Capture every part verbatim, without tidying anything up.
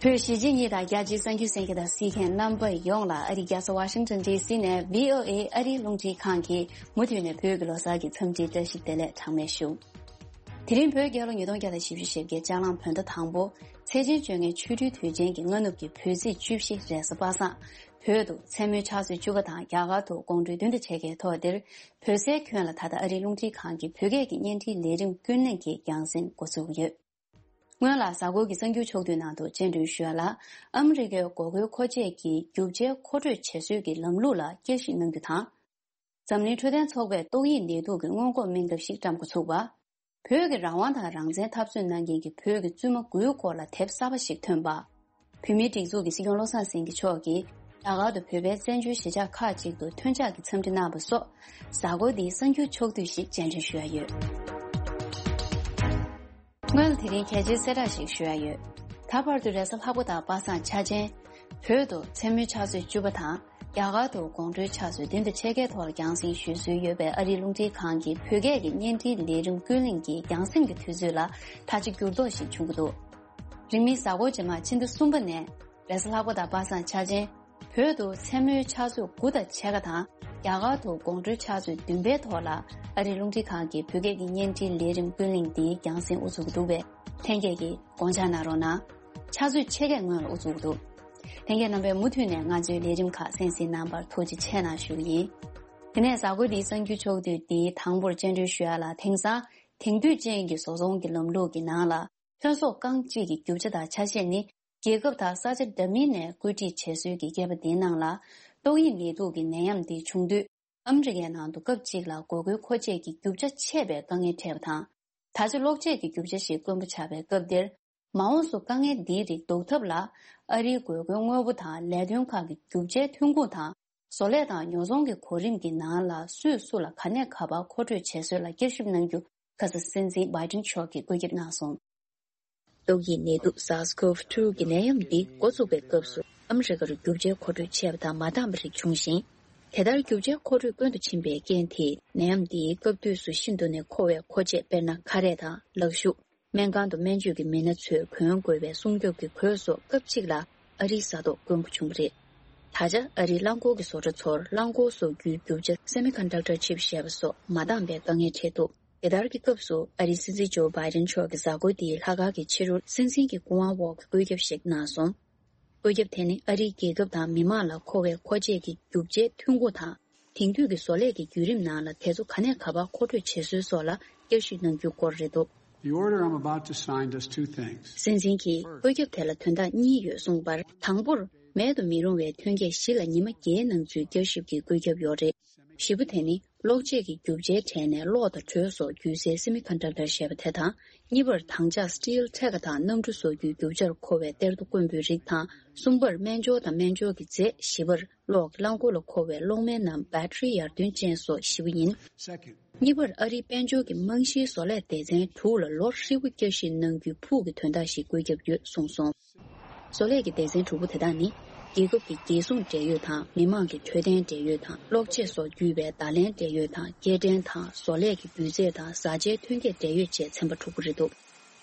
བོད་གཞིས་བྱེས་གཉིས་དང་རྒྱ་ཆེའི་གསར་འགྱུར་གསན་མཁན་དང་གཟིགས་མཁན་རྣམ་པ་ཡོངས་ལ་ཨ་རིའི་རྒྱལ་ས་ཝ་ཤིང་ཊོན་ཌི་སི་ནས་བྷི་ཨོ་ཨེ་ཨ་རིའི་རླུང་འཕྲིན་ཁང་གི་མུ་མཐུད་ནས་བོད་ཀྱི་ལོ་གསར་གྱི་འཚམས་འདྲིའི་བཀྲ་ཤིས་བདེ་ལེགས་གྲངས་མེད་ཞུ། དེ་རིང་བོད་རྒྱལ་ལོ་ཉིས་སྟོང་བརྒྱ་དང་བཞི་བཅུ་ཞེ་བརྒྱད་ལྕགས་གླང་བོད་ཟླ་དང་པོ་ཚེས་ཆེན་བཅོ་ལྔའི་ཆོ་འཕྲུལ་དུས་ཆེན་གྱི་སྔ་ནུབ་ཀྱི་བོད་ཚེས་བཅུ་བཞི་རེས་གཟའ་པ་སངས། བོད་དུ་མཚན་མོའི་ཕྱག་ཚོད་བཅུ་པ་དང་རྒྱ་གར་དུ་དགོང་དྲོའི་བདུན་དང་ཕྱེད་ཀའི་ཐོག་འདིར་བོད་སའི་ཁྱོན་ལ་ད་ལྟ་ཨ་རིའི་རླུང་འཕྲིན་ཁང་གི་བོད་སྐད་ཀྱི་བརྙན་འཕྲིན་ལས་རིམ་ཀུན་གླེང་གི་རྒྱང་སྲིང་འགོ་ཚུགས་ཡོད། སྔོན་ལ་གཟའ་འཁོར་གྱི་གསར་འགྱུར་ཕྱོགས་བསྡུས་ནང་དུ་སྤྱན་འདྲེན་ཞུ་ཡ་ལ། ཨ་མི་རི་ཀའི་འགོག་རྒོལ་མཁོ་ཆས་ཀྱི་རྒྱུ་ཆའི་མཁོ་སྤྲོད་བྱེད་སྲོལ་གྱི་ལམ་ལུགས་ལ་བསྐྱར་ཞིབ་གནང་རྒྱུ་དང་། འཛམ་གླིང་འཕྲོད་བསྟེན་ཚོགས་པས་ཏོག་དབྱིབས་ནད་དུག་གི་སྔོན་འགོག་སྨན་ཁབ་ཞིག་བཀྲམ་འགོ་ཚུགས་པ། བོད་ཀྱི་རང་དབང་དང་རང་བཙན་འཐབ་རྩོད་གནང་མཁན་གྱི་བོད་ཀྱི་བཙུན་མ་དགུའི་སྐོར་ལ་དེབ་གསར་པ་ཞིག་ཐོན་པ། བོད་མིའི་སྒྲིག་འཛུགས་ཀྱི་སྲིད་སྐྱོང་བློ་བཟང་སེང་གེ་མཆོག་གིས་རྒྱ་གར་དུ་བོད་པའི་བཙན་བྱོལ་གཞིས་ཆགས་ཁག་ཅིག་ཏུ་ཐོན་འཆར་གྱི་འཚམས་འདྲི་གནང་བ་སོགས། གཟའ་འཁོར་འདིའི་གསར་འགྱུར་ཕྱོགས་བསྡུས་ཤིག་སྤྱན་འདྲེན་ཞུ་ཡ་ཡོད། སྔོན་ལ་དེ་རིང་གལ་ཆེའི་གསལ་བསྒྲགས་ཤིག་ཞུ་ཡ་ཡོད། ད་བར་དུ་རེས་གཟའ་ལྷག་པ་དང་པ་སངས་འཆར་ཅན། བོད་དུ་མཚན་མོའི་ཕྱག་ཚོད་བཅུ་པ་དང་། རྒྱ་གར་དུ་དགོང་དྲོའི་ཕྱག་ཚོད་བདུན་དང་ཕྱེད་ཀའི་ཐོག་ལ་རྒྱང་སྲིང་ཞུ་སྲོལ་ཡོད་པའི་ཨ་རིའི་རླུང་འཕྲིན་ཁང་གི་བོད་སྐད་ཀྱི་བརྙན་འཕྲིན་ལས་རིམ་ཀུན་གླེང་གི་རྒྱང་སྲིང་གི་དུས་ཚོད་ལ་ད་ཆ་འགྱུར་ལྡོག་ཞིག་བྱུང་གི་འདུག་རིང་མིན་གཟའ་འཁོར་རྗེས་མ་ཕྱི་ཟླ་གསུམ་པ་ནས་རེས་གཟའ་ལྷག་པ་དང་པ་སངས་འཆར་ཅན། བོད་དུ་མཚན་མོའི་ཕྱག་ཚོད་དགུ་དང་ཕྱེད་ཀ་དང་། རྒྱ་གར་དུ་དགོང་དྲོའི་ཕྱག་ཚོད་བདུན་པའི་ཐོག་ལ་ཨ་རིའི་རླུང་འཕྲིན་ཁང་གི་བོད་སྐད་ཀྱི་བརྙན་འཕྲིན་ལས་རིམ་ཀུན་གླེང་འདིའི་རྒྱང་སྲིང་དབུ་ཚུགས་ཀྱི་འདུག་པས། ལྷན་རྒྱས་ཀྱིས་དགོངས་འཇགས་གནང་རོགས་གནང་། ཕྱག་ཚོད་ཕྱེད་ཀའི་སྔོན་ལ་དབུ་ཚུགས་ཀྱི་འདུག་ལྷན་རྒྱས་རྣམ་པས་མུ་མཐུད་ནས་ང་ཚོའི་ལས་རིམ་ཁག་གསན་གཟིགས་གནང་བར་ཐུགས་རྗེ་ཆེ་གནང་ཞུ་གི་ཡིན། དེ་ནས་གཟའ་འཁོར་འདིའི་གསར་འགྱུར་ཕྱོགས་བསྡུས་འདིའི་དང་པོར་སྤྱན་འདྲེན་ཞུ་ཡ་ལ། དེང་སང་དེང་དུས་ཅན་གྱི་བཟོ་ཚོང་གི་ལམ་ལུགས་ཀྱི་ནང་ལ། ཐོན་ཟོག་རྐང་གཅིག་གི་རྒྱུ་ཆ་དང་ཆ་ཤས་ནི། རྒྱལ་ཁབ་དང་ས་ཆ་འདྲ་མིན་ནས་བཀོད་སྒྲིག་བྱེད་སྲོལ་གྱི་རྒྱས་པ་འདིའི་ནང་ལ། ཏོག་དབྱིབས་ནད་དུག་གི་ནད་ཡམས་འདི་བྱུང་དུས། ཨ་མི་རི་ཀའི་ནང་དུ་སྐབས་གཅིག་ལ་འགོག་རྒོལ་མཁོ་ཆས་ཀྱི་རྒྱུ་ཆ་ཆད་པའི་དཀའ་ངལ་འཕྲད་པ་དང་། ད་ཆ་གློག་ཆས་ཀྱི་རྒྱུ་ཆ་ཞིག་དཀོན་པོ་ཆགས་པའི་སྐབས་འདིར། མ་འོངས་སུ་དཀའ་ངལ་འདིའི་རིགས་ཟློག་ཐབས་ལ། ཨ་རིའི་དགོས་མཁོའི་དངོས་པོ་དང་ལས་དོན་ཁག་གི་རྒྱུ་ཆའི་ཐོན་ཁུངས་དང་། བཟོ་ལས་དང་ཉོ་ཚོང་གི་གོ་རིམ་གྱི་ནང་ལ་སུས་སུ་ལ་ག་ནས་ག་བར་མཁོ་སྤྲོད་བྱེད་སྲོལ་ལ་བསྐྱར་ཞིབ་གནང་རྒྱུ། ཁ་སང་སྲིད་འཛིན་བྷའི་ཏིན་མཆོག་གིས་བཀོད་ཁྱབ་གནང་སོང་། ཏོག་དབྱིབས་ནད་དུག་SARS-CoV two གི་ནད་ཡམས་འདི་འགོ་བཙུགས་པའི་སྐབས་སུ་ཨ་མི་རི་ཀར་རྒྱུ་ཆའི་མཁོ་སྤྲོད་ཆད་པ་དང་མ་འདང་བའི་རིགས་བྱུང་ཞིང་། དེ་ལྟར་རྒྱུ་ཆའི་མཁོ་སྤྲོད་དཀོན་དུ་ཕྱིན་པའི་རྐྱེན་དེས་ནད་ཡམས་འདིའི་སྐབས་དུས་སུ་ཤིན་ཏུ་ནས་མཁོ་བའི་མཁོ་ཆས། དཔེར་ན་ཁ་རས་དང་ལག་ཤུབས། སྨན་ཁང་དུ་སྨན་བཅོས་ཀྱི་མི་སྣ་ཚོས་གོན་དགོས་པའི་སྲུང་སྐྱོབ་ཀྱི་གོས་སོགས་སྐབས་གཅིག་ལ་ཨ་རིའི་ས་ཐོག་དཀོན་པོ་བྱུང་བ་རེད། ད་ཆ་ཨ་རིའི་རླངས་འཁོར་གྱི་བཟོ་གྲྭ་ཚོར་རླངས་འཁོར་བཟོ་རྒྱུའི་རྒྱུ་ཆ་semiconductor chip ཞེས་པ་སོགས་མ་འདང་པའི་དཀའ་ངལ་འཕྲད་འདུག་དེ་ལྟར་གྱི་སྐབས་སུ་ཨ་རིའི་སྲིད་འཛིན་ཇོ་བྷའི་ཏིན་མཆོག་གིས་གཟའ་འཁོར་འདིའི་ལྷག་དཀར་གྱི་ཕྱི་རུ་སྲིད་འཛིན་གྱི་སྐུ་དབང་འོག་གི་བཀོད་ཁྱབ་ཞིག་གནང་སོང་། བཀོད་ཁྱབ་དེ་ནི་ཨ་རིའི་རྒྱལ་ཁབ་དང་མི་དམངས་ལ་མཁོ་བའི་མཁོ་ཆས་ཀྱི་རྒྱུ་ཆའི་ཐོན་ཁུངས་དང་། དེང་དུས་ཀྱི་བཟོ་ལས་ཀྱི་བརྒྱུད་རིམ་ནང་ལ་དེ་ཚོ་ག་ནས་ག་བར་མཁོ་སྤྲོད་བྱེད་སྲོལ་སོགས་ལ་བསྐྱར་ཞིབ་གནང་རྒྱུའི་སྐོར་རེད་འདུག The order I'm about to sign does two things. སྲིད་འཛིན་གྱིས་བཀོད་ཁྱབ་དེ་ལ་དོན་དག་གཉིས་ཡོད་གསུངས་པར། དང་པོར། མེད་དུ་མི་རུང་བའི་ཐོན་སྐྱེད་བཞི་ལ་ཉི་མ་བརྒྱད་ནང་ཚུད་བསྐྱར་ཞིབ་ཀྱི་བཀོད་ཁྱབ་ཡོད་རེད། བཞི་པ་དེ་ནི་གློག་ཆས་ཀྱི་རྒྱུ་ཆའི་གྲས་ནས་གློག་དང་དྲོད་སོགས་བརྒྱུད་སའི་semiconductor ཞེས་པ་དེ་དང་། གཉིས་པར། དྭངས་ལྕགས་steel ཐད་ཀ་དང་གནམ་གྲུ་བཟོ་རྒྱུའི་རྒྱུ་ཆར་མཁོ་བའི་གཏེར་རྡོ་དཀོན་པོའི་རིགས་དང་། གསུམ་པར། སྨན་སྦྱོར་དང་སྨན་སྦྱོར་གྱི་རྫས། བཞི་པར། གློག་གི་རླངས་འཁོར་ལ་མཁོ་བའི་གློག་སྨན་ནམ་battery ཡར་ཐོན་ཅན་སོགས་བཞི་པོ་ཡིན། གཉིས་པར། ཨ་རིའི་དཔལ་འབྱོར་གྱི་རྨང་གཞིའི་བཟོ་ལས་སྡེ་ཚན་དྲུག་ལ་ལོ་ཧྲིལ་པོ་བསྐྱར་ཞིབ་གནང་རྒྱུའི་ཕུགས་ཀྱི་དོན་དག་ཞིག་བཀོད་ཁྱབ་ཡོད་གསུངས་སོང་། བཟོ་ལས་ཀྱི་སྡེ་ཚན་དྲུག་པོ་དེ་དག་ནི། རྒྱལ་ཁབ་ཀྱི་རྒྱལ་སྲུང་འབྲེལ་ཡོད་དང་མི་དམངས་ཀྱི་འཕྲོད་བསྟེན་འབྲེལ་ཡོད་དང་གློག་ཆས་སོགས་བརྒྱུད་པའི་བརྡ་ལན་འབྲེལ་ཡོད་དང་སྐྱེལ་འདྲེན་དང་བཟོ་ལས་ཀྱི་སྒྱུ་རྩལ་དང་བཟའ་བཅའི་ཐོན་སྐྱེད་འབྲེལ་ཡོད་བཅས་ཚན་པ་དྲུག་པོ་རེད་འདུག་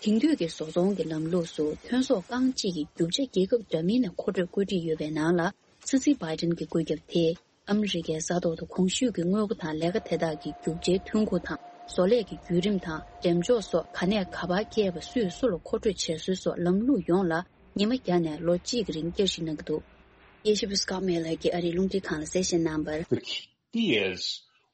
དེང་དུས་ཀྱི་བཟོ་ཚོང་གི་ལམ་ལུགས་སུ་ཐོན་ཟོག་རྐང་གཅིག་གི་རྒྱུ་ཆ་རྒྱལ་ཁབ་འདྲ་མིན་ནས་མཁོ་སྤྲོད་བཀོད་སྒྲིག་ཡོད་པའི་ནང་ལ། སྲིད་འཛིན་བྷའི་ཏིན་གྱི་བཀོད་ཁྱབ་དེས་ཨ་མི་རི་ཀའི་ས་ཐོག་ཏུ་གོང་ཞུས་ཀྱི་དངོས་པོ་དང་ལས་ཀ་དེ་དག་གི་རྒྱུ་ཆའི་ཐོན་ཁུངས་དང་བཟོ་ལས་ཀྱི་བརྒྱུད་རིམ་དང་འགྲེམས་འཇོག་སོགས་ག་ནས་ག་བར་སྐྱེལ་བ། སུས་སུ་ལ་མཁོ་སྤྲོད་བྱེད་སྲོལ་སོགས་ལམ་ལུགས་ཡོངས་ལ་ཉི་མ་བརྒྱ་ནས་ལོ་གཅིག་གི་རིང་བསྐྱར་ཞིབ་གནང་གི་འདུག་དབྱེ་ཞིབ་པ་Scott Miller གྱིས་ཨ་རིའི་རླུང་འཕྲིན་ཁང་ལ་གསལ་བཤད་གནང་བར། The key is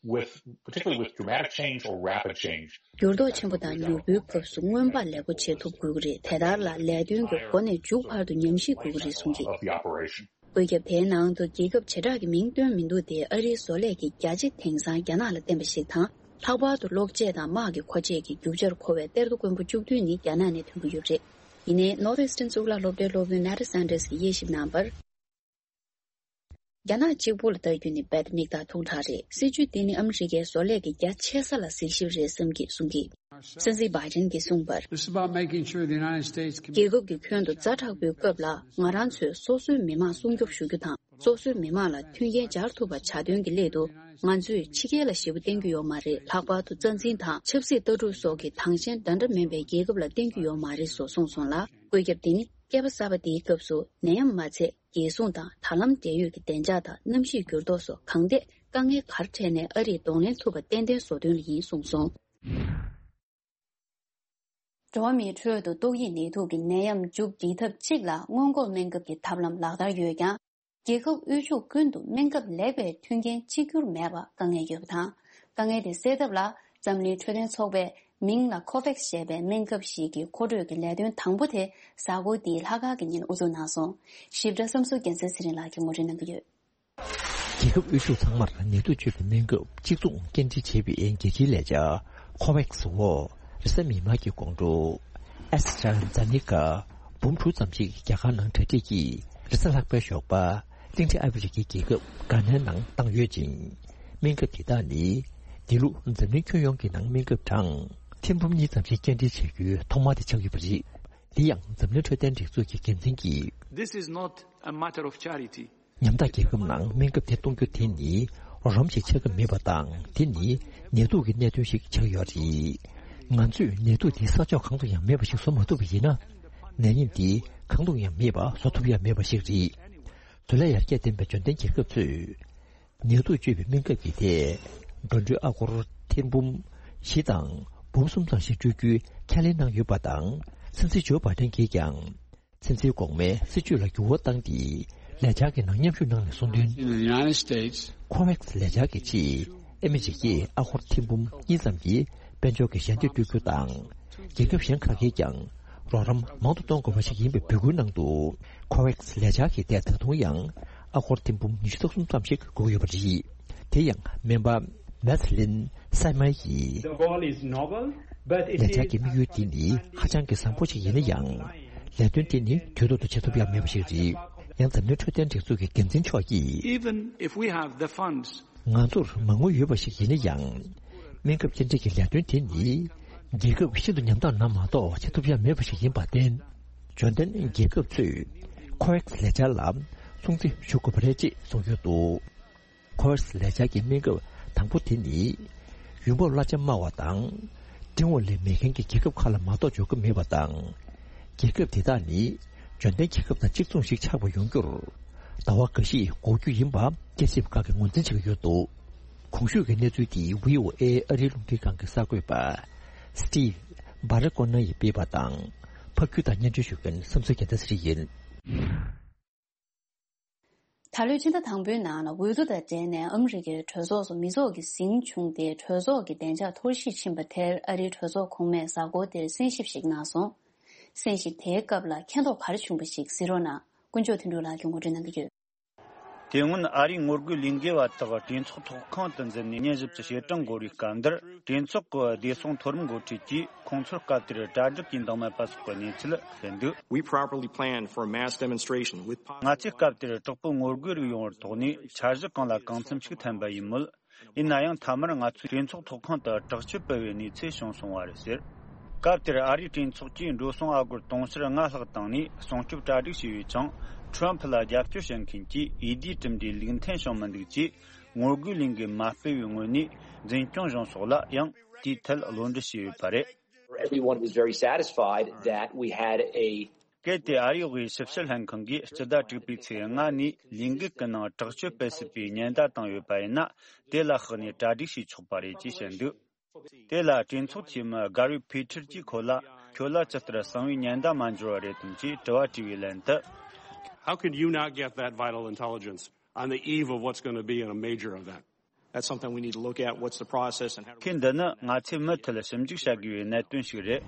with, particularly with dramatic change or rapid change. འགྱུར་ལྡོག་ཆེན་པོ་དང་མྱུར་པོའི་སྐབས་སུ་མངོན་པ་ལེགས་པོ་བྱེད་ཐུབ་དགོས་ཀྱི་རེད། དེ་ལྟར་ལ་ལས་དོན་གྱི་འགོ་ནས་མཇུག་བར་དུ་ཉམས་ཞིབ་དགོས་ཀྱི་རེད་གསུངས་ཀྱིས། Of the operation. བཀོད་ཁྱབ་དེའི་ནང་དུ་རྒྱལ་ཁབ་བྱེ་བྲག་གི་མིང་བཏོན་མི་འདུག་སྟེ་ཨ་རིའི་བཟོ་ལས་ཀྱི་བརྒྱ་ཆ་དེང་སང་རྒྱ་ནག་ལ་བརྟེན་པ་ཞིག་དང་། ལྷག་པར་དུ་གློག་ཆས་དང་དམག་གི་མཁོ་ཆས་ཀྱི་རྒྱུ་ཆར་མཁོ་བའི་གཏེར་རྡོ་དཀོན་པོ་བཅུ་བདུན་ནི་རྒྱ་ནག་ནས་ཐོན་གྱི་ཡོད་པ་རེད། ཡིན་ནའི་Northeastern་གཙུག་ལག་སློབ་གྲྭའི་སློབ་དཔོན་Nada Sanders་གྱིས་དབྱེ་ཞིབ་གནང་བར། རྒྱ་ནག་གཅིག་པུ་ལ་ལྟ་རྒྱུ་ནི་རྦད་དེ་མིག་ལྟ་ཐུང་དྲགས་རེད། སྲིད་ཇུས་འདི་ནི་ཨ་མི་རི་ཀའི་བཟོ་ལས་ཀྱི་རྒྱ་ཆེ་ས་ལ་གཟིགས་ཞིབ་རེད་བསམ་གྱིས་གསུང་གིས། སྲིད་འཛིན་བྷའི་ཏིན་གྱིས་གསུངས་པར། This is about making sure the United States can རྒྱལ་ཁབ་ཀྱི་ཁྱོན་དུ་ཛ་དྲག་པོའི་སྐབས་ལ་ང་རང་ཚོས་སོ་སོའི་མི་དམངས་སྲུང་སྐྱོབ་ཞུ་རྒྱུ་དང་། སོ་སོའི་མི་དམངས་ལ་མཐུན་རྐྱེན་སྦྱར་ཐུབ་པ་བྱ་དོན་གྱི་སླད་དུ། ང་ཚོས་ཕྱི་རྒྱལ་ལ་ཞེ་པོ་བརྟེན་རྒྱུ་ཡོད་མ་རེད། ལྷག་པར་དུ་རྩ་འཛིན་དང་ཆབ་སྲིད་ལྟ་གྲུབ་སོགས་ཀྱི་དྭངས་ཤེལ་འདྲ་འདྲ་མིན་པའི་རྒྱལ་ཁབ་ལ་བརྟེན་རྒྱུ་ཡོད་མ་རེད་སོགས་གསུངས་སོང་ལ། བཀོད་ཁྱབ་འདི་ནི་ བསྐལ་པ་གསར་པ་འདིའི་སྐབས་སུ་ནད་ཡམས་མ་ཚད་རྒྱལ་སྲུང་དང་དྲ་ལམ་འབྲེལ་ཡོད་ཀྱི་བདེ་འཇགས་དང་གནམ་གཤིས་འགྱུར་ལྡོག་སོགས་གང་ཐད་དཀའ་ངལ་ག་རེ་འཕྲད་ནའི་ཨ་རིས་གདོང་ལེན་ཐུབ་པ་ཏན་ཏན་བཟོ་འདུན་ལ་ཡིན་གསུངས་སོང་། འགྲོ་བ་མིའི་ཁྲོད་དུ་ཏོག་དབྱིབས་ནད་དུག་གི་ནད་ཡམས་མཇུག་སྒྲིལ་ཐབས་གཅིག་ལ་སྔོན་འགོག་སྨན་ཁབ་ཀྱི་ཐབས་ལམ་ལག་བསྟར་ཡོད་ཀྱང་། རྒྱལ་ཁབ་དབུལ་ཕྱུག་ཀུན་ཏུ་སྨན་ཁབ་ལེགས་པའི་མཐུན་རྐྱེན་གཅིག་གྱུར་མེད་པ་དཀའ་ངལ་ཡོད་པ་དང་། དཀའ་ངལ་དེ་སེལ་ཐབས་ལ་འཛམ་གླིང་འཕྲོད་བསྟེན་ཚོགས་པས་མིང་ལ་ཁོ་ཝེག་སི་ཞེས་པའི་སྨན་ཁབ་ཞིག་གི་མཁོ་སྤྲོད་ཀྱི་ལས་དོན་དང་པོ་དེ་གཟའ་འཁོར་འདིའི་ལྷག་དཀར་གྱི་ཉིན་དབུ་འཛུགས་གནང་སོང་། ཞིབ་ཕྲ་བསམ་ཚུལ་རྒྱལ་མཚན་ཚེ་རིང་ལགས་ཀྱིས་ངོ་སྤྲོད་གནང་གི་ཡོད། རྒྱལ་ཁབ་དབུལ་ཕྱུག་ཚང་མར་ནད་དུག་བཅོས་པའི་སྨན་ཁབ་གཅིག་མཚུངས་སྐྱེལ་འདྲེན་བྱེད་པའི་རྒྱལ་སྤྱིའི་ལས་འཆར་ཁོ་ཝེག་སི་འོག་རེས་གཟའ་མིག་དམར་གྱི་དགོང་དྲོ། ཨེ་སི་ཊྲ་ཛ་ནེ་ཀ་འབུམ་དྲུག་ཙམ་ཞིག་རྒྱ་གར་ནང་གྲ་སྒྲིག་གིས་རེས་གཟའ་ལྷག་པའི་ཞོགས་པ་གླིང་ཕྲན་ཨ་ཧྥེ་རི་ཁའི་རྒྱལ་ཁབ་གྷ་ནའི་ནང་བཏང་ཡོད་ཅིང་། སྨན་ཁབ་དེ་དག་ནི་འདི་ལོ་འཛམ་གླིང་ཁྱོན་ཡོངས་ཀྱི་ནང་སྨན་ཁབ་གྲངས་ཐེར་འབུམ་གཉིས་ཙམ་ཞིག་སྐྱེལ་འདྲེན་བྱ་རྒྱུའི་ཐོག་མ་དེ་ཆགས་ཡོད་པ་རེད། འདི་ཡང་འཛམ་གླིང་འཕྲོད་བསྟེན་སྒྲིག་འཛུགས་ཀྱི་འགན་འཛིན་གྱིས། This is not a matter of charity. ཉམ་ཐག་རྒྱལ་ཁབ་ནང་སྨན་ཁབ་དེ་གཏོང་རྒྱུ་དེ་ནི་རོགས་རམ་ཞིག་ཆགས་ཀྱི་མེད་པ་དང་། དེ་ནི་ནད་དུག་གི་གནད་དོན་ཞིག་ཆགས་ཡོད་རེད། ང་ཚོས་ནད་དུག་འདི་ས་ཕྱོགས་གང་དུ་ཡང་མེད་པ་ཞིག་བཟོ་མ་ཐུབ་པ་ཡིན་ན། ནད་ཡམས་འདི་གང་དུ་ཡང་མེད་པ་བཟོ་ཐུབ་ཡ་མེད་པ་ཞིག་རེད། བཟོ་ལས་ཡར་རྒྱས་ལྡན་པའི་འབྱོར་ལྡན་རྒྱལ་ཁབ་ཚོས་ནད་དུག་བཅོས་པའི་སྨན་ཁབ་ཀྱི་ཐད་འགྲོ་གྲོན་ཨ་སྒོར་ཐེར་འབུམ་བཞི་དང་འབུམ་གསུམ་ཙམ་ཞིག་སྤྲོད་རྒྱུའི་ཁས་ལེན་གནང་ཡོད་པ་དང་། སྲིད་འཛིན་ཇོ་བྷའི་ཌེན་གྱིས་ཀྱང་ཚན་རྩལ་གོང་མའི་སྲིད་ཇུས་ལ་འགྱུར་བ་བཏང་སྟེ། ལས་འཆར་གྱི་ནང་མཉམ་ཞུགས་གནང་ནས་གསུངས་དོན། In the United States, ཁོ་ཝེག་སི་ལས་འཆར་གྱི་ཆེད་ཨ་མི་རི་ཀས་ཨ་སྒོར་ཐེར་འབུམ་གཉིས་ཙམ་གྱི་དཔལ་འབྱོར་གྱི་ཞལ་འདེབས་སྤྲོད་རྒྱུ་དང་། རྒྱལ་ཁབ་གཞན་ཁག་གིས་ཀྱང་རོགས་རམ་མང་དུ་གཏོང་དགོས་པ་ཞིག་ཡིན་པའི་འབོད་སྐུལ་གནང་འདུག་ཁོ་ཝེག་སི་ལས་འཆར་གྱི་ཐད་ད་དུང་ཡང་ཨ་སྒོར་ཐེར་འབུམ་ཉི་ཤུ་རྩ་གསུམ་ཙམ་ཞིག་དགོས་ཡོད་པ་རེད། དེ་ཡང་སྨན་པ་མེ་ཐི་ལིན་སའེ་མའེ་ཡིས། The goal is noble, but it is ལས་འཆར་གྱི་དམིགས་ཡུལ་འདི་ནི་ཧ་ཅང་གི་བཟང་པོ་ཞིག་ཡིན་ན་ཡང་། ལས་དོན་དེ་ནི་དུས་ཐོག་ཏུ་བྱེད་ཐུབ་ཡ་མེད་པ་ཞིག་རེད། ཡང་འཛམ་གླིང་འཕྲོད་བསྟེན་སྒྲིག་འཛུགས་ཀྱི་འགན་འཛིན་མཆོག་གིས། Even if we have the funds, ང་ཚོར་མ་དངུལ་ཡོད་པ་ཞིག་ཡིན་ན་ཡང་། སྨན་ཁབ་སྐྱེལ་འདྲེན་གྱི་ལས་དོན་དེ་ནི། རྒྱལ་ཁབ་ཤིན་ཏུ་ཉམ་ཐག་རྣམས་མ་གཏོགས་བྱེད་ཐུབ་ཡ་མེད་པ་ཞིག་ཡིན་པར་བརྟེན། འབྱོར་ལྡན་རྒྱལ་ཁབ་ཚོས་ཁོ་ཝེག་སི་ལས་འཆར་ལ་སྲུང་བརྩི་ཞུ་དགོས་པ་རེད་ཅེས་གསུངས་ཡོད་འདུག་ཁོ་ཝེག་སི་ལས་འཆར་གྱི་སྨན་ཁབ་དང་པོ་དེ་ནི། ཡུལ་འབབ་གླ་ཆ་དམའ་བ་དང་། འགྲིམ་འོང་ལས་མེད་མཁན་གྱི་རྒྱལ་ཁབ་ཁག་ལ་མ་གཏོགས་འབྱོར་གྱི་མེད་པ་དང་། རྒྱལ་ཁབ་དེ་དག་ནི་འབྱོར་ལྡན་རྒྱལ་ཁབ་དང་གཅིག་མཚུངས་ཤིག་ཆགས་པ་ཡོང་རྒྱུར་ཟླ་བ་འགའ་ཤས་འགོར་རྒྱུ་ཡིན་པ་དཔྱད་ཞིབ་ཁག་གིས་ངོས་འཛིན་བྱེད་ཀྱི་ཡོད་འདུག་གོང་ཞུས་ཀྱི་གནས་ཚུལ་དེ་བྷི་ཨོ་ཨེ་ཨ་རིའི་རླུང་འཕྲིན་ཁང་གི་གསར་འགོད་པ་སི་ཊིབ་བྷ་ར་ཀོ་ནར་ཡིས་སྤེལ་བ་དང་། ཕབ་སྒྱུར་དང་སྙན་སྒྲོན་ཞུ་མཁན་བསམ་ཚུལ་རྒྱལ་མཚན་ཚེ་རིང་ཡིན། ད་ལོའི་ཕྱི་ཟླ་དང་པོའི་ནང་ལ་འོས་བསྡུ་དང་འབྲེལ་ནས་ཨ་མི་རི་ཀའི་གྲོས་ཚོགས་སུ་མི་ཚོགས་ཀྱི་ཟིང་བྱུང་སྟེ། གྲོས་ཚོགས་ཀྱི་བདེ་འཇགས་འཐོར་ཞིག་ཕྱིན་པ་དེར་ཨ་རིའི་གྲོས་ཚོགས་གོང་མས་གཟའ་འཁོར་དེར་གསན་ཞིབ་ཞིག་གནང་སོང་། གསན་ཞིབ་དེའི་སྐབས་ལ་མཁྱེན་རྟོགས་ག་རེ་བྱུང་བ་ཞིག་གཟིགས་རོགས་གནང་། དཀོན་མཆོག་དོན་གྲུབ་ལགས་ཀྱིས་ངོ་སྤྲོད་གནང་གི་ཡོད། དེ་སྔོན་ཨ་རིའི་ངོ་རྒོལ་ལས་འགུལ་བ་དག་གྲོས་ཚོགས་ཚོགས་ཁང་དུ་འཛུལ་ནས་ཉིན་བཞི་བཅུ་བྱེད་གྲངས་འགོར་བའི་སྐབས་འདིར། གྲོས་ཚོགས་ཀྱི་བདེ་སྲུང་མཐོ་རིམ་འགོ་ཁྲིད་ཀྱིས་ཁོང་ཚོར་སྐབས་དེར་གྲ་སྒྲིག་གིས་འདང་མེད་པ་སོགས་ཀྱི་གནས་ཚུལ་བཤད་འདུག We properly planned for a mass demonstration with ང་ཚོས་སྐབས་དེར་དྲག་པོའི་ངོ་རྒོལ་རིགས་ཡོང་བར་དོགས་ནས། འཆར་གཞི་གང་ལ་གང་འཚམ་ཞིག་འཐེན་པ་ཡིན་མོད། ཡིན་ན་ཡང་མཐའ་མར་ང་ཚོའི་གྲོས་ཚོགས་ཚོགས་ཁང་དུ་དྲག་སྤྱོད་སྤེལ་བའི་གནས་ཚུལ་བྱུང་སོང་བ་རེད་ཟེར། སྐབས་དེར་ཨ་རིའི་གྲོས་ཚོགས་ཀྱིས་འགྲོ་སོང་ཨ་སྒོར་དུང་ཕྱུར་ལྔ་ལྷག་བཏང་ནས་སྲུང་སྐྱོབ་གྲ་སྒྲིག་བྱས་ཡོད་ཅིང་། ཁྲོམ་ཕུ་ལ་རྒྱབ་སྐྱོར་བྱེད་མཁན་གྱིས་འོས་བསྡུའི་གྲུབ་འབྲས་ལུགས་མཐུན་བྱུང་མི་འདུག་ཅེས། ངོ་རྒོལ་ལས་འགུལ་མ་སྤེལ་བའི་ངོས་ནས་འཛིན་སྐྱོང་གཞུང་སོགས་ལ་ཡང་དེའི་ཐད་བློ་འདྲི་བྱས་ཡོད་པ་རེད། Everyone was very satisfied that we had a གལ་ཏེ་ཨ་རིའི་དབུས་ཞིབ་བཤེར་ལྷན་ཁང་གིས་སྤྱི་ཟླ་དྲུག་པའི་ཚེས་ལྔ་ནས་ལས་འགུལ་གྱི་ནང་དྲག་སྤྱོད་སྤེལ་སྲིད་པའི་ཉེན་བརྡ་བཏང་ཡོད་པ་ཡིན་ན། དེ་ལ་དཔགས་ནས་གྲ་སྒྲིག་བྱས་ཆོག་པ་རེད་ཅེས་བཤད་འདུག་དེ་ལ་གྲོས་ཚོགས་འཐུས་མི་གྷ་རི་ཕི་ཐར་གྱིས་ཁོ་ལ། ཁྱོད་ལ་ཇི་ལྟར་གསང་བའི་ཉེན་བརྡ་མ་འབྱོར་བ་རེད་དམ་ཅེས་དྲི་བ་དྲིས་པའི་ལན་དུ། How could you not get that vital intelligence on the eve of what's going to be in a major event? That's something we need to look at. What's the process and how do we ཁོས་འདི་ནི་ང་ཚོས་མུ་མཐུད་ཞིབ་འཇུག་བྱ་དགོས་པའི་གནད་དོན་ཞིག་རེད།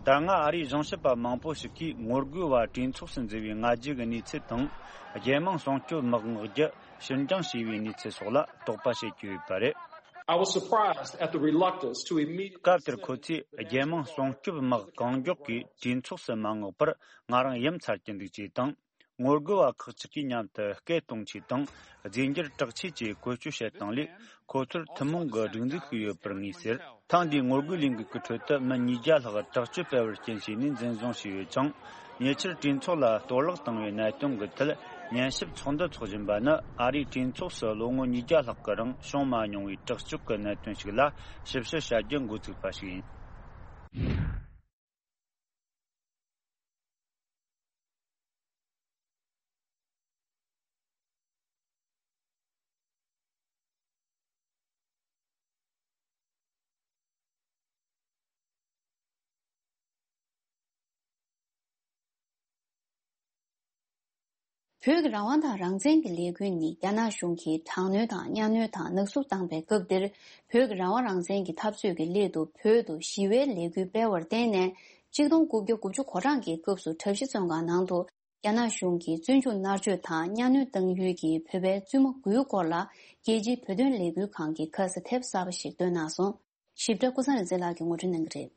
ད་སྔ་ཨ་རིའི་གཞུང་ཞབས་པ་མང་པོ་ཞིག་གིས་ངོ་རྒོལ་བ་གྲོས་ཚོགས་སུ་འཛུལ་བའི་སྔ་རྗེས་ཀྱི་གནས་ཚུལ་དང་། རྒྱལ་དམངས་སྲུང་སྐྱོབ་དམག་མངགས་རྒྱུ་ཕྱིར་འགྱངས་བྱས་པའི་གནས་ཚུལ་སོགས་ལ་དོགས་པ་བྱེད་ཀྱི་ཡོད་པ་རེད། I was surprised at the reluctance to immediately སྐབས་དེར་ཁོ་ཚོས་རྒྱལ་དམངས་སྲུང་སྐྱོབ་དམག་གང་མགྱོགས་ཀྱིས་གྲོས་ཚོགས་སུ་མ་མངགས་པར་ང་རང་ཡ་མཚར་གྱི་འདུག་ཅེས་དང་། ངོ་རྒོལ་བ་ཁག་ཅིག་གིས་མཉམ་དུ་སྐད་གཏོང་ཆེད་དང་རྫས་འགྱུར་དྲག་ཆས་ཀྱི་བཀོལ་སྤྱོད་བྱེད་སྟངས་ལས། ཁོ་ཚོར་ཐུན་མོང་གི་སྒྲིག་འཛུགས་ཤིག་ཡོད་པར་ངེས་ཟེར། ཐེངས་འདིའི་ངོ་རྒོལ་ལས་འགུལ་གྱི་ཁྲོད་དུ་མི་ཉིས་བརྒྱ་ལྷག་དྲག་སྤྱོད་སྤེལ་བར་རྐྱེན་བྱས་ནས་འཛིན་བཟུང་བྱས་ཡོད་ཅིང་། ཉེ་ཆར་གྲོས་ཚོགས་ལ་གཏོར་བརླག་བཏང་བའི་གནད་དོན་གྱི་ཐད་ཉན་ཞིབ་ཚོགས་འདུ་འཚོགས་བཞིན་པ་ནི། ཨ་རིའི་གྲོས་ཚོགས་སུ་ལོ་ངོ་ཉིས་བརྒྱ་ལྷག་གི་རིང་བྱུང་མ་མྱོང་བའི་དྲག་སྤྱོད་ཀྱི་གནད་དོན་ཞིག་ལ་ཞིབ་བཤེར་བྱ་རྒྱུ་འགོ་ཚུགས་པ་ཞིག་ཡིན། བོད་ཀྱི་རང་དབང་དང་རང་བཙན་གྱི་ལས་འགུལ་ནི་རྒྱ་ནག་གཞུང་གིས་དྲག་གནོན་དང་གཉའ་གནོན་དང་ནག་བསུབ་བཏང་པའི་སྐབས་འདིར། བོད་ཀྱི་རང་དབང་རང་བཙན་གྱི་འཐབ་རྩོད་ཀྱི་སླད་དུ་བོད་དུ་ཞི་བའི་ལས་འགུལ་སྤེལ་བར་བརྟེན་ནས། ཆིག་སྟོང་དགུ་བརྒྱ་དགུ་བཅུ་གོ་གྲངས་ཀྱི་སྐབས་སུ་གྲྭ་བཞི་བཙོན་ཁང་ནང་དུ་རྒྱ་ནག་གཞུང་གིས་བཙོན་འཇུག་མནར་གཅོད་དང་གཉའ་གནོན་བཏང་ཡུལ་གྱི་བོད་པའི་བཙུན་མ་དགུའི་སྐོར་ལ། རྒྱལ་སྤྱིའི་བོད་དོན་ལས་འགུལ་ཁང་གིས་ཁ་ས་དེབ་གསར་པ་ཞིག་བཏོན་གནང་སོང་། ཞིབ་ཕྲ་ཀུན་བཟང་རིག་འཛིན་ལགས་ཀྱིས་ངོ་སྤྲོད་གནང་གི་རེད།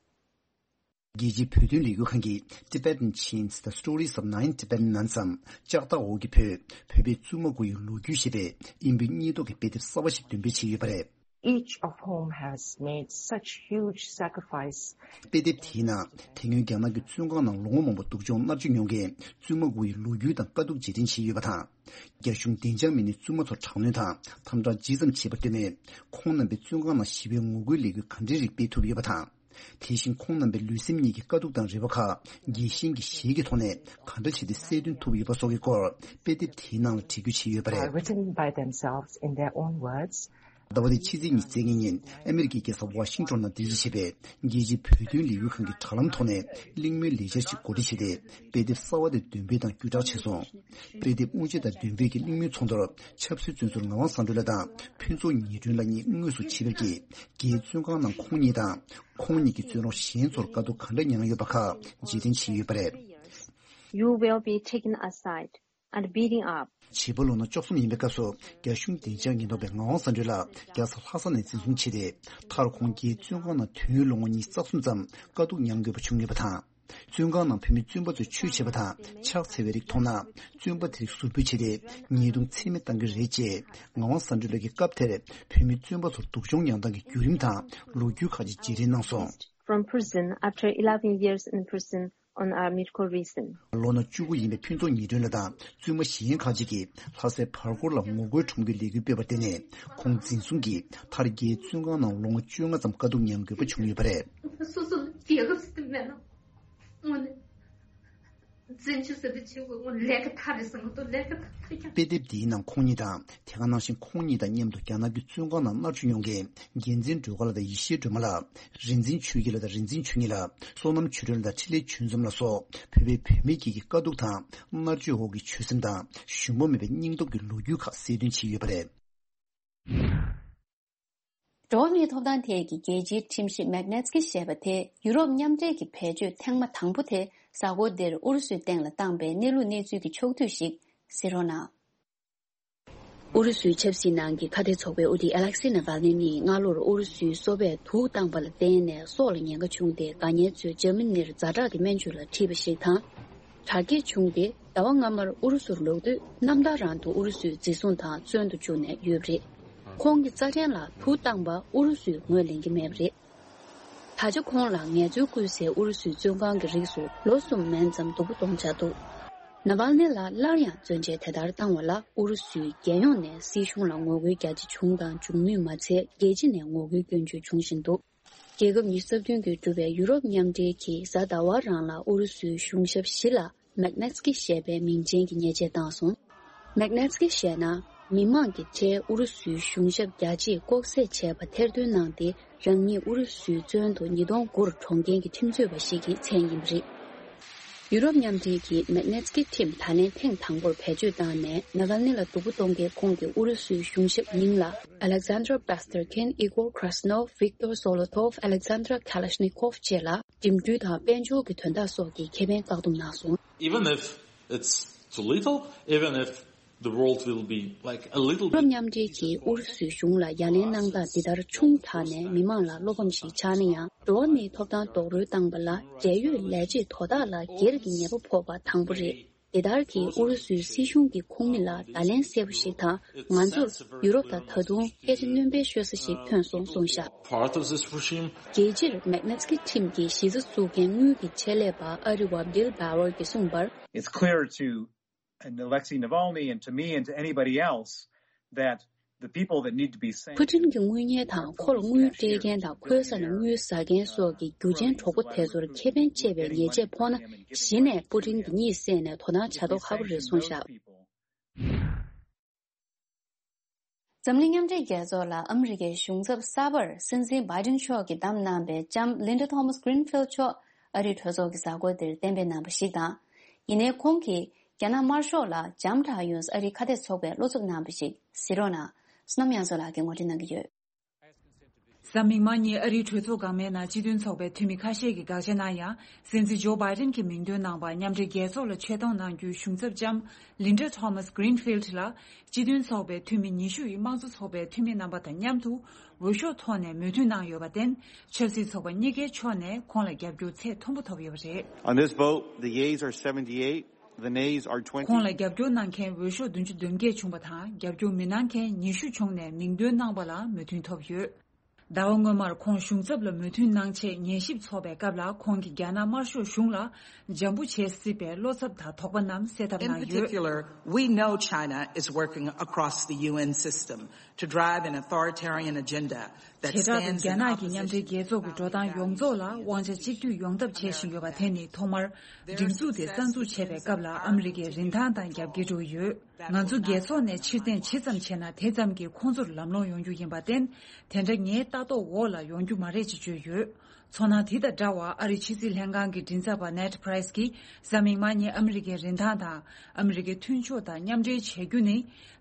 རྒྱལ་སྤྱིའི་བོད་དོན་ལས་འགུལ་ཁང་གིས་Tibetan Chains: The Stories of Nine Tibetan Nuns འམ། ལྕགས་ཐག་འོག་གི་བོད། བོད་པའི་བཙུན་མ་དགུ་ཡི་ལོ་རྒྱུས་ཞེས་པའི་དབྱིན་བོད་གཉིས་ཐོག་གི་དཔེ་དེབ་གསར་བ་ཞིག་འདོན་སྤེལ་བྱས་ཡོད་པ་རེད། Each of whom has made such huge sacrifice. དཔེ་དེབ་དེའི་ནང་དེ་སྔོན་རྒྱ་ནག་གི་བཙོན་ཁང་ནང་ལོ་ངོ་མང་པོ་སྡུག་སྦྱོང་མནར་གཅོད་མྱོང་མཁན་བཙུན་མ་དགུ་ཡི་ལོ་རྒྱུས་དང་དཀའ་སྡུག་རྗེས་དྲན་བྱས་ཡོད་པ་དང་། རྒྱ་གཞུང་བདེ་འཇགས་མི་སྣས་བཙུན་མ་ཚོར་དྲག་གནོན་དང་དམ་དྲག་ཇི་ཙམ་བྱས་པ་བསྟན་མོད། ཁོང་རྣམ་པས་བཙོན་ཁང་ནང་ཞི་བའི་ངོ་རྒོལ་ལས་འགུལ་ག་འདྲའི་རིགས་སྤེལ་ཐུབ་ཡོད་པ་དང་། དེ་བཞིན་ཁོང་རྣམ་པའི་ལུས་སེམས་གཉིས་ཀྱི་དཀའ་སྡུག་དང་རེ་བ་ཁག་རྒྱལ་ཞེན་གྱི་གཞས་ཀྱི་ཐོག་ནས་ག་འདྲ་བྱས་ཏེ་སེལ་ཐོན་ཐུབ་ཡོད་པ་སོགས་ཀྱི་སྐོར་དཔེ་དེབ་དེའི་ནང་ལ་བྲིས་བརྗོད་བྱས་ཡོད་པ་རེད། Written by themselves in their own words. ཟླ་བ་འདིའི་ཕྱི་ཚེས་ཉི་ཤུ་རྩ་ལྔ་ཉིན་ཨ་མེ་རི་ཀའི་རྒྱལ་ས་ཝ་ཤིང་ཊོན་ནང་རྟེན་གཞི་བྱས་པའི་རྒྱལ་སྤྱིའི་བོད་དོན་ལས་འགུལ་ཁང་གི་དྲ་ལམ་ཐོག་ནས་གླེང་མོལ་ལས་འཆར་ཞིག་གོ་སྒྲིག་བྱས་ཏེ། དཔེ་དེབ་གསར་བ་དེ་འདོན་སྤེལ་དང་བརྒྱུད་བསྒྲགས་བྱས་སོང་། དཔེ་དེབ་དབུ་འབྱེད་དང་འདོན་སྤེལ་གྱི་གླེང་མོལ་ཚོགས་འདུར་ཆབ་སྲིད་བཙོན་ཟུར་ངག་དབང་བཟང་གྲོལ་ལགས་དང་ཕུན་ཚོགས་ཉི་སྒྲོན་ལགས་གཉིས་དངོས་སུ་ཆེད་ཕེབས་ཀྱིས། རྒྱའི་བཙོན་ཁང་ནང་ཁོང་ཉིད་དང་། ཁོང་ཉིད་ཀྱི་བཙོན་རོགས་གཞན་ཚོར་དཀའ་སྡུག་ག་འདྲ་མྱངས་ཡོད་པ་ཁག་རྗེས་དྲན་བྱས་ཡོད་པ་རེད། You will be taken aside and beaten up. བྱིས་པ་ལོ་ན་བཅུ་གསུམ་ཡིན་པའི་སྐབས་སུ་རྒྱ་གཞུང་བདེ་འཇགས་ཉེན་རྟོག་པས་ངག་དབང་བཟང་གྲོལ་ལགས་རྒྱལ་ས་ལྷ་ས་ནས་འཛིན་བཟུང་བྱས་ཏེ། མཐར་ཁོང་རྒྱའི་བཙོན་ཁང་ནང་དུས་ཡུན་ལོ་ངོ་ཉི་ཤུ་རྩ་གསུམ་ཙམ་དཀའ་སྡུག་མྱང་དགོས་པ་བྱུང་ཡོད་པ་དང་། བཙོན་ཁང་ནང་བོད་མི་བཙོན་པ་ཚོས་ཆོས་བྱེད་པ་དང་ཕྱག་འཚལ་བའི་རིགས་མཐོང་ན། བཙོན་པ་དེ་རིགས་ཟུར་ཕུད་བྱས་ཏེ་ཉེས་རྡུང་ཚད་མེད་བཏང་གི་རེད་ཅེས་ངག་དབང་བཟང་གྲོལ་ལགས་ཀྱིས་སྐབས་དེར་བོད་མི་བཙོན་པ་ཚོར་སྡུག་སྦྱོང་མྱངས་སྟངས་ཀྱི་བརྒྱུད་རིམ་དང་ལོ་རྒྱུས་ཁག་ཅིག་རྗེས་དྲན་གནང་སོང་། From prison after eleven years in prison on our medical reason. ལོ་ན་བཅུ་དགུ་ཡིན་པའི་ཕུན་ཚོགས་ཉི་སྒྲོན་ལགས་དང་བཙུན་མ་གཞན་ཁག་ཅིག་གིས་ལྷ་སའི་བར་སྐོར་ལ་ངོ་རྒོལ་ཁྲོམ་སྐྱོད་ལས་འགུལ་སྤེལ་བར་བརྟེན་ནས། ཁོང་འཛིན་བཟུང་གིས་མཐར་རྒྱའི་བཙོན་ཁང་ནང་ལོ་ངོ་བཅོ་ལྔ་ཙམ་དཀའ་སྡུག་མྱང་དགོས་པ་བྱུང་ཡོད་པ་རེད། སོ་སོ་རྒྱལ་ཁབ་སྲིད་མེད་ན། དངོས་གནས་བཙན་བྱོལ་ཟེར་དུས་ཆེ་བོ་དངོས་ལས་ཀ་མཐའ་རེད་བསམ་གི་འདུག་ལས་ཀ་མཐའ་ཐུག་ཀྱང་། དཔེ་དེབ་འདིའི་ནང་ཁོང་ཉིད་དང་དེ་ག་ནང་བཞིན་ཁོང་ཉིད་དང་མཉམ་དུ་རྒྱ་ནག་གི་བཙོན་ཁང་ནང་མནར་གཅོད་མྱོང་མཁན་རྒྱལ་མཚན་སྒྲོལ་དཀར་ལགས་དང་ཡེ་ཤེས་སྒྲོལ་མ་ལགས། རིག་འཛིན་ཆོས་སྐྱིད་ལགས་དང་རིག་འཛིན་ཆོས་ཉིད་ལགས། བསོད་ནམས་ཆོས་སྒྲོན་ལགས་དང་འཕྲིན་ལས་ཆོས་འཛོམས་ལགས་སོགས་བོད་པའི་བུད་མེད་ཀྱི་དཀའ་སྡུག་དང་མནར་གཅོད་འོག་གི་ཆོད་སེམས་དང་ཞུམ་པ་མེད་པའི་སྙིང་སྟོབས་ཀྱི་ལོ་རྒྱུས་ཁག་གསལ་སྟོན་བྱས་ཡོད་པ་རེད། འགྲོ་བ་མིའི་ཐོབ་ཐང་ཐད་ཀྱི་རྒྱལ་སྤྱིའི་ཁྲིམས་གཞི་མེག་ནེ་ཚི་ཀི་ཞེས་པ་དེ་ཡུ་རོབ་མཉམ་འབྲེལ་གྱི་བེད་སྤྱོད་ཐེངས་མ་དང་པོ་དེ་གཟའ་འཁོར་འདིར་ཨུ་རུ་སུའི་སྟེང་ལ་བཏང་པའི་གནས་ལུགས་གནས་ཚུལ་གྱི་ཕྱོགས་བསྡུས་ཤིག་གཟིགས་རོགས་གནང་། ཨུ་རུ་སུའི་ཆབ་སྲིད་ནང་གི་ཁ་གཏད་ཚོགས་པའི་དབུ་ཁྲིད་ཨ་ལེག་སི་ནཱ་ཝལ་ནི་ནི་སྔ་ལོར་ཨུ་རུ་སུའི་སོ་པས་དུག་བཏང་པ་ལ་བརྟེན་ནས་སྲོག་ལ་ཉེན་ཁ་བྱུང་སྟེ། དགའ་ཉེ་ཚོས་འཇར་མ་ནིར་ཛ་དྲག་གི་སྨན་བཅོས་ལ་ཁྲིད་པ་ཞིག་དང་། དྲག་སྐྱེད་བྱུང་སྟེ་ཟླ་བ་སྔ་མར་ཨུ་རུ་སུར་ལོག་དུས། རྣམ་ཐར་རང་དུ་ཨུ་རུ་སུས་འཛིན་བཟུང་དང་བཙོན་དུ་བཅུག་ནས་ཡོད་པ་རེད། ཁོང་གི་རྩ་ཕྲན་ལ་དུག་བཏང་པ་ཨུ་རུ་སུས་ངོས་ལེན་གྱི་མེད་པ་རེད། ད་ཆ་ཁོང་ལ་ངལ་རྩོལ་བསྐུལ་སའི་ཨུ་རུ་སུའི་བཙོན་ཁང་གི་རིགས་སུ་ལོ་གསུམ་མན་ཙམ་སྡུག་པོ་གཏོང་འཆར་འདུག་ནཱ་ཝལ་ནི་ལ་སླར་ཡང་བཙོན་འཇལ་དེ་ལྟར་བཏང་བ་ལ་ཨུ་རུ་སུའི་རྒྱལ་ཡོངས་ནས་སྲིད་གཞུང་ལ་ངོ་རྒོལ་རྒྱ་ཆེ་བྱུང་དང་འབྱུང་མུས་མ་ཚད། རྒྱལ་སྤྱི་ནས་ངོ་རྒོལ་སྐྱོན་བརྗོད་འབྱུང་བཞིན་འདུག་རྒྱལ་ཁབ་ཉི་ཤུ་རྩ་བདུན་གྱིས་གྲུབ་པའི་ཡུ་རོབ་མཉམ་འབྲེལ་གྱིས་གཟའ་ཟླ་བ་རང་ལ་ཨུ་རུ་སུའི་གཞུང་ཞབས་བཞི་ལ་མེག་ནེ་ཚི་ཀི་ཞེས་པའི་མིང་ཅན་གྱི་ཉེས་ཆད་བཏང་སོང་། མེག་ནེ་ཚི་ཀི་ཞེས་ན། མི་མང་གི་གྲས་ཨུ་རུ་སུའི་གཞུང་ཞབས་རྒྱ་ཆེས་ལྐོག་བསད་བྱས་པ་ཐེར་འདོན་གནང་སྟེ། རང་ཉིད་ཨུ་རུ་སུའི་བཙོན་དུ་ཉིས་སྟོང་དགུ་རུ་གྲོངས་མཁན་གྱི་ཁྲིམས་རྩོད་པ་ཞིག་གི་མཚན་ཡིན་པ་རེད། ཡུ་རོབ་མཉམ་འབྲེལ་གྱིས་མེག་ནེ་ཚི་ཀི་ཁྲིམས་ད་ལན་ཐེངས་དང་པོར་བེད་སྤྱོད་བཏང་ནས། ནཱ་ཝལ་ནི་ལ་སྡུག་པོ་གཏོང་མཁན་ཁོང་གི་ཨུ་རུ་སུའི་གཞུང་ཞབས་མིང་ལ་Alexander Bastarkin, Igor Krasnov, Viktor Zolotov, Alexander Kalashnikov བཅས་ལ་འགྲིམ་འགྲུལ་དང་དཔལ་འབྱོར་གྱི་དོན་དག་སོགས་ཀྱི་ཁེ་ཕན་བཀག་སྡོམ་གནང་སོང་། Even if it's too little, even if the world will be, like, a little bit. ཡུ་རོབ་མཉམ་འབྲེལ་གྱིས་ཨུ་རུ་སུའི་གཞུང་ལ་ཡ་ལན་གནང་སྟངས་འདི་ལྟར་ཆུང་དྲགས་ནས་མི་མང་ལ་བློ་ཕམ་ཞིག་ཆགས་ན་ཡང་། འགྲོ་བ་མིའི་ཐོབ་ཐང་རྡོག་རོལ་བཏང་པ་ལ་འབྲེལ་ཡོད་ལས་བྱེད་དོ་བདག་ལ་སྒེར་གྱི་ཉེས་པ་ཕོག་པ་དང་པོ་རེད། འདི་ལྟར་གྱིས་ཨུ་རུ་སུའི་སྲིད་གཞུང་གི་ཁོངས་མི་ལ་བརྡ་ལན་གསལ་པོ་ཞིག་དང་། ང་ཚོར་ཡུ་རོབ་ལ་ད་དུང་སྐད་ཆ་སྣོན་པའི་ཤོད་ས་ཞིག་ཐོན་སོང་གསུངས་བཞག Part of this regime. རྒྱལ་སྤྱིར་མེག་ནེ་ཚི་ཀི་ཁྲིམས་ཀྱི་གཞི་རྩ་བཙུགས་མཁན་དངུལ་གྱི་ཆེད་ལས་པ་ཨ་རི་བ་Bill Bauer གྱིས་གསུངས་པར། It's clear to Alexei Navalny and to me and to anybody else that the people that need to be saved. ཕུ་ཊིན་གྱི་དངུལ་གཉེར་དང་ཁོ་ལ་དངུལ་སྤྲད་མཁན་དང་ཁོའི་ས་ནས་དངུལ་ཟ་མཁན་སོགས་ཀྱི་རྒྱུ་ཆེན་གྲོགས་པོ་དེ་ཚོར་ཁེ་ཕན་བཅད་པའི་ཉེས་ཆད་ཕོག་ན། གཞི་ནས་ཕུ་ཊིན་གྱིས་གཉིད་སད་ནས་དོ་སྣང་བྱ་མདོག་ཁ་པོ་རེད་གསུངས་བཞག་འཛམ་གླིང་མཉམ་འབྲེལ་རྒྱལ་ཚོགས་ལ་ཨ་མི་རི་ཀའི་གཞུང་ཚབ་གསར་པར་སྲིད་འཛིན་བྷའི་ཌེན་མཆོག་གིས་བདམས་གནང་པའི་ལྕམ་Linda Thomas Greenfield མཆོག་ཨ་རིའི་གྲོས་ཚོགས་ཀྱི་གཟའ་འཁོར་དེར་གཏན་འབེབས་གནང་པ་ཞིག་དང་། ཡིན་ནའི་ཁོང་གིས་ རྒྱ་ནག་དམར་ཤོག་ལ་འཇམ་དྲག་ཡོང་ཨ་རིའི་ཁ་གཏད་ཚོགས་པས་བློ་འཚབ་གནང་བ་ཞིག་གཟིགས་རོགས་གནང་། བསོད་ནམས་དབྱངས་མཚོ་ལགས་ཀྱིས་ངོ་སྤྲོད་གནང་གི་ཡོད། གཟའ་མིག་དམར་ཉིན་ཨ་རིའི་གྲོས་ཚོགས་འགག་མའི་ནང་སྤྱི་མཐུན་ཚོགས་པའི་འཐུས་མི་ཁ་ཤས་ཀྱིས་དགག་བྱ་གནང་ཡང་། སྲིད་འཛིན་ཇོ་བྷའི་ཏིན་གྱིས་མིང་འདོན་གནང་བར་མཉམ་འབྲེལ་རྒྱལ་ཚོགས་ལ་ཆེད་གཏོང་གནང་རྒྱུའི་གཞུང་ཚབ་ལྕམ་ལིན་ཌ་ཐོ་མཱས་གྷི་རིན་ཕིལ་ལ། སྤྱི་མཐུན་ཚོགས་པའི་འཐུས་མི་ཉི་ཤུ་ཡིས་དམངས་གཙོ་ཚོགས་པའི་འཐུས་མི་རྣམ་པ་དང་མཉམ་དུ་འོས་ཤོག་ཐོག་ནས་མོས་མཐུན་གནང་ཡོད་པར་བརྟེན། ཆབ་སྲིད་ཚོགས་པ་གཉིས་ཀའི་ཕྱོགས་ནས་ཁོང་ལ་རྒྱབ་སྐྱོར་ཚད་མཐོན་པོ་ཐོབ་ཡོད་པ་རེད། On this vote, the yeas are seventy-eight, the nays are twenty. ཁོང་ལ་རྒྱབ་སྐྱོར་གནང་མཁན་འོས་ཤོག་བདུན་ཅུ་དོན་བརྒྱད་བྱུང་བ་དང་། རྒྱབ་སྐྱོར་མི་གནང་མཁན་ཉི་ཤུ་བྱུང་ནས་མིང་འདོན་གནང་པ་ལ་མོས་མཐུན་ཐོབ་ཡོད། ཟླ་བ་སྔོན་མར་ཁོང་གཞུང་ཚབ་ལ་མོས་མཐུན་གནང་ཆེད་ཉན་ཞིབ་ཚོགས་པའི་སྐབས་ལ། ཁོང་གིས་རྒྱ་ནག་དམར་ཤོག་གཞུང་ལ་འཇམ་པོ་བྱེད་སྲིད་པའི་བློ་འཚབ་དང་དོགས་པ་རྣམས་སེལ་ཐབས་In གནང་ཡོད། Particular, we know China is working across the U N system to drive an authoritarian agenda that བྱེ་བྲག་ཏུ་stands རྒྱ་in ནག་གི་མཉམ་འབྲེལ་རྒྱལ་ཚོགས་ཀྱི་འགྲོ་སྟངས་ཡོངས་རྫོགས་ལ་དབང་ཆ་གཅིག་སྡུད་ཡོང་ཐབས་བྱེད་བཞིན་ཡོད་པ་དེ་ནི། ཐོག་མར་སྒྲིག་འཛུགས་དེ་གསར་འཛུགས་བྱས་པའི་སྐབས་ལ་ཨ་མི་རི་ཀའི་རིན་ཐང་དང་རྒྱབ་འགལ་འགྲོ་གི་ཡོད། ང་ཚོ་རྒྱལ་ཚོགས་ནས་ཕྱིར་འཐེན་ཇི་ཙམ་བྱས་ན་དེ་ཙམ་གྱིས་ཁོང་ཚོར་ལམ་ལྷོང་ཡོང་རྒྱུ་ཡིན་པར་བརྟེན། དེ་འདྲ་ངའི་ལྟ་རྟོག་འོག་ལ་ཡོང་རྒྱུ་མ་རེད་ཅེས་བརྗོད་ཡོད། མཚོ་ནང་དེ་དང་འདྲ་བར་ཨ་རིའི་ཕྱི་སྲིད་ལྷན་ཁང་གི་མགྲིན་ཚབ་པ་ནེཌ་པྲེས་ཀྱིས་གཟའ་མིག་དམར་ཉིན་ཨ་མི་རི་ཀའི་རིན་ཐང་དང་ཨ་མི་རི་ཀའི་མཐུན་ཕྱོགས་དང་མཉམ་འབྲེལ་བྱེད་རྒྱུ་ནི།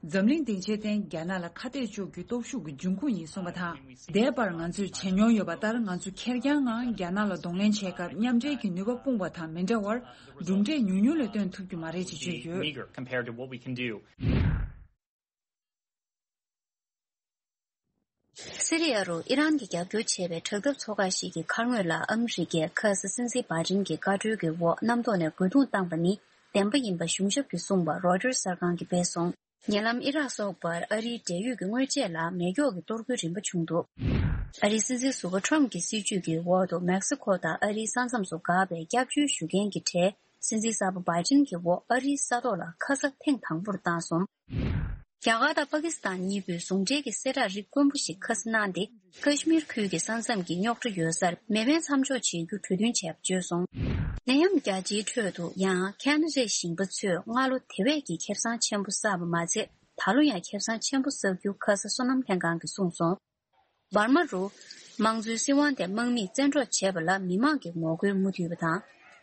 འཛམ་གླིང་སྡིངས་ཆའི་སྟེང་རྒྱ་ནག་ལ་ཁ་གཏད་གཅོག་རྒྱུའི་སྟོབས་ཤུགས་ཀྱི་འབྱུང་ཁུངས་ཡིན་གསུངས་པ་དང་། འདས་པར་ང་ཚོས་བྱེད་མྱོང་ཡོད་པ་ལྟར། ང་ཚོ་ཁེར་རྐྱང་ངང་རྒྱ་ནག་ལ་གདོང་ལེན་བྱེད་སྐབས། མཉམ་འབྲེལ་གྱི་ནུས་པ་སྤུངས་པ་དང་མི་འདྲ་བར། གྲུབ་འབྲས་ཉུང་ཉུང་ལས་བཏོན་ཐུབ་རྒྱུ་མ་རེད་ཅེས་བརྗོད་ཡོད། Meager compared to what we can do. སི་རི་ཡ་རུ་ཨི་རན་གྱིས་རྒྱབ་སྐྱོར་བྱས་པའི་དྲག་འཐབ་ཚོགས་ཁག་ཞིག་གི་མཁར་ངོས་ལ་ཨ་མི་རི་ཀས་ཁ་ས་སྲིད་འཛིན་བྷའི་ཏིན་གྱི་བཀའ་འཁྲོལ་གྱི་འོག་གནམ་ཐོག་ནས་རྒོལ་རྡུང་བཏང་པ་ནི་བདེན་པ་ཡིན་པ་གཞུང་ཞབས་ཀྱིས་གསུངས་པ་རོའི་ཊར་གསར་ཁང་གིས་སྤེལ་སོང་། ཉེ་ལམ་ཨི་རག་སོགས་པར་ཨ་རིའི་འབྲེལ་ཡོད་ཀྱི་དངོས་ཆས་ལ་མེ་སྒྱོགས་ཀྱི་གཏོར་རྒོལ་རིམ་པ་བྱུང་འདུག་ཨ་རིའི་སྲིད་འཛིན་ཟུར་པ་ཁྲོམ་གྱི་སྲིད་བྱུས་ཀྱི་འོག་ཏུ་མེག་སི་ཁོ་དང་ཨ་རིའི་ས་མཚམས་སུ་འགག་པའི་སྐྱབས་བཅོལ་ཞུ་མཁན་གྱི་གྲས་སྲིད་འཛིན་གསར་པ་བྷའི་ཏིན་གྱི་འོག་ཨ་རིའི་ས་ཐོག་ལ་ཁ་ས་ཐེངས་དང་པོར་བཏང་སོང་། རྒྱ་གར་དང་པ་ཀི་སི་ཐན་གཉིས་པོས་ཟུང་འབྲེལ་གྱི་གསལ་བསྒྲགས་རིགས་དཀོན་པོ་ཞིག་ཁ་སྣོན་གནང་སྟེ། ཀ་ཤི་མིར་ཁུལ་གྱི་ས་མཚམས་ཀྱི་རྙོག་དྲ་ཡོད་སར་མེ་འཕེན་མཚམས་འཇོག་བྱེད་རྒྱུ་གྲོས་མཐུན་བྱས་པ་བརྗོད་སོང་། ནད་ཡམས་རྒྱ་ཆེའི་ཁྲོད་དུ་ཡང་ཁེ་ན་ཌའི་ཞིང་པ་ཚོས་སྔ་ལོ་དེ་བས་ཀྱི་ཁེ་བཟང་ཆེན་པོ་བསགས་པ་མ་ཚད། ད་ལོ་ཡང་ཁེ་བཟང་ཆེན་པོ་བསགས་རྒྱུ་ཁ་ས་སོ་ནམ་ལྷན་ཁང་གིས་གསུངས་སོང་། འབར་མ་རུ། དམངས་གཙོའི་སྲིད་དབང་དེ་དམག་མིས་བཙན་འཕྲོག་བྱས་པ་ལ་མི་མང་གིས་ངོ་རྒོལ་མུ་མཐུད་པ་དང་།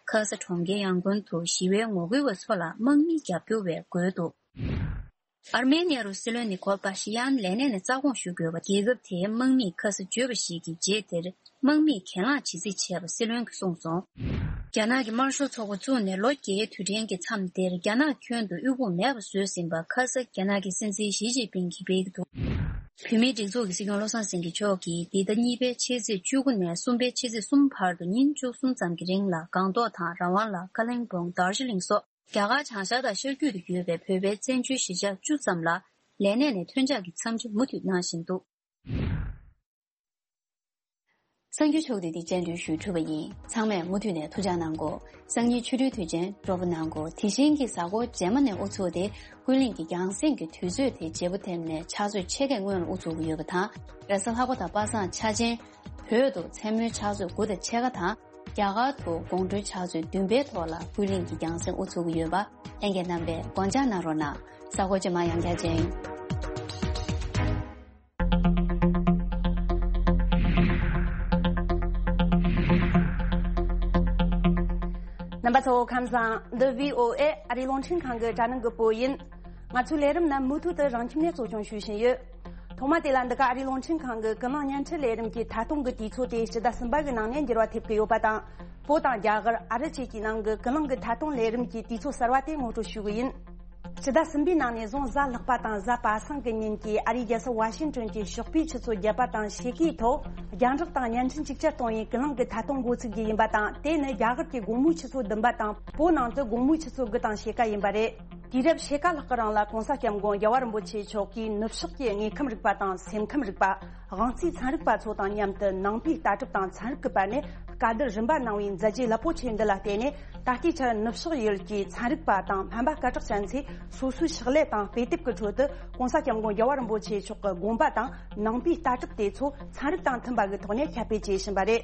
ཁ་ས་གྲོང་ཁྱེར་ཡང་ཀུན་དུ་ཞི་བའི་ངོ་རྒོལ་བ་ཚོ་ལ་དམག་མིའི་རྒྱབ་སྐྱོར་བས་རྒོལ་འདུག་ཨར་མེ་ནི་ཡ་རུ་སྲིད་བློན་ནི་ཁོལ་པ་ཤི་ཡན་ལས་གནས་ནས་རྩ་དགོངས་ཞུ་དགོས་པ། རྒྱལ་ཁབ་དེའི་དམག་མིས་ཁ་ས་བརྗོད་པ་ཞིག་གི་རྗེས་དེར་དམག་མིས་གྱེན་ལངས་ཇི་སྲིད་བྱས་པ་སྲིད་བློན་གྱིས་གསུངས་སོང་། རྒྱ་ནག་གི་དམར་ཤོག་ཚོགས་པ་བཙུགས་ནས་ལོ་བརྒྱད་དུས་དྲན་གྱི་མཚམས་དེར་རྒྱ་ནག་ཁྱོན་དུ་དབུལ་ཕོངས་མེད་པ་བཟོས་ཟིན་པ་ཁ་ས་རྒྱ་ནག་གི་སྲིད་འཛིན་ཞི་ཅིན་ཕིང་གིས་སྤེལ་གྱི་འདུག་བོད་མིའི་སྒྲིག་འཛུགས་ཀྱི་སྲིད་སྐྱོང་བློ་བཟང་སེང་གེ་མཆོག་གིས་འདི་ཟླ་གཉིས་པའི་ཕྱི་ཚེས་བཅུ་དགུ་ནས་གསུམ་པའི་ཕྱི་ཚེས་གསུམ་བར་དུ་ཉིན་བཅུ་གསུམ་ཙམ་གྱི་རིང་ལ་སྒང་ཏོག་དང་རང་དབང་ལ་ཀ་ལིང་སྦུག་དར་ཇི་ལིང་སོགས་རྒྱ་གར་བྱང་ཤར་དང་ཤར་རྒྱུད་དུ་ཡོད་པའི་བོད་པའི་བཙན་བྱོལ་གཞིས་ཆགས་བཅུ་ཙམ་ལ་ལས་གནས་ནས་ཐོན་འཆར་གྱི་འཚམས་འདྲི་མུ་མཐུད་གནང་བཞིན་འདུག་གསར་འགྱུར་ཕྱོགས་བསྡུས་འདི་སྤྱན་འབུལ་ཞུས་གྲུབ་པ་ཡིན། ཚང་མས་མུ་མཐུད་ནས་ཐུགས་ཅག་གནང་གོ། སང་ཉིན་ཆུ་སྦྲུལ་དུས་ཆེན་སྤྲོ་པོ་གནང་གོ། དེ་བཞིན་གྱི་གཟའ་འཁོར་རྗེས་མ་ནས་དབུ་ཚུགས་ཏེ་ཀུན་གླེང་གི་རྒྱང་སྲིང་གི་དུས་ཚོད་དེ་བརྗེ་པོ་ཐེབས་ནས་ཕྱག་ཚོད་ཕྱེད་ཀའི་སྔོན་ལ་དབུ་ཚུགས་ཀྱི་ཡོད་པ་དང་། རེས་གཟའ་ལྷག་པ་དང་པ་སངས་འཆར་ཅན། བོད་དུ་མཚན་མོའི་ཕྱག་ཚོད་དགུ་དང་ཕྱེད་ཀ་དང་། རྒྱ་གར་དུ་དགོང་དྲོའི་ཕྱག་ཚོད་བདུན་པའི་ཐོག་ལ་ཀུན་གླེང་གི་རྒྱང་སྲིང་དབུ་ཚུགས་ཀྱི་ཡོད་པ། ལྷན་རྒྱས་རྣམ་པས་དགོངས་འཇགས་གནང་རོགས་གནང་། གཟའ་འཁོར་རྗེས་མ་ཡང་བསྐྱར་མཇལ་ཡིན། རྣམ་པ་ཚོ་ཁམས་བཟང་། འདི་བྷི་ཨོ་ཨེ་ཨ་རིའི་རླུང་འཕྲིན་ཁང་གི་དྲ་སྣང་གི་སྤོ་ཡིན། ང་ཚོའི་ལས་རིམ་རྣམས་མུ་མཐུད་དུ་རང་ཁྱིམ་ནས་གཙོ་སྐྱོང་ཞུ་བཞིན་ཡོད། ཐོག་མ་དེ་ལ་འདི་ག་ཨ་རིའི་རླུང་འཕྲིན་ཁང་གི་ཀུན་གླེང་བརྙན་འཕྲིན་ལས་རིམ་གྱི་ཐད་གཏོང་གི་དུས་ཚོད་དེ་སྤྱི་ཟླ་གསུམ་པ་གི་ནང་ནས་འགྱུར་བ་ཐེབས་ཀྱི་ཡོད་པ་དང་། བོད་དང་རྒྱ་གར་ཨ་རི་བཅས་ཀྱི་ནང་གི་ཀུན་གླེང་གི་ཐད་གཏོང་ལས་རིམ་གྱི་དུས་ཚོད་གསར་བ་དེ་ངོ་སྤྲོད་ཞུ་གི་ཡིན། སྤྱི་ཟླ་གསུམ་པའི་ནང་ནས་བཟུང་གཟའ་ལྷག་པ་དང་གཟའ་པ་སངས་ཀྱི་ཉིན་གྱི་ཨ་རིའི་རྒྱལ་ས་ཝ་ཤིང་ཏོན་གྱི་ཞོགས་པའི་ཆུ་ཚོད་བརྒྱད་པ་དང་ཕྱེད་ཀའི་ཐོག་རྒྱང་བསྒྲགས་དང་བརྙན་འཕྲིན་གཅིག་ཅར་གཏོང་བའི་ཀུན་གླེང་གི་ཐད་གཏོང་འགོ་ཚུགས་རྒྱུ་ཡིན་པ་དང་། དེ་ནི་རྒྱ་གར་གྱི་དགོང་མོའི་ཆུ་ཚོད་བདུན་པ་དང་བོད་ནང་དུ་དགོང་མོའི་ཆུ་ཚོད་དགུ་དང་ཕྱེད་ཀ་ཡིན་པ་རེད། དུས་རབས་ཕྱེད་ཀ་ལྷག་གི་རིང་ལ་༸གོང་ས་༸སྐྱབས་མགོན་རྒྱལ་བ་རིན་པོ་ཆེ་མཆོག་གིས་ནུབ་ཕྱོགས་ཀྱི་དངོས་ཁམས་རིག་པ་དང་སེམས་ཁམས་རིག་པ། དབང་རྩའི་ཚན་རིག་པ་ཚོ་དང་མཉམ་དུ་ནང་པའི་ལྟ་གྲུབ་དང་ཚན་རིག་གི་བར་ནས་བཀའ་བསྡུར་རིམ་པ་གནང་བའི་མཛད་རྗེས་རླབས་པོ་ཆེ་འདི་ལ་བརྟེན་ནས། ད་ལྟའི་ཆར་ནུབ་ཕྱོགས་ཡུལ་གྱི་ཚན་རིག་པ་དང་སྨན་པ་སྐད་གྲགས་ཅན་ཚོས་སོ་སོའི་ཕྱག་ལས་དང་དཔེ་དེབ་ཀྱི་ཁྲོད་དུ་༸གོང་ས་༸སྐྱབས་མགོན་རྒྱལ་བ་རིན་པོ་ཆེ་མཆོག་གི་དགོངས་པ་དང་ནང་པའི་ལྟ་གྲུབ་དེ་ཚོ་ཚན་རིག་དང་མཐུན་པ་གི་ཐོག་ནས་ཁྱབ་སྤེལ་བྱེད་བཞིན་པ་རེད།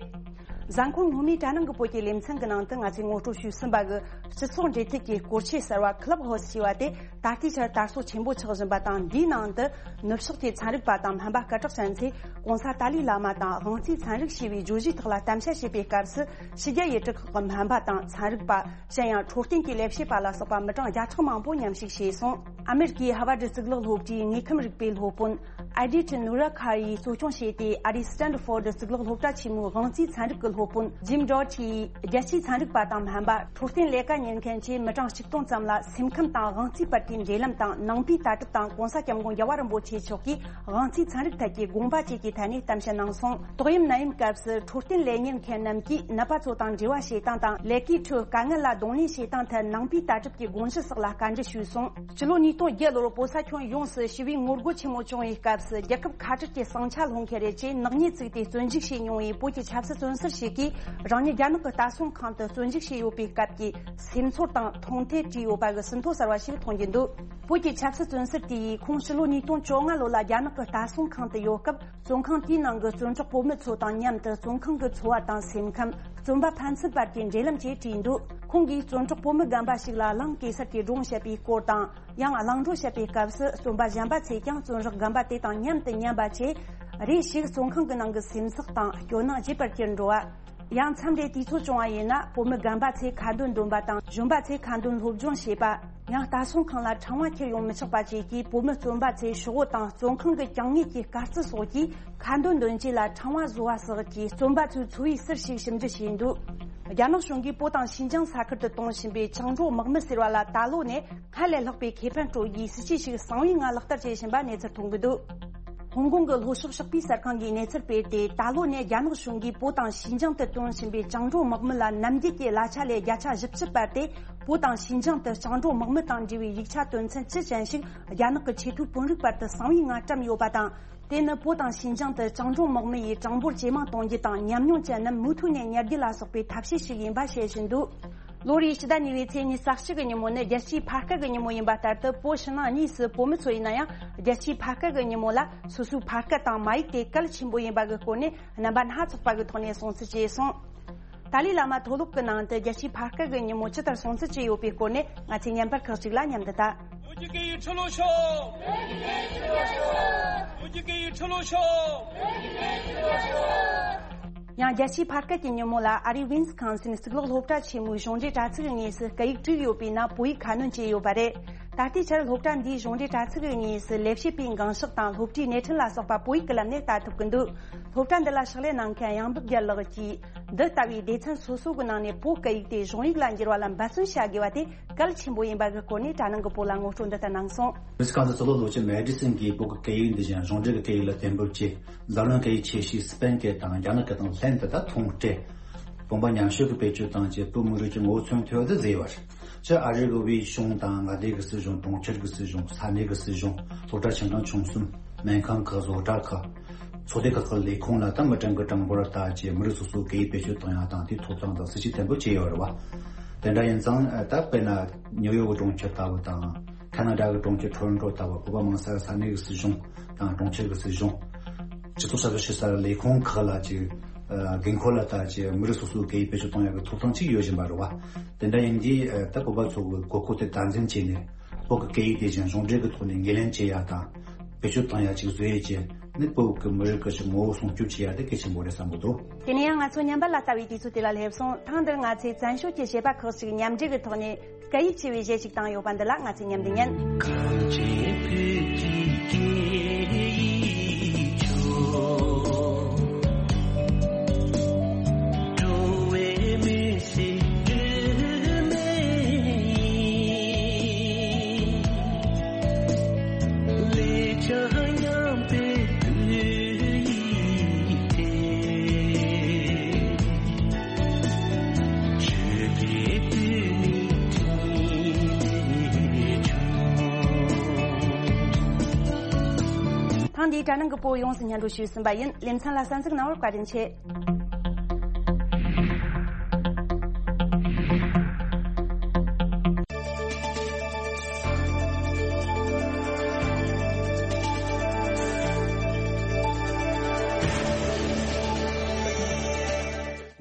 གཟའ་འཁོར་སྔོན་མའི་དྲ་ནང་གི་བོད་ཀྱི་ལེ་ཚན་གྱི་ནང་དུ་ང་ཚོས་ངོ་སྤྲོད་ཞུས་ཟིན་པ་གི་སྤྱི་ཚོགས་འབྲེལ་མཐུད་ཀྱི་སྐོར་ཆས་གསར་བ་Clubhouse ཞེས་པ་དེ་ད་ལྟའི་ཆར་དར་སྲོལ་ཆེན་པོ་ཆགས་བཞིན་པ་དང་། འདིའི་ནང་དུ་ནུབ་ཕྱོགས་ཀྱི་ཚན་རིག་པ་དང་སྨན་པ་སྐད་གྲགས་ཅན་ཚོས་༸གོང་ས་ཏཱ་ལའི་བླ་མ་དང་དབང་རྩའི་ཚན་རིག་ཞེས་པའི་བརྗོད་གཞིའི་ཐོག་ལ་གཏམ་བཤད་བྱེད་པའི་སྐབས་སུ། ཕྱི་རྒྱལ་ཡུལ་གྲུ་ཁག་གི་སྨན་པ་དང་ཚན་རིག་པ། གཞན་ཡང་འཕྲོད་བསྟེན་གྱི་ལས་བྱེད་པ་ལ་སོགས་པ་མི་གྲངས་བརྒྱ་ཕྲག་མང་པོ་མཉམ་ཞུགས་བྱས་སོང་། ཨ་མེ་རི་ཀའི་ཧ་ཝར་ཌི་གཙུག་ལག་སློབ་གྲྭའི་དངོས་ཁམས་རིག་པའི་སློབ་དཔོན་ཨེ་ཌི་ཊི་ནུ་ར་ཁ་ཡིས་གཙོ་སྐྱོང་བྱས་ཏེ། ཨ་རིའི་སི་ཊན་ཕོར་ཌི་གཙུག་ལག་སློབ་གྲྭ་ཆེན་མོའི་དབང་རྩའི་ཚན་རིག་གི་སློབ་དཔོན་ཇིམ་ཌོ་ཊི་ཡིས། རྒྱལ་སྤྱིའི་ཚན་རིག་པ་དང་སྨན་པ། འཕྲོད་བསྟེན་ལས་ཀ་གཉེར་མཁན་བཅས་མི་གྲངས་གཅིག་སྟོང་ཙམ་ལ་སེམས་ཁམས་དང་དབང་རྩའི་བར་གྱི་འབྲེལ་ལམ་དང་ནང་པའི་ལྟ་གྲུབ་དང་གོང་ས་༸སྐྱབས་མགོན་རྒྱལ་བ་རིན་པོ་ཆེ་མཆོག་གིས་དབང་རྩའི་ཚན་རིག་ཐད་ཀྱི་དགོངས་པ་བཅས་ཀྱི་ཐད་ནས་གཏམ་བཤད་གནང་སོང་། ཏོག་དབྱིབས་ནད་ཡམས་སྐབས་སུ་འཕྲོད་བསྟེན་ལས་གཉེར་མཁན་རྣམས་ཀྱིས་ནད་པ་ཚོ་དང་འབྲེལ་བ་བྱེད་སྟངས་དང་། ལས་ཀའི་ཁྲོད་དཀའ་ངལ་ལ་གདོང་ལེན་བྱེད་སྟངས་ཐད་ནང་པའི་ལྟ་གྲུབ་ཀྱི་དགོངས་གཞི་སོགས་ལ་བཀའ་འདྲི་ཞུས་སོང་། སྤྱི་ལོ་ཉིས་སྟོང་བརྒྱད་ལོར་བོད་ས་ཁྱོན་ཡོངས་སུ་ཞི་བའི་ངོ་རྒོལ་ཆེན་མོ་བྱུང་བའི་སྐབས་སུ། རྒྱལ་ཁབ་ཁ་བྲལ་གྱི་ཟིང་ཆ་སློང་མཁན་རེད་ཅེས་ནག་ཉེས་བཙུགས་ཏེ་བཙོན་འཇུག་བྱས་མྱོང་བའི་བོད་ཀྱི་ཆབ་སྲིད་བཙོན་ཟུར་ཞིག་གིས་རང་ཉིད་རྒྱ་ནག་གི་ལྟ་སྲུང་ཁང་དུ་བཙོན་འཇུག་བྱས་ཡོད་པའི་སྐབས་ཀྱི་སེམས་ཚོར་དང་མཐོང་ཐོས་བྲིས་ཡོད་པ་གི་ཟིན་ཐོ་གསར་བ་ཞིག་མཐོང་རྒྱུ་འདུག་བོད་ཀྱི་ཆབ་སྲིད་བཙོན་ཟུར་དེ་ཡིས་ཁོང་ཕྱི་ལོ་ཉིས་སྟོང་བཅོ་ལྔ་ལོ་ལ་རྒྱ་ནག་གི་ལྟ་སྲུང་ཁང་དུ་ཡོད་སྐབས། བཙོན་ཁང་དེའི་ནང་གི་བཙོན་གྲོགས་བོད་མི་ཚོ་དང་མཉམ་དུ་བཙོན་ཁང་གི་འཚོ་བ་དང་སེམས་ཁམས། བཙོན་པ་ཕན་ཚུན་བར་གྱི་འབྲེལ་ལམ་བཅས་བྲིས་འདུག་ཁོང་གིས་བཙོན་གྲོགས་བོད་མི་རྒན་པ་ཞིག་ལ་གླིང་གེ་སར་གྱི་སྒྲུང་བཤད་པའི་སྐོར་དང་། ཡང་གླིང་བྲོ་བཤད་པའི་སྐབས་སུ་བཙོན་པ་གཞན་པ་ཚོས་ཀྱང་བཙོན་རགས་རྒན་པ་དེ་དང་མཉམ་དུ་ཉན་པ་བཅས། རེ་ཞིག་བཙོན་ཁང་གི་ནང་གི་སེམས་ཚེགས་དང་སྐྱོ་སྣང་རྒྱས་པར་གྱུར་འགྲོ་བ། ཡང་མཚམས་རེ་དུས་ཚོད་བྱུང་བ་ཡིན་ན་བོད་མི་རྒན་པ་ཚོས་ཁ་འདོན་འདོན་པ་དང་། གཞོན་པ་ཚོས་ཁ་འདོན་སློབ་སྦྱོང་བྱེད་པ། ཡང་ལྟ་སྲུང་ཁང་ལ་ཕྲེང་བ་འཁྱེར་ཡོང་མི་ཆོག་པ་བཅས་ཀྱིས་བོད་མི་བཙོན་པ་ཚོའི་ཤོག་བུ་དང་བཙོན་ཁང་གི་གྱང་ངོས་ཀྱི་དཀར་རྩི་སོགས་ཀྱིས་ཁ་འདོན་འདོན་ཆས་ལ་ཕྲེང་བ་བཟོ་བ་སོགས་ཀྱིས་བཙོན་པ་ཚོའི་འཚོ་བའི་ཟུར་ཞིག་ཞིབ་འཇུག་བྱས་འདུག་རྒྱ་ནག་གཞུང་གིས་བོད་དང་ཤིན་ཅང་ས་ཁུལ་དུ་གཏོང་བཞིན་པའི་བཅིངས་འགྲོལ་དམག་མི་ཟེར་བ་ལ་ད་ལོ་ནས་སྔར་ལས་ལྷག་པའི་ཁེ་ཕན་སྤྲོད་རྒྱུའི་སྲིད་ཇུས་ཤིག་གསང་བའི་ངང་ལག་བསྟར་བྱེད་བཞིན་པ་གནས་ཚུལ་ཐོན་གྱི་འདུག་ཧོང་ཀོང་གི་ལྷོ་ཕྱོགས་ཕྱོགས་པའི་གསར་ཁང་གིས་གནས་ཚུལ་སྤེལ་ཏེ། ད་ལོ་ནས་རྒྱ་ནག་གཞུང་གིས་བོད་དང་ཤིན་ཅང་དུ་གཏོང་བཞིན་པའི་བཅིངས་འགྲོལ་དམག་མི་ལ་ནམ་རྒྱུན་གྱི་གླ་ཆ་ལས་བརྒྱ་ཆ་བཞི་བཅུ་སྤར་ཏེ། བོད་དང་ཤིན་ཅང་དུ་བཅིངས་འགྲོལ་དམག་མི་དང་འབྲེལ་བའི་ཡིག་ཆ་དོན་ཚན་བཅུ་ཅན་ཞིག་རྒྱ་ནག་གི་ཆེས་མཐོའི་དཔོན་རིགས་བར་དུ་གསང་བའི་ངང་བཀྲམ་ཡོད་པ་དང་། དེ་ནི་བོད་དང་ཤིན་ཅང་དུ་བཅིངས་འགྲོལ་དམག་མི་ཡིས་གྲངས་འབོར་ཇེ་མང་གཏོང་རྒྱུ་དང་། ཉམས་མྱོང་ཅན་རྣམས་མུ་མཐུད་ནས་ཉར་རྒྱུ་ལ་སོགས་པའི་ཐབས་ཤེས་ཤིག་ཡིན་པ་བཤད་བཞིན་འདུག་ལོ་རེའི་ཕྱི་ཟླ་གཉིས་པའི་ཚེས་ཉི་ཤུ་རྩ་གཅིག་གི་ཉིན་མོ་ནི་རྒྱལ་སྤྱིའི་ཕ་སྐད་ཀྱི་ཉིན་མོ་ཡིན་པ་ལྟར་དུ། བོད་ཕྱི་ནང་གཉིས་སུ་བོད་མི་ཚོ་ཡིན་ན་ཡང་། རྒྱལ་སྤྱིའི་ཕ་སྐད་ཀྱི་ཉིན་མོ་ལ་སོ་སོའི་ཕ་སྐད་དང་མ་ཡིག་དེ་གལ་ཆེན་པོ་ཡིན་པ་གི་སྐོར་ནས་རྣམ་པ་སྣ་ཚོགས་པ་གི་ཐོག་ནས་གསུང་ཚུལ་བཅས་སོང་། ཏཱ་ལའི་བླ་མ་མཐོ་སློབ་ཀྱི་ནང་དུ་རྒྱལ་སྤྱིའི་ཕ་སྐད་ཀྱི་ཉིན་མོ་ཇི་ལྟར་སྲུང་བརྩི་བྱས་ཡོད་པའི་སྐོར་ནས་ང་ཚོས་བརྙན་པར་ཁག་ཅིག་ལ་མཉམ་དུ་ལྟ། བོད་ཀྱི་སྐད་ཡིག་འཁྲུག་ལོ་ཤོག་བོད་ཀྱི་སྐད་ཡིག་འཁྲུག་ལོ་ཤོག་ཡང་རྒྱལ་སྤྱིའི་ཕ་སྐད་ཀྱི་ཉིན་མོ་ལ་ཨ་རིའི་ཝིན་སི་ཁོན་སིན་གཙུག་ལག་སློབ་གྲྭ་ཆེན་མོའི་གཞུང་འབྲེལ་དྲ་ཚིགས་ཀྱི་ངོས་སུ་སྐད་ཡིག་དྲུག་ཡོད་པའི་ནང་བོད་ཡིག་ཁ་སྣོན་བྱས་ཡོད་པ་རེད། ད་ལྟའི་ཆར་སློབ་གྲྭ་འདིའི་གཞུང་འབྲེལ་དྲ་ཚིགས་ཀྱི་ངོས་སུ་ལས་བྱེད་པའི་འགངས་ཤོག་དང་སློབ་གྲྭའི་སྣེ་ཁྲིད་ལ་སོགས་པ་བོད་ཡིག་གི་ལམ་ནས་ལྟ་ཐུབ་ཀྱི་འདུག་སློབ་གྲྭ་འདི་ལ་ཕྱག་ལས་གནང་མཁན་གཡང་འབུམ་རྒྱལ་ལགས་ཀྱིས། འདི་ལྟ་བུའི་སྡེ་ཚན་སོ་སོ་གི་ནང་ནས་བོད་སྐད་ཡིག་དེ་གཞུང་ཡིག་ལ་འགྱུར་བ་ལ་འབད་བརྩོན་བྱ་དགོས་པ་དེ་གལ་ཆེན་པོ་ཡིན་པ་གི་སྐོར་ནས་དྲ་ནང་གི་བོད་ལ་ངོ་སྤྲོད་འདི་ལྟར་གནང་སོང་། ཝིས་ཀོན་སིན་གཙུག་ལག་སློབ་ཆེན་མེ་ཌི་སིན་གྱིས་བོད་ཀྱི་སྐད་ཡིག་འདི་བཞིན་གཞུང་འབྲེལ་གྱི་སྐད་ཡིག་ལ་གཏན་འབེབས་བྱས། འཛམ་གླིང་སྐད་ཡིག་ཆེ་ཤོས་སི་པེན་སྐད་དང་རྒྱ་ནག་སྐད་དང་ལྷན་དུ་ད་ཐུང་གྲས་བུམ་པ་མཉམ་བཤད་ཀྱི་བེད་སྤྱོད་བཏང་རྗེས་བོད་མི་རིགས་ཀྱི་ངོ་བོ་མཚོན་ཐུབ་པ་དེ་བཟོས་པ་རེད། སྤྱིར་ཨ་རི་གི་དབུས་གཞུང་དང་མངའ་སྡེ་གི་སྲིད་གཞུང་། གྲོང་ཁྱེར་གི་སྲིད་གཞུང་། ས་གནས་གི་སྲིད་གཞུང་། སློབ་གྲྭ་ཆུང་ཆུང་གསུམ། སྨན་ཁང་ཁག་བཟོ་གྲྭ་ཁག་ཚོགས་སྡེ་ཁག་གི་ལས་ཁུངས་ལ་ད་མི་གྲངས་ཀྱི་གྲངས་འབོར་ལྟ་རྗེས་མི་རིགས་སོ་སོའི་སྐད་ཡིག་བེད་སྤྱོད་གཏོང་ཡག་དང་དེའི་ཐོབ་ཐང་དང་སྲིད་ཇུས་གཏན་འབེབས་བྱས་ཡོད་རེད་བ། དེ་འདྲ་ཡིན་ཙང་ད་དཔེར་ན་ནིའུ་ཡོག་གི་གྲོང་ཁྱེར་ལྟ་བུ་དང་། ཁ་ན་ཌ་གི་གྲོང་ཁྱེར་ཊོ་རོན་ཊོ་ལྟ་བུ། བོད་པ་མང་ས་ས་གནས་ཀྱི་སྲིད་གཞུང་དང་གྲོང་ཁྱེར་གྱི་སྲིད་གཞུང་། སྤྱི་ཚོགས་གསར་སྤེལ་བྱེད་སའི་ལས་ཁུངས་ཁག་ལ་ཅིག་ཨ་འགན་འཁུར་ལ་ལྟ་ཅིག་མི་རིགས་སོ་སོའི་སྐད་ཡིག་བེད་སྤྱོད་གཏོང་ཡག་གི་ཐོབ་ཐང་ཅིག་ཡོད་བཞིན་པ་རེད་བ། དེ་འདྲ་ཡིན་དུས་ཨ་ད་བོད་པ་ཚོ་གི་དགོས་མཁོ་དེ་དམ་འཛིན་བྱས་ནས་བོད་ཀྱི་སྐད་ཡིག་དེ་བཞིན་གཞུང་འབྲེལ་གྱི་ཐོག་ནས་ངོས་ལེན་བྱེད་ཡག་དང་བེད་སྤྱོད་གཏོང་ཡག་ཅིག་བཟོ་ཡས་ཀྱི་ནི་བོད་ཀྱི་མི་རིགས་ཀྱི་ཅིག་ངོ་བོ་སྲུང་སྐྱོབ་བྱེད་ཡག་དེ་གལ་ཆེན་པོ་རེད་བསམ་གྱི་འདུག་དེ་ནས་ཡང་ང་ཚོ་ཉམས་པ་ལ་ལྟ་བའི་དུས་ཚོད་དེ་ལ་སླེབས་སོང་། ཐེངས་འདིར་ང་ཚོས་བཙན་བྱོལ་གྱི་གཞས་པ་ཁག་ཅིག་མཉམ་འབྲེལ་གྱི་ཐོག་ནས། སྐད་ཡིག་ཅེས་པའི་གཞས་ཤིག་བཏང་ཡོད་པ་འདི་ལ་ང་ཚོས་མཉམ་དུ་ཉན། གངས་ཅན་བོད་ཀྱི་སྐད་ཡིག་ཆོག་འགྲོ་བའི་མི་ཚེ་སྒྲིབ་མེད་ཡིན། ལེགས་བྱས་ཉམས་པའི་བོད་ཡིག་དེ། ཐེངས་འདིའི་དྲ་ནང་གི་བོད་ཡོངས་སུ་སྙན་སྒྲོན་ཞུས་ཟིན་པ་ཡིན། ལེ་ཚན་ལ་གསན་གཟིགས་གནང་བར་བཀའ་དྲིན་ཆེ།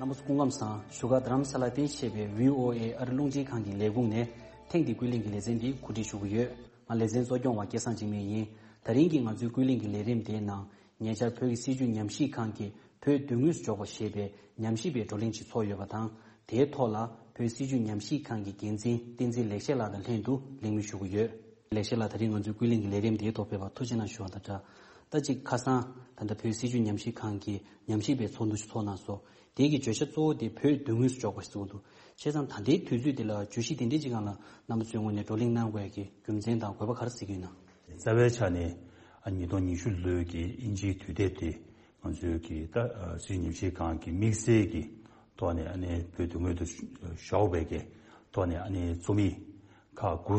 རྣམ་པ་ སྐུ་ཁམས་བཟང་། བཞུགས་སྒར་རྡ་རམ་ས་ལ་སྟེང་བྱས་པའི་བྷི་ཨོ་ཨེ་ཨ་རི་རླུང་འཕྲིན་ཁང་གི་ལས་ཁུངས་ནས་ཐེངས་འདིའི་ཀུན་གླེང་གི་ལེ་ཚན་འདི་གོ་སྒྲིག་ཞུ་གི་ཡོད། ང་ལེ་ཚན་གཙོ་སྐྱོང་བ་སྐལ་བཟང་འཇིགས་མེད་ཡིན། ད་རིང་གི་ང་ཚོའི་ཀུན་གླེང་གི་ལས་རིམ་དེའི་ནང་། ཉེ་ཆར་བོད་ཀྱི་སྲིད་བྱུས་ཉམས་ཞིབ་ཁང་གིས་བོད་མདུན་ངོས་སུ་འཇོག་པ་ཞེས་པའི་ཉམས་ཞིབ་པའི་བགྲོ་གླེང་ཞིག་ཚོགས་ཡོད་པ་དང་། དེའི་ཐོག་ལ་བོད་སྲིད་བྱུས་ཉམས་ཞིབ་ཁང་གི་འགན་འཛིན་བསྟན་འཛིན་ལེགས་བཤད་ལགས་དང་ལྷན་དུ་གླེང་མོལ་ཞུ་གི་ཡོད། ལེགས་བཤད་ལགས། ད་རིང་ང་ཚོའི་ཀུན་གླེང་གི་ལས་རིམ་དེའི་ཐོག་ཕེབས་པར་ཐུགས་རྗེ་གནང་ཞུ་བ་དང་སྦྲགས། ད་ཅིག་ཁ་སང་ད་ལྟ་བོད་སྲིད་བྱུས་ཉམས་ཞིབ་ཁང་གི་ཉམས་ཞིབ་པའི་ཚོགས་འདུ་ཞིག་ཚོགས་གནང་སོང་། དེ་གི་བརྗོད་བྱ་གཙོ་བོ་དེ་བོད་མདུན་ངོས་སུ་འཇོག་པ་ཞིག་གསུངས་འདུག་བྱས་ཙང་ད་ལྟའི་དུས་ཚོད་འདི་ལ་བརྗོད་གཞི་དེ་འདྲའི་ཅིག་སྒང་ལ་རྣམ་པ་ཚོའི་ངོས་ནས་བགྲོ་གླེང་གནང་དགོས་ཡ་གི་རྒྱུ་མཚན་དང་དགོས་པ་ག་རེ་གཟིགས་ཀྱི་ཡོད་ན། རྩ་བའི་ཆ་ནས་ཨ་ཉིས་སྟོང་ཉི་ཤུ་ལོའི་གི་དབྱིན་ཇིའི་དུས་དེབ་དེ་ང་ཚོའི་གི་ད་སྲིད་བྱུས་ཉམས་ཞིབ་ཁང་གི་དམིགས་བསལ་གྱི་ཐོག་ནས་ཨ་ནི་བོད་མདུན་ངོས་སུ་ཞོགས་པའི་གི་ཐོག་ནས་ཨ་ནི་རྩོམ་ཡིག་ཁག་དགུ་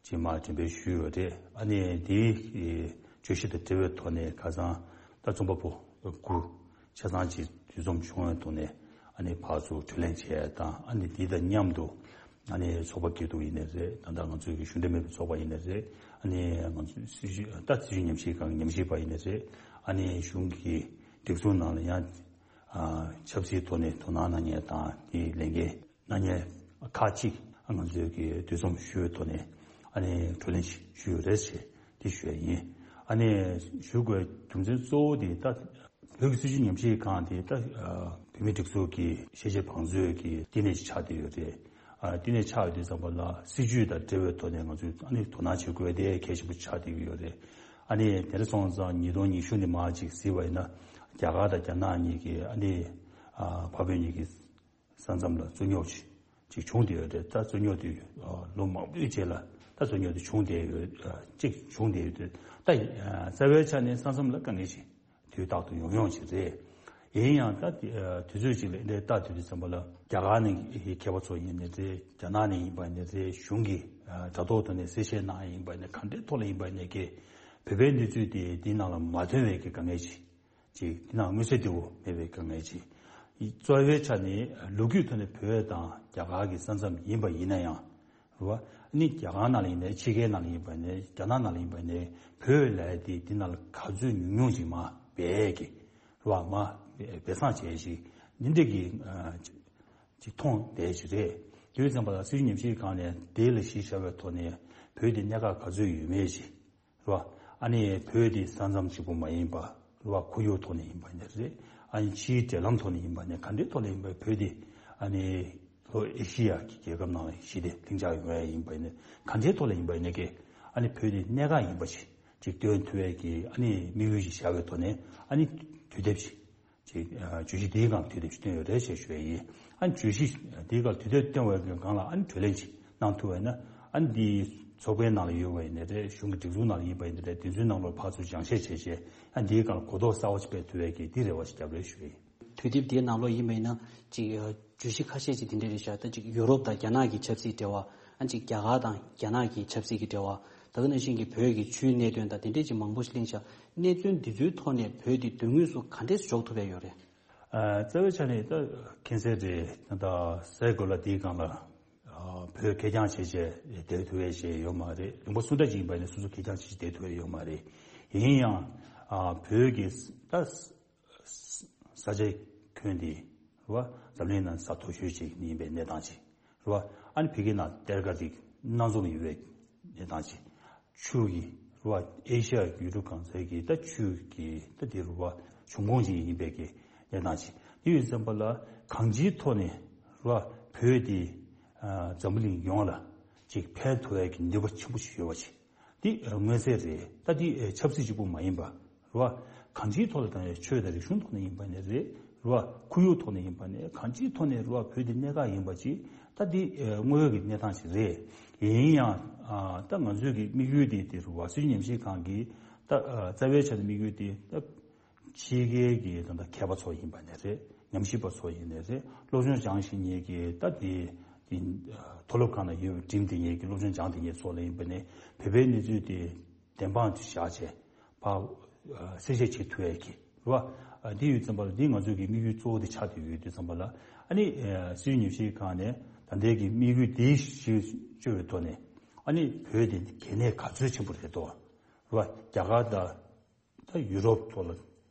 ཅིག་མར་འགྲེམས་སྤེལ་ཞུས་ཡོད་རེད། ཨ་ནི་དེའི་གི་བརྗོད་གཞི་དང་འབྲེལ་བའི་ཐོག་ནས་ཁ་སང་ད་རྩོམ་པ་པོ་དགུ་ཆ་ཚང་ཅིག་འདུ་འཛོམས་བྱུང་བའི་ཐོག་ནས་ཨ་ནི་ཕར་ཚུར་གྲོས་གླེང་བྱས་དང་། ཨ་ནི་དེ་དང་མཉམ་དུ་ཨ་ནི་ཚོགས་པ་སྐྱིད་སྡུག་ཡིན་ནའི་རེད། ད་ལྟ་ང་ཚོའི་གི་གཞུང་འབྲེལ་མེད་པའི་ཚོགས་པ་ཡིན་ནའི་རེད། ཨ་ནི་ང་ཚོའི་སྲིད་བྱུས་ད་སྲིད་བྱུས་ཉམས་ཞིབ་ཁང་གི་ཉམས་ཞིབ་པ་ཡིན་ནའི་རེད། ཨ་ནི་གཞུང་གི་སྒྲིག་འཛུགས་ནང་ལ་ཡང་ཆབ་སྲིད་ཐོག་ནས་དོ་སྣང་གནང་མཁན་དང་དེའི་ལས་འགན་གནང་མཁན་ཁག་ཅིག་ང་ཚོའི་གི་འདུ་འཛོམས་ཞུ་བའི་ཐོག་ནས་ཨ་ནི་བགྲོ་གླེང་ཞུས་ཡོད་རེད་ཅེས་དེ་ཞུ་ཡ་ཡིན། ཨ་ནི་ཞུ་དགོས་རྒྱུ་མཚན་གཙོ་བོ་དེ་ད་བོད་ཀྱི་སྲིད་བྱུས་ཉམས་ཞིབ་ཁང་དེ་ད་བོད་མིའི་སྒྲིག་འཛུགས་ཀྱི་ཤེས་བྱའི་བང་མཛོད་ཀྱི་བསྟི་གནས་ཤིག་ཆགས་བསྡད་ཡོད་རེད། ཨ་བསྟི་གནས་ཆགས་ཡོད་དུས་ཙམ་པ་ལ་སྲིད་བྱུས་དང་འབྲེལ་བའི་ཐོག་ནས་ང་ཚོས་ཨ་ནི་དོ་སྣང་བྱེད་དགོས་དེ་གལ་ཆེན་པོ་ཆགས་བསྡད་ཀྱི་ཡོད་རེད། ཨ་ནི་དེ་འདྲ་སོང་ཙང་ཉིས་སྟོང་ཉི་ཤུ་ནས་མར་ཅིག་གཟིགས་པ་ཡིན་ན་རྒྱ་གར་དང་རྒྱ་ནག་གཉིས་ཀྱི་ཨ་ནི་ཨ་འཕགས་བོད་གཉིས་ཀྱི་ས་མཚམས་ལ་རྩོད་རྙོག་ཅིག་ཅིག་བྱུང་བསྡད་ཡོད་རེད། ད་རྩོད་རྙོག་དེ་ཨ་ལོ་མང་པོའི་རྗེས་ལ་ད་རྩོད་རྙོག་དེ་བྱུང་བསྡད་ཡོད། ཨ་ཅིག་བྱུང་བསྡད་ཡོད་དུས་ད་ཨ་རྩ་བའི་ཆ་ནས་ས་མཚམས་ལ་དཀའ་ངལ་ཅིག་དུས་རྟག་ཏུ་ཡོང་ཡོང་ཅིག་རེད། ཡིན་ཡང་ད་དེ་ཨ་དུས་ཚོད་ཅིག་ལ་འདི་ལྟ་དུས་དུས་ཙམ་པ་ལ་རྒྱ་གར་ནས་མཁས་པ་ཚོ་ཡིན་ནའི་རེད། རྒྱ་ནག་ནས་ཡིན་པ་ཡིན་ནའི་རེད། གཞུང་གི་ཨ་དྲ་ཐོག་ཐོག་ནས་གསལ་བཤད་གནང་ཡ་ཡིན་པ་ཡིན་ནའི་ག་འདྲའི་ཐོག་ལ་ཡིན་པ་ཡིན་ནའི་གི་བོད་པའི་གནས་ཚུལ་དེ་འདི་ནང་ལ་མ་ཐོན་པའི་གི་དཀའ་ངལ་ཅིག་ཅིག་འདི་ནང་མངོན་གསལ་དོད་པོ་མེད་པའི་དཀའ་ངལ་ཅིག་གཙོ་བོའི་ཆ་ནས་ལོ་རྒྱུས་ཐོག་ནས་བོད་དང་རྒྱ་གར་གྱི་ས་མཚམས་ཡིན་པ་ཡིན་ན་ཡང་རེད་བ། ཨ་ནི་རྒྱ་གར་ནང་ལ་ཡིན་ནའི་ཕྱི་རྒྱལ་ནང་ལ་ཡིན་པ་ཡིན་ནའི་རྒྱ་ནག་ནང་ལ་ཡིན་པ་ཡིན་ནའི་བོད་ལབ་ཡ་དེ་འདི་ནང་ལ་ག་ཚོད་ཉུང་ཉུང་ཅིག་མར་སྦས་གི་རེད་བ། མར་སྦས་གསང་བྱས་ཤིག་འདི་འདྲ་གི་ཅིག་མཐོང་བསྡད་ཅིག་རེད། དུས་ཙམ་པ་ལ་སྲིད་བྱུས་ཉམས་ཞིབ་ཁང་ནས་དེ་ལ་གཞི་བཞག་པའི་ཐོག་ནས་བོད་དེ་གནད་འགག་ག་ཚོད་ཡོད་མེད་ཅིག་རེད་བ། ཨ་ནི་བོད་དེ་ས་མཚམས་གཅིག་པུ་མ་ཡིན་པ་རེད་བ། ཁོར་ཡུག་ཐོག་ནས་ཡིན་པ་ཡིན་ནའི་རེད། ཨ་ནི་ཕྱིའི་འབྲེལ་ལམ་ཐོག་ནས་ཡིན་པ་ནས་ག་འདྲའི་ཐོག་ནས་ཡིན་པ་བོད་དེ་ཨ་ནི་ལྷོ་ཨེ་ཤི་ཡ་གི་རྒྱལ་ཁབ་ནང་ལ་གཞི་དེ་ལྷིང་འཇགས་ཡོང་ཡ་ཡིན་པ་ཡིན་ནའི་ག་འདྲའི་ཐོག་ལ་ཡིན་པ་ཡིན་ནའི་གི་ཨ་ནི་བོད་དེ་གནད་འགག་ཡིན་པ་ཞིག་ཅིག་སྟོན་ཐུབ་ཡ་གི་ཨ་ནི་དམིགས་ཡུལ་ཞིག་བཞག་པའི་ཐོག་ནས་ཨ་ནི་དུས་དེབ་ཞིག་ཅིག་ཨ་བརྗོད་གཞི་འདིའི་སྒང་དུས་དེབ་ཅིག་བཏོན་ཡོད་རེད་ཅེས་ཞུ་ཡ་ཡིན། ཨ་ནི་བརྗོད་གཞི་འདིའི་སྒང་དུས་དེབ་བཏོན་པའི་སྒང་ལ་ཨ་ནི་གྲོས་གླེང་ཅིག་གནང་ཐུབ་པ་ཡིན་ན་ཨ་ནི་འདིའི་ཚོགས་པའི་ནང་ལ་ཡོད་པ་ཡིན་ནའི་རེད། གཞུང་གི་སྒྲིག་འཛུགས་ནང་ལ་ཡིན་པ་ཡིན་ནའི་རེད། དེ་ཚོའི་ནང་ལོགས་ཕར་ཚུར་སྦྱང་བཤད་བྱས་བྱས་ཨ་ནི་འདིའི་སྒང་ལ་གོ་རྟོགས་གསར་པ་ཅིག་སྤེལ་ཐུབ་པའི་གི་འདི་རེ་བ་ཞིག་བརྒྱབ་རེད་ཞུ་ཡ་ཡིན། དུས་དེབ་འདིའི་ནང་ལོགས་ཡིན་པ་ཡིན་ན་ཅིག་བརྗོད་གཞི་ཁ་ཤས་ཅིག་འདི་འདྲ་རེད་ཤག་ད་ཅིག་ཡུ་རོབ་དང་རྒྱ་ནག་གི་ཆབ་སྲིད་འབྲེལ་བ། ཨ་ཅིག་རྒྱ་གར་དང་རྒྱ་ནག་གི་ཆབ་སྲིད་ཀྱི་འབྲེལ་བ། ད་ག་ནང་བཞིན་གྱི་བོད་ཀྱི་ཆུའི་གནད་དོན་དང་དེ་འདྲས་ཅིག་མང་པོ་ཞིག་གླེང་ཤག་གནས་ཚུལ་འདི་ཚོའི་ཐོག་ནས་བོད་འདི་མདུན་ངོས་སུ་ག་འདྲས་འཇོག་ཐུབ་ཡ་ཡོད་རེད། ཨ་རྩ་བའི་ཆ་ནས་ད་མཁྱེན་གསལ་རེད། ད་སའི་གོ་ལ་འདིའི་སྒང་ལ་ཨ་བོད་ཁེར་རྐྱང་བྱས་བྱས་བསྡད་ཐུབ་ཡ་ཞིག་ཡོད་མ་རེད། ལུང་པ་སུ་འདྲ་ཅིག་ཡིན་པ་ནས་སོ་སོ་ཁེར་རྐྱང་བྱས་བྱས་བསྡད་ཐུབ་ཡ་ཡོད་མ་རེད། ཡིན་ཡང་ཨ་བོད་ཀྱི་ད་ས་ཆའི་ཁྱོན་འདི་རེད་བ། འཛམ་གླིང་ནང་ས་མཐོ་ཤོས་ཅིག་ཡིན་པའི་གནས་སྟངས་ཅིག་རེད་བ། ཨ་ནི་ཕ་གི་ནང་གཏེར་ཁ་རིགས་སྣ་ཚོགས་ཡོད་པའི་གནས་སྟངས་ཅིག་ཆུ་གི་རེད་བ། ཨེ་ཤ་ཡ་ཡུལ་གྲུ་གང་སའི་གི་ད་ཆུ་གི་ད་དེ་རེད་བ། འབྱུང་ཁུངས་ཅིག་ཡིན་པའི་གི་གནས་སྟངས་ཅིག་དེ་ཡོད་ཙམ་པ་ལ་གང་ཅིའི་ཐོག་ནས་རེད་བ། བོད་དེ་ཨ་འཛམ་བུ་གླིང་ཡོངས་ལ་ཅིག་ཕན་ཐོགས་ཡ་གི་ནུས་པ་ཆེན་པོ་ཞིག་ཡོད་པ་ཅིག་འདི་མངོན་གསལ་རེད། ད་འདི་ཆབ་སྲིད་གཅིག་པུ་མ་ཡིན་པ་རེད་བ། གང་ཅིའི་ཐོག་ལ་ད་ཆོས་དང་རིག་གཞུང་ཐོག་ནས་ཡིན་པ་ནས་རེད་རེད་བ། ཁོར་ཡུག་ཐོག་ནས་ཡིན་པ་ནས་གང་ཅིའི་ཐོག་ནས་རེད་བ། བོད་འདི་གནད་འགག་ཡིན་པ་ཅིག་ད་འདི་དངོས་ཡོད་ཀྱི་གནས་སྟངས་ཤིག་རེད། ཡིན་ཡང་ད་ང་ཚོའི་གི་དམིགས་ཡུལ་འདི་འདི་རེད་བ། སྲིད་བྱུས་ཉམས་ཞིབ་ཁང་གི་ད་རྩ་བའི་ཆ་ནས་དམིགས་ཡུལ་འདི་ད་ཕྱི་རྒྱལ་གྱི་ད་ལྟ་མཁས་པ་ཚོ་ཡིན་པ་ནས་རེད། ཉམས་ཞིབ་པ་ཚོ་ཡིན་ནའི་རེད། སློབ་སྦྱོང་སྦྱངས་ཤིང་ཉེས་ཀྱི་ད་དེ་དེ་མཐོ་སློབ་ཁང་ནང་ཡོད་པའི་འགྲིམ་དེ་ཉེས་ཀྱི་སློབ་སྦྱོང་སྦྱངས་དེ་ཉེས་ཚོ་ལ་ཡིན་པ་ནས་བོད་པའི་གནས་ཚུལ་དེ་བདེན་དཔང་དུ་བཞག་བྱས་ཕར་གསལ་བཤད་བྱེད་ཐུབ་ཡས་ཀྱི་རེད་བ། འདི་ཡོད་ཙམ་པ་ལ་འདི་ང་ཚོའི་གི་དམིགས་ཡུལ་གཙོ་བོ་དེ་ཆགས་བསྡད་ཡོད་དུས་ཙམ་པ་ལ་ཨ་ནི་སྲིད་བྱུས་ཉམས་ཞིབ་ཁང་ནས་ད་ལྟའི་གི་དམིགས་ཡུལ་དེའི་གཞི་བཅོལ་བའི་ཐོག་ནས་ཨ་ནི་བོད་དེ་གལ་གནད་ག་ཚོད་ཆེན་པོ་རེད་དོ། རེད་བ། རྒྱ་གར་དང་ད་ཡུ་རོབ་ཐོག་ལ་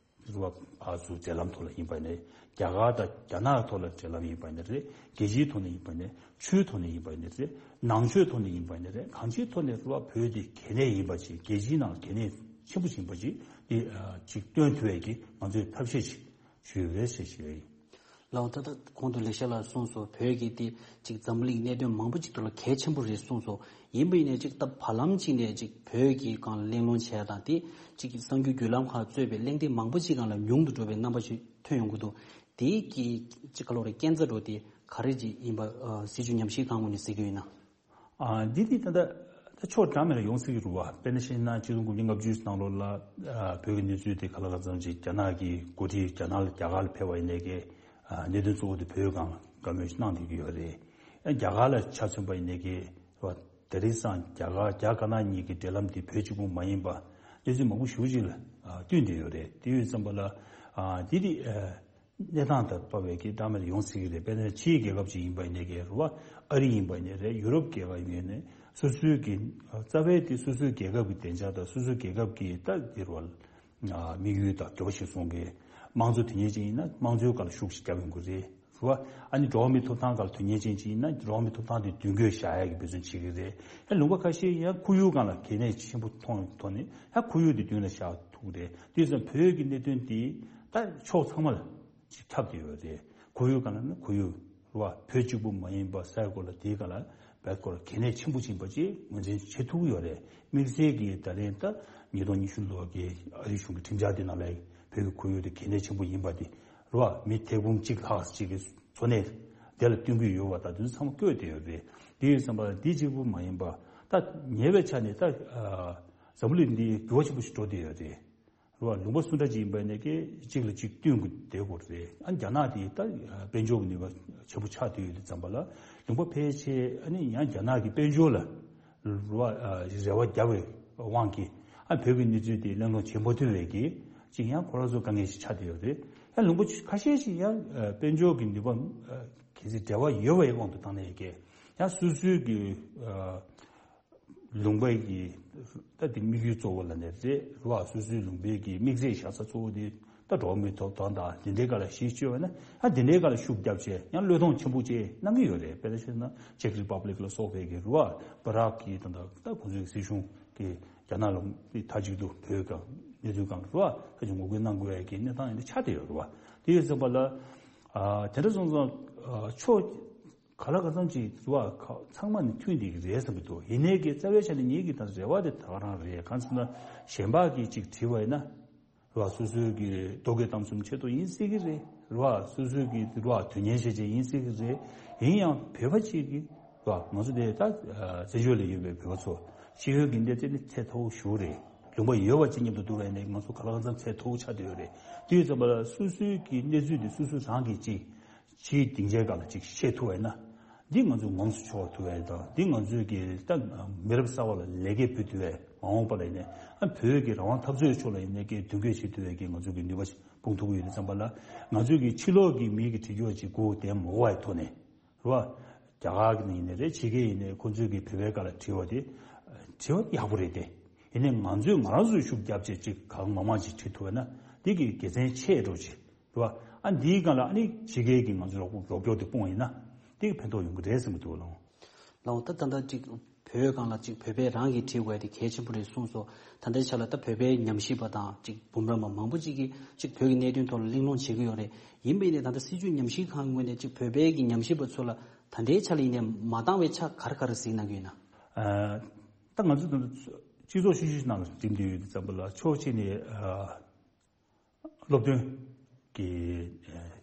རུ་བ་ཕར་ཚུར་འབྲེལ་ལམ་ཐོག་ལ་ཡིན་པ་ནས། རྒྱ་གར་དང་རྒྱ་ནག་ཐོག་ལ་འབྲེལ་ལམ་ཡིན་པ་ནས་རེད། རྒྱལ་སྤྱིའི་ཐོག་ནས་ཡིན་པ་ནས། ཆོས་ཐོག་ནས་ཡིན་པ་ནས་རེད། ནང་ཆོས་ཐོག་ནས་ཡིན་པ་ནས་རེད། གང་ཅིའི་ཐོག་ནས་རུ་བ་བོད་དེ་གལ་གནད་ཡིན་པ་ཅིག་རྒྱལ་སྤྱིའི་ནང་གལ་གནད་ཆེན་པོ་ཡིན་པ་ཅིག་དེ་ཅིག་སྟོན་ཐུབ་ཡས་ཀྱི་ང་ཚོས་ཐབས་ཤེས་ཅིག་ཞུས་ཡོད་རེད་ཞེས་ཞུས་ཡོད། ལགས་འོ། ད་ལྟ་གོང་དུ་ལེགས་བཤད་ལགས་གསུངས་སོང་། བོད་ཀྱི་དེ་ཅིག་འཛམ་བུ་གླིང་གནད་དོན་མང་པོ་ཅིག་ཐོག་ལ་གལ་ཆེན་པོ་རེད་གསུངས་སོང་། ཡིན་པ་ཡིན་ནའི་ཅིག་ད་བར་ལམ་ཅིག་ནས་ཅིག་བོད་ཀྱི་སྒང་གླེང་སློང་བྱས་དང་དེ་ཅིག་གསར་འགྱུར་བརྒྱུད་ལམ་ཁག་གཙོས་པའི་གླེང་སྟེགས་མང་པོ་ཅིག་སྒང་ལ་ཉུང་དུ་འགྲོ་བའི་རྣམ་པ་ཞིག་ཐོན་ཡོང་གི་འདུག་དེའི་གི་ཅིག་ག་ལོ་རེ་རྐྱེན་རྩ་འགྲོ་དེ་ག་རེ་ཅིག་ཡིན་པ་ཨ་སྲིད་བྱུས་ཉམས་ཞིབ་ཁང་ངོས་ནས་གཟིགས་ཀྱི་ཡོད་ན། ཨ་འདི་དེ་ད་ལྟ་ད་ཕྱོགས་གྲངས་མེད་ལ་ཡོང་སྲིད་ཀྱི་རེད་བ། དཔེར་ན་བཤད་ན་ཆིག་སྟོང་དགུ་བརྒྱ་ལྔ་བཅུ་ནང་ལོགས་ལ་ཨ་བོད་ཀྱི་གནས་ཚུལ་དེ་ག་ལ་གང་འཚམ་ཅིག་རྒྱ་ནག་གི་འགོ་ཁྲིད་རྒྱ་ནག་ལ་རྒྱ་གར་ལ་ཕེབས་པ་ཡིན་ནའི་གི་ཨ་གནད་དོན་གཙོ་བོ་དེ་བོད་སྒང་ལ་བཀའ་མོལ་ཞིག་གནང་བསྡད་ཀྱི་ཡོད་རེད། ཨ་རྒྱ་གར་ལ་ཆ་མཚོན་པ་ཡིན་ནའི་གི་རེད་བ། དེ་རིང་སང་རྒྱ་གར་རྒྱ་དཀར་ནག་གཉིས་ཀྱི་འབྲེལ་ལམ་དེ་བོད་གཅིག་པུ་མ་ཡིན་པ་གནས་ཚུལ་མང་པོ་ཞེ་པོ་ཅིག་ལ་ཨ་བསྟུན་བསྡད་ཡོད་རེད། དེ་ཡོད་ཙམ་པ་ལ་ཨ་དེ་དེ་ཨ། གནས་སྟངས་དང་དཔག་པའི་གི་གྲངས་མེད་ཡོང་སྲིད་ཀྱི་རེད། དཔེར་ན་ཕྱིའི་རྒྱལ་ཁབ་ཅིག་ཡིན་པ་ཡིན་ནའི་གི་རེད་བ། ཨ་རི་ཡིན་པ་ཡིན་ནའི་རེད། ཡུ་རོབ་རྒྱལ་ཁབ་ཡིན་ནའི་སོ་སོའི་གི་རྩ་བའི་དེ་སོ་སོའི་རྒྱལ་ཁབ་ཀྱི་བདེ་འཇགས་དང་སོ་སོའི་རྒྱལ་ཁབ་ཀྱི་ད་དེ་རེད་བ། དམིགས་ཡུལ་དང་འགྱུར་བ་ཞིག་སོང་གི། དམངས་གཙོ་དེ་ཉིད་ཅིག་ཡིན་ན་དམངས་གཙོའི་སྒང་ལ་ཤུགས་ཤིག་རྒྱབ་ཡོང་གི་རེད། རེད་བ། ཨ་ནི་འགྲོ་བ་མིའི་ཐོབ་ཐང་སྒང་ལ་དོན་གཉེར་ཅན་ཅིག་ཡིན་ན་འགྲོ་བ་མིའི་ཐོབ་ཐང་དེ་མདུན་སྐྱོད་བཞག་ཡག་གི་འབད་བརྩོན་བྱེད་ཀྱི་རེད། ཡང་ལུང་པ་ཁ་ཤས་ཡང་ཁོར་ཡུག་སྒང་ལ་གལ་གནད་ཆེན་པོ་མཐོང་ཐོག་ནས་ཡང་ཁོར་ཡུག་དེ་མདུན་ལ་བཞག་ཐུབ་ཀྱི་རེད། དེ་ཙམ་བོད་ཀྱི་གནད་དོན་དེ་ད་ཕྱོགས་ཚང་མ་ལ་ཅིག་ཁྱབ་བསྡད་ཡོད་རེད། ཁོར་ཡུག་སྒང་ལ་ན་ཁོར་ཡུག་རེད་བ། བོད་གཅིག་པུ་མ་ཡིན་པ་སའི་གོ་ལ་དེའི་སྒང་ལ་བོད་སྐོར་གལ་གནད་ཆེན་པོ་ཕྱིན་པ་ཅིག་ངོས་འཛིན་བྱེད་ཐུབ་ཀྱི་ཡོད་རེད། དམིགས་བསལ་གྱིས་ད་ལན་ད་ཉིས་སྟོང་ཉི་ཤུ་ལོ་གི་ཨ་རིའི་གཞུང་གི་ཁྲིམས་འཆར་དེ་ནང་ལ་བོད་ཀྱི་ཁོར་ཡུག་དེ་གལ་གནད་ཆེན་པོ་ཡིན་པ་དེ་རེད་བ། མི་ཐེར་འབུམ་གཅིག་ལྷག་ཅིག་གི་འཚོ་གནས་དེ་ལ་བསྟུན་གྱི་ཡོད་པ་དང་དེ་ཚོ་ཚང་མ་བཀོད་བསྡད་ཡོད་རེད། དེ་ཡིན་ཙམ་པ་འདི་གཅིག་པུ་མ་ཡིན་པ་ད་ཉེ་བའི་ཆ་ནས་ད་ཨ་འཛམ་བུ་གླིང་འདི་འགྱུར་བ་ཆེན་པོ་ཞིག་འགྲོ་བསྡད་ཡོད་རེད། རེད་བ། ལུང་པ་སུ་འདྲ་ཅིག་ཡིན་པ་ཡིན་ནའི་གཅིག་ལ་གཅིག་བསྟུན་དགོས་བསྡད་དགོས་རེད། ཨ་རྒྱ་ནག་དེ་ད་དཔལ་འབྱོར་གྱི་ནུས་པ་ཆེན་པོ་ཆགས་བསྡད་ཡོད་དུས་ཙམ་པ་ལ་ལུང་པ་ཕལ་ཆེར་ཨ་ནི་ཡང་རྒྱ་ནག་གི་དཔལ་འབྱོར་ལ་རེ་བ་ཨ་རེ་བ་བརྒྱབ་པའི་དབང་གིས་ཨ་བོད་ཀྱི་གནས་ཚུལ་དེ་གླེང་སློང་བྱེད་མ་ཐུབ་པའི་གི་ཅིག་ཡང་ཁོ་རང་ཚོ་དཀའ་ངལ་ཞིག་ཆགས་བསྡད་ཡོད་རེད། ཡང་ལུང་པ་ཁ་ཤས་ཤིག་ཡང་ཨ་དཔལ་འབྱོར་གྱི་ནུས་པ་ཨ་གལ་སྲིད་འབྲེལ་བ་ཡོད་པའི་དབང་དུ་བཏང་ནས་ཀྱི་ཡང་སོ་སོའི་གི་ཨ། ལུང་པའི་གི་ད་དེ་དམིགས་ཡུལ་གཙོ་བོ་ལ་ནས་རེད་རེད་བ། སོ་སོའི་ལུང་པའི་གི་དམིགས་ཚད་བཞག་ས་གཙོ་བོ་དེ་ད་འགྲོ་བ་མིའི་ཐོབ་ཐང་དང་དེ་འདྲའི་སྒང་ལ་གཞི་བཅོལ་བ་ན་ཨ་དེ་འདྲའི་སྒང་ལ་ཤུགས་བརྒྱབ་བྱས་ཡང་བློས་གཏོང་ཆེན་པོ་བྱས་གནང་གི་ཡོད་རེད། དཔེར་ན་བཤད་ན་ཅེཀ་རི་པབ་ལིག་ལ་སོགས་པའི་གི་རེད་བ། པ་རག་གི་ད་ད་ད་ཁོང་ཚོའི་སྲིད་གཞུང་གི་རྒྱ་ནག་ལ་མཐའ་གཅིག་ཏུ་བོད་སྒང་གནས་ཚུལ་སྒང་རེད་བ། ད་ཅིག་ངོ་རྒོལ་གནང་དགོས་ཡ་གི་གནས་སྟངས་ཡིན་ན་ཆགས་བསྡད་ཡོད་རེད་བ། དེ་ཡིན་ཙམ་པ་ལ་ཨ་དེ་འདྲ་སོང་ཙང་ཨ་ཕྱོགས། ག་ལ་ག་ཚང་ཅིག་རེད་བ། ཚང་མ་ནི་མཐུན་བསྡད་ཀྱི་རེད་བསམ་གྱི་འདུག་ཡིན་ནའི་གི་རྩ་བའི་ཆ་ནས་ངེད་ཀྱི་ད་རེ་བ་དེ་ད་ག་རང་རེད། གང་ཟེར་ན་གཞན་པ་གིས་ཅིག་བྲིས་པ་ཡིན་ན་རེད་བ། སོ་སོའི་གི་རྟོག་གེ་གཏམ་གསུམ་ཆེད་དུ་ཡིན་སྲིད་ཀྱི་རེད། རེད་བ། སོ་སོའི་གི་རེད་བ། དོན་གཉེར་བྱས་བྱས་ཡིན་སྲིད་ཀྱི་རེད། ཡིན་ཡང་བོད་པ་གཅིག་གིས་རེད་བ། ང་ཚོ་དེ་ད་བཙན་བྱོལ་ལ་ཡོད་པའི་བོད་པ་ཚོ་ཤེས་ཡོན་གྱི་འདི་ཚད་ནི་ཚད་མཐོ་བོ་ཞིག་རེད། ལུང་པ་ཡོད་པ་ཅིག་མཉམ་དུ་བསྡུར་བ་ཡིན་ནའི་ང་ཚོ་ག་ལ་གང་འཚམ་ཚད་མཐོ་བོ་ཆགས་བསྡད་ཡོད་རེད། དེ་ཡོད་ཙམ་པ་ལ་སོ་སོའི་གི་གནས་ཚུལ་དེ་སོ་སོ་རང་གིས་ཅིག་ཕྱིའི་སྡིངས་ཆའི་སྒང་ལ་ཅིག་བཤད་ཐུབ་པ་ཡིན་ན། འདི་ང་ཚོས་ངོམས་སུ་ཕྱོགས་ཐུབ་པ་དང་འདི་ང་ཚོས་ཀྱི་ད་མི་རབས་གསར་པ་ལ་ལེགས་སྐྱེས་ཕུལ་ཐུབ་པའི་མ་འོངས་པ་ལ་ཡིན་ནའི་ཨ་བོད་ཀྱི་རང་དབང་འཐབ་རྩོད་ཕྱོགས་ལ་ཡིན་ནའི་ཀྱི་མདུན་སྐྱོད་བྱེད་ཐུབ་པའི་ཀྱི་ང་ཚོ་གི་ནུས་པ་ཞིག་སྤུངས་ཐུབ་ཀྱི་ཡོད་དུས་ཙམ་པ་ལ་ང་ཚོས་ཀྱི་ཕྱི་ལོགས་ཀྱི་མི་གི་འགྲེལ་བརྗོད་ཅིག་སྒུག་བསྡད་མ་དགོས་པའི་ཐོག་ནས་རེད་བ། རྒྱ་གར་གྱི་ཡིན་ནའི་རེད། ཕྱི་རྒྱལ་ཡིན་ནའི་ཁོང་ཚོས་ཀྱི་བོད་པའི་སྒང་ལ་དྲི་བ་དེ་དྲི་བ་ཡག་པོ་རེད་དེ། ཡིན་ནའི་ང་ཚོས་ང་རང་ཚོས་ཤུགས་རྒྱབ་བྱས་ཅིག་གང་མང་མང་ཅིག་དྲི་ཐུབ་པ་ན་འདི་གི་དགེ་མཚན་ཆེ་འགྲོ་ཅིག་རེད་བ། ཨ་འདིའི་སྒང་ལ་ཨ་ནི་ཕྱི་རྒྱལ་གྱི་ང་ཚོའི་རོགས་རོགས་སྐྱོར་དེ་སྤུངས་ཡིན་ན་འདི་གི་ཕན་ཐོགས་ཡོང་གི་རེད་བསམ་གྱི་འདུག་ལགས། ལགས་འོང་། ད་ད་ལྟ་ཅིག་བོད་སྒང་ལ་ཅིག་བོད་པས་རང་གིས་བྲིས་དགོས་དེ་གལ་ཆེན་པོ་རེད་གསུངས་སོ། ད་ལྟའི་ཆ་ལ་ད་བོད་པའི་ཉམས་ཞིབ་པ་དང་ཅིག་འབུམ་རམས་པ་མང་པོ་ཅིག་གིས་ཅིག་བོད་ཀྱི་གནད་དོན་ཐོག་ལ་གླེང་སློང་བྱེད་ཀྱི་ཡོད་རེད། ཡིན་པ་ཡིན་ནའི་ད་ལྟ་སྲིད་བྱུས་ཉམས་ཞིབ་ཁང་གི་ངོས་ནས་ཅིག་བོད་པའི་གི་ཉམས་ཞིབ་པ་ཚོ་ལ་ད་ལྟའི་ཆ་ལ་ཡིན་ནའི་མ་འདང་བའི་ཆ་ག་རེ་ག་རེ་གཟིགས་གནང་གི་ཡོད་ན། ཨ་ད་ང་ཚོ་ད་ལྟ་སྤྱི་ཚོགས་ཤུགས་ཤུགས་ནང་ལ་འགྲིམ་བསྡད་ཡོད་དུས་ཙམ་པ་ལ་ཕྱོགས་གཅིག་ནས་ཨ། སློབ་སྟོན་གྱི་ཨ་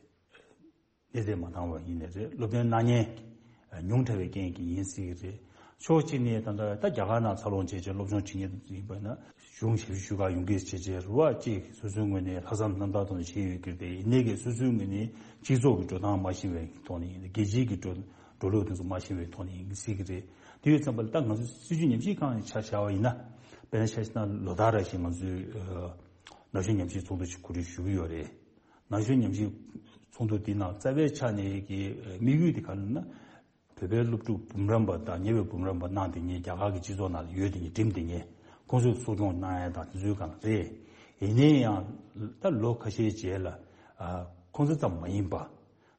གནས་ཚད་མ་འདང་བ་ཡིན་ནའི་རེད། སློབ་སྟོན་གནང་མཁན་ཉུང་དྲགས་པའི་རྐྱེན་གྱིས་ཡིན་སྲིད་ཀྱི་རེད། ཕྱོགས་གཅིག་ནས་ད་ལྟ་ད་རྒྱ་གར་ནང་འཚར་ལོངས་བྱས་བྱས་སློབ་སྦྱོང་བྱེད་མཁན་ཡིན་པ་ན་གཞུང་ཞབས་ཞུ་ཁག་ཡོང་གི་བྱས་བྱས་རེད་བ། གཅིག་སོ་སོའི་ངོས་ནས་ལྷག་བསམ་རྣམ་དག་ཐོག་ནས་བྱས་ཡོད་ཀྱི་རེད། ཡིན་ནའི་གི་སོ་སོའི་ངོས་ནས་སྤྱི་ཚོགས་ཀྱི་འགྲོ་སྟངས་མ་ཤེས་པའི་ཐོག་ནས་ཡིན། རྒྱལ་སྤྱིའི་གི་འགྲོ་འགྲོ་ལུགས་དེ་ཚོ་མ་ཤེས་པའི་ཐོག་ནས་ཡིན་སྲིད་ཀྱི་རེད། དེ་ཡོད་ཙམ་པ་ལ་ད་ང་ཚོ་སྲིད་བྱུས་ཉམས་ཞིབ་ཁང་ནས་ཆ་བཞག་པ་ཡིན་ན། དཔེར་ན་ཆ་བཞག་ན་ལོ་ལྟར་རེ་བཞིན་ང་ཚོས་ཨ་ན་གཞོན་ཉམས་ཞིབ་ཚོགས་འདུ་ཞིག་གོ་སྒྲིག་ཞུ་གི་ཡོད་རེད། ན་གཞོན་ཉམས་ཞིབ་ཚོགས་འདུ་འདི་ནང་རྩ་བའི་ཆ་ནས་ཀྱི་དམིགས་ཡུལ་དེ་ག་རེ་ལབ་ན། བོད་པའི་སློབ་ཕྲུག་འབུམ་རམས་པ་དང་ཉེ་བའི་འབུམ་རམས་པ་གནང་དེ་ཉིད་རྒྱ་གར་གྱི་སྤྱི་ཚོགས་ནང་ལ་ཡོད་དེ་ཉིད་འགྲིམ་དེ་ཉིད་ཁོང་ཚོས་གསོ་སྐྱོང་གནང་ཡ་དང་དེ་ཚོའི་སྒང་རེད། ཡིན་ནའི་ཡང་ད་ལོ་ཁ་ཤས་རྗེས་ལ་ཨ་ཁོང་ཚོ་ཙམ་མ་ཡིན་པ་རེད་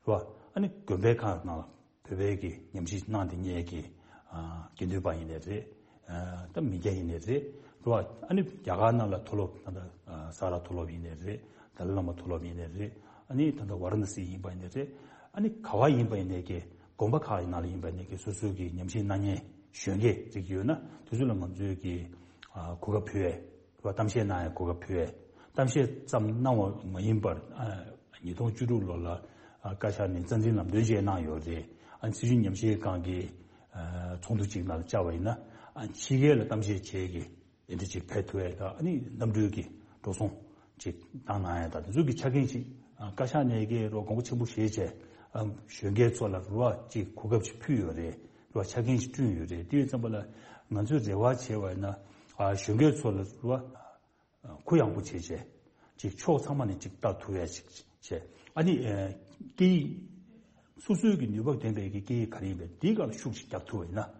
བ། ཨ་ནི་དགོན་པའི་ཁག་ནང་ལ་བོད་པའི་གི་ཉམས་ཞིབ་གནང་བསྡད་མཁན་གྱི་ཨ་དགེ་འདུན་པ་ཡིན་ནའི་རེད། ཨ་ད་མི་སྐྱ་ཡིན་ནའི་རེད། རེད་བ། ཨ་ནི་རྒྱ་གར་ནང་ལ་མཐོ་སློབ་ད་ལྟ་ཨ་ས་རཱ་མཐོ་སློབ་ཡིན་ནའི་རེད། ཏཱ་ལའི་བླ་མ་མཐོ་སློབ་ཡིན་ནའི་རེད། ཨ་ནི་ད་ལྟ་ཝཱ་ར་ཎ་སི་ཡིན་པ་ཡིན་ནའི་རེད། ཨ་ནི་ག་བ་ཡིན་པ་ཡིན་ནའི་གི་དགོན་པ་ཁག་ཡི་ནང་ལ་ཡིན་པ་ཡིན་ནའི་གི་སོ་སོའི་གི་ཉམས་ཞིབ་གནང་མཁན་གཞོན་སྐྱེས་ཅིག་ཡོད་ན་དེ་ཚོ་ལ་ང་ཚོས་གི་ཨ་གོ་སྐབས་ཕུལ་ཡས། རེད་བ། གཏམ་བཤད་གནང་ཡ་གོ་སྐབས་ཕུལ་ཡས། གཏམ་བཤད་ཙམ་གནང་བ་མ་ཡིན་པར་ཨ་ཉིས་སྟོང་བཅུ་དྲུག་ལོ་ལ་ཨ་བཀའ་ཤག་ནས་རྩ་འཛིན་ལམ་སྟོན་བཅས་གནང་ཡོད་རེད། ཨ་སྲིད་བྱུས་ཉམས་ཞིབ་ཁང་གི་ཨ་ཚོགས་འདུ་ཅིག་ནང་བཅར་བ་ཡིན་ན་ཨ་ཕྱི་རྒྱལ་ལ་གཏམ་བཤད་བྱེད་ཀྱི་དེ་འདྲ་ཅིག་ཕེབས་ཐུབ་ཡས་དང་། ཨ་ནི་གནམ་གྲུའི་གི་འགྲོ་སོང་ཅིག་བཏང་གནང་ཡས་དང་དེ་ཚོ་གི་ཆ་རྐྱེན་ཅིག་ཨ་བཀའ་ཤག་ནས་ཀྱི་རོགས་དགོངས་པ་ཆེན་པོ་བཞེས་བྱས་ཨ་གཞོན་སྐྱེས་ཚོ་ལ་རེད་བ་ཅིག་གོ་སྐབས་ཅིག་ཕུལ་ཡོད་རེད། རེད་བ། ཆ་རྐྱེན་ཅིག་བསྐྲུན་ཡོད་རེད། དེ་ཡིན་ཙམ་པ་ལ་ང་ཚོས་རེ་བ་བྱས་པ་ཡིན་ན་ཨ་གཞོན་སྐྱེས་ཚོ་ལ་རེད་བ། གུ་ཡངས་པོ་བྱས་བྱས། ཅིག་ཕྱོགས་ཚང་མ་ནས་ཅིག་ལྟ་ཐུབ་ཡ་ཅིག་བྱས། ཨ་ནི་ཨ་སྐད་ཡིག་སོ་སོའི་གི་ནུས་པ་ལྡན་པའི་གི་སྐད་ཡིག་ག་རེ་ཡིན་པའི་འདིའི་སྒང་ལ་ཤུགས་ཅིག་རྒྱག་ཐུབ་པ་ཡིན་ན། རེད་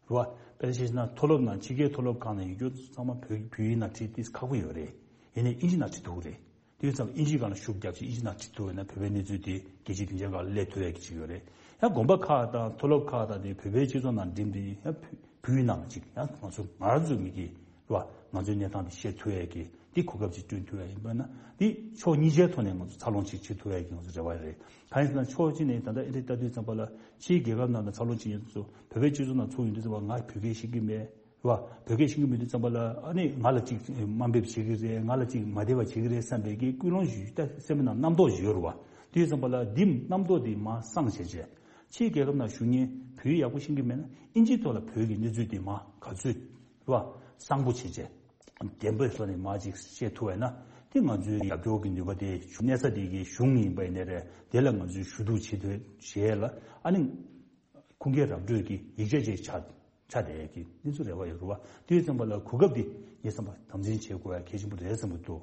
བ། དཔེར་བཤད་ན་མཐོ་སློབ་ནང་ཕྱི་རྒྱལ་མཐོ་སློབ་ཁག་ནང་ཡོད་རྒྱུ་ཚང་མ་བོད་བོད་ཡིག་ནང་བྲིས་ཏེ་ཁག་པོ་ཡོད་རེད། ཡིན་ནའི་ཨིན་ཇི་ནང་བྲིས་ཐུབ་ཀྱི་རེད། དེ་ཙམ་ཨིན་ཇིའི་སྒང་ལ་ཤུགས་རྒྱབ་ཅིག་ཨིན་ཇི་ནང་བྲིས་ཐུབ་པ་ཡིན་ན་བོད་པའི་གནས་ཚུལ་དེ་རྒྱལ་སྤྱིའི་སྡིངས་ཆའི་སྒང་ལ་སླེབས་ཐུབ་ཡ་གི་ཅིག་ཡོད་རེད། ཡང་དགོན་པ་ཁག་དང་མཐོ་སློབ་ཁག་དང་དེ་བོད་པའི་སྤྱི་ཚོགས་ནང་འགྲིམས་ཏེ་ཡང་བོད་བོད་ཡིག་ནང་ལ་ཅིག་ཡང་ང་ཚོ་ང་རང་ཚོའི་མི་གི་རེད་བ། ང་ཚོའི་གནས་སྟངས་དེ་བཤད་ཐུབ་ཡས་ཀྱི་འདི་གོ་སྐབས་ཅིག་བསྐྲུན་ཐུབ་ཡས་ཡིན་པ་ན་འདི་ཕྱོགས་གཉིས་ཆའི་ཐོག་ནས་ང་ཚོ་འཚར་ལོངས་ཅིག་བྱེད་ཐུབ་ཡས་ཀྱི་ང་ཚོ་རེ་བ་རེད། གང་ཡིན་ཟེར་ན་ཕྱོགས་གཅིག་ནས་ད་ལྟ་ཨེ་འདྲ་ལྟ་དུས་ཙམ་པ་ལ་ཕྱིའི་རྒྱལ་ཁབ་ནང་ལ་འཚར་ལོངས་ཅིག་ཡོང་དུས་ཚོ་བོད་པའི་སྤྱི་ཚོགས་ནང་ཚུར་ཡོང་དུས་ཙམ་པ་ང་བོད་སྐད་ཤེས་ཀྱི་མེད་རེད་བ། བོད་སྐད་ཤེས་ཀྱི་མེད་དུས་ཙམ་པ་ལ་ཨ་ནི་ང་ལ་ཅིག་དམའ་འབེབས་བྱེད་ཀྱི་རེད། ང་ལ་ཅིག་མ་བདེ་བ་བྱེད་ཀྱི་རེད་བསམ་པའི་གི་ཀུན་སློང་ཞིག་ད་སེམས་ནང་རྣམ་རྟོག་ཞིག་ཡོད་རེད་བ། དུས་ཙམ་པ་ལ་འདི་རྣམ་རྟོག་འདི་མར་སངས་བྱས་བྱས། ཕྱིའི་རྒྱལ་ཁབ་ནང་བཞུགས་མཁན་བོད་ཡིག་ཡག་པོ་ཤེས་ཀྱི་མེད་ན་ཨིན་ཇིའི་ཐོག་ལ་བོད་ཀྱི་གནས་ཚུལ་འདི་མར་ག་ཚོད་རེད་བ། གསང་པོ་བྱས་བྱས། བདེན་པའི་ཐོག་ནས་མར་ཅིག་བཤད་ཐུབ་པ་ཡིན་ན་དེ་ང་ཚོའི་རྒྱབ་སྐྱོར་གྱི་ནུས་པ་དེ་གནས་ས་དེ་གའི་གཞུང་ཡིན་པ་ཡིན་ནའི་རེད། དེ་ལ་ང་ཚོས་ཞུ་གཏུག་བྱེད་ཐུབ་བྱས་ལ་ཨ་ནི་ཁུངས་སྐྱེལ་ར་སྤྲོད་ཀྱི་ཡིག་ཆ་ཅིག་ཆགས་ཆགས་བསྡད་ཡས་ཀྱི་གནས་ཚུལ་རེ་བ་ཡོད་རེད་བ། དེ་ཡིན་ཙམ་པ་ལ་གོ་སྐབས་འདི་ངས་བསམ་པ་དམ་འཛིན་བྱེད་དགོས་ཡ་གལ་ཆེན་པོ་རེད་བསམ་གྱི་འདུག་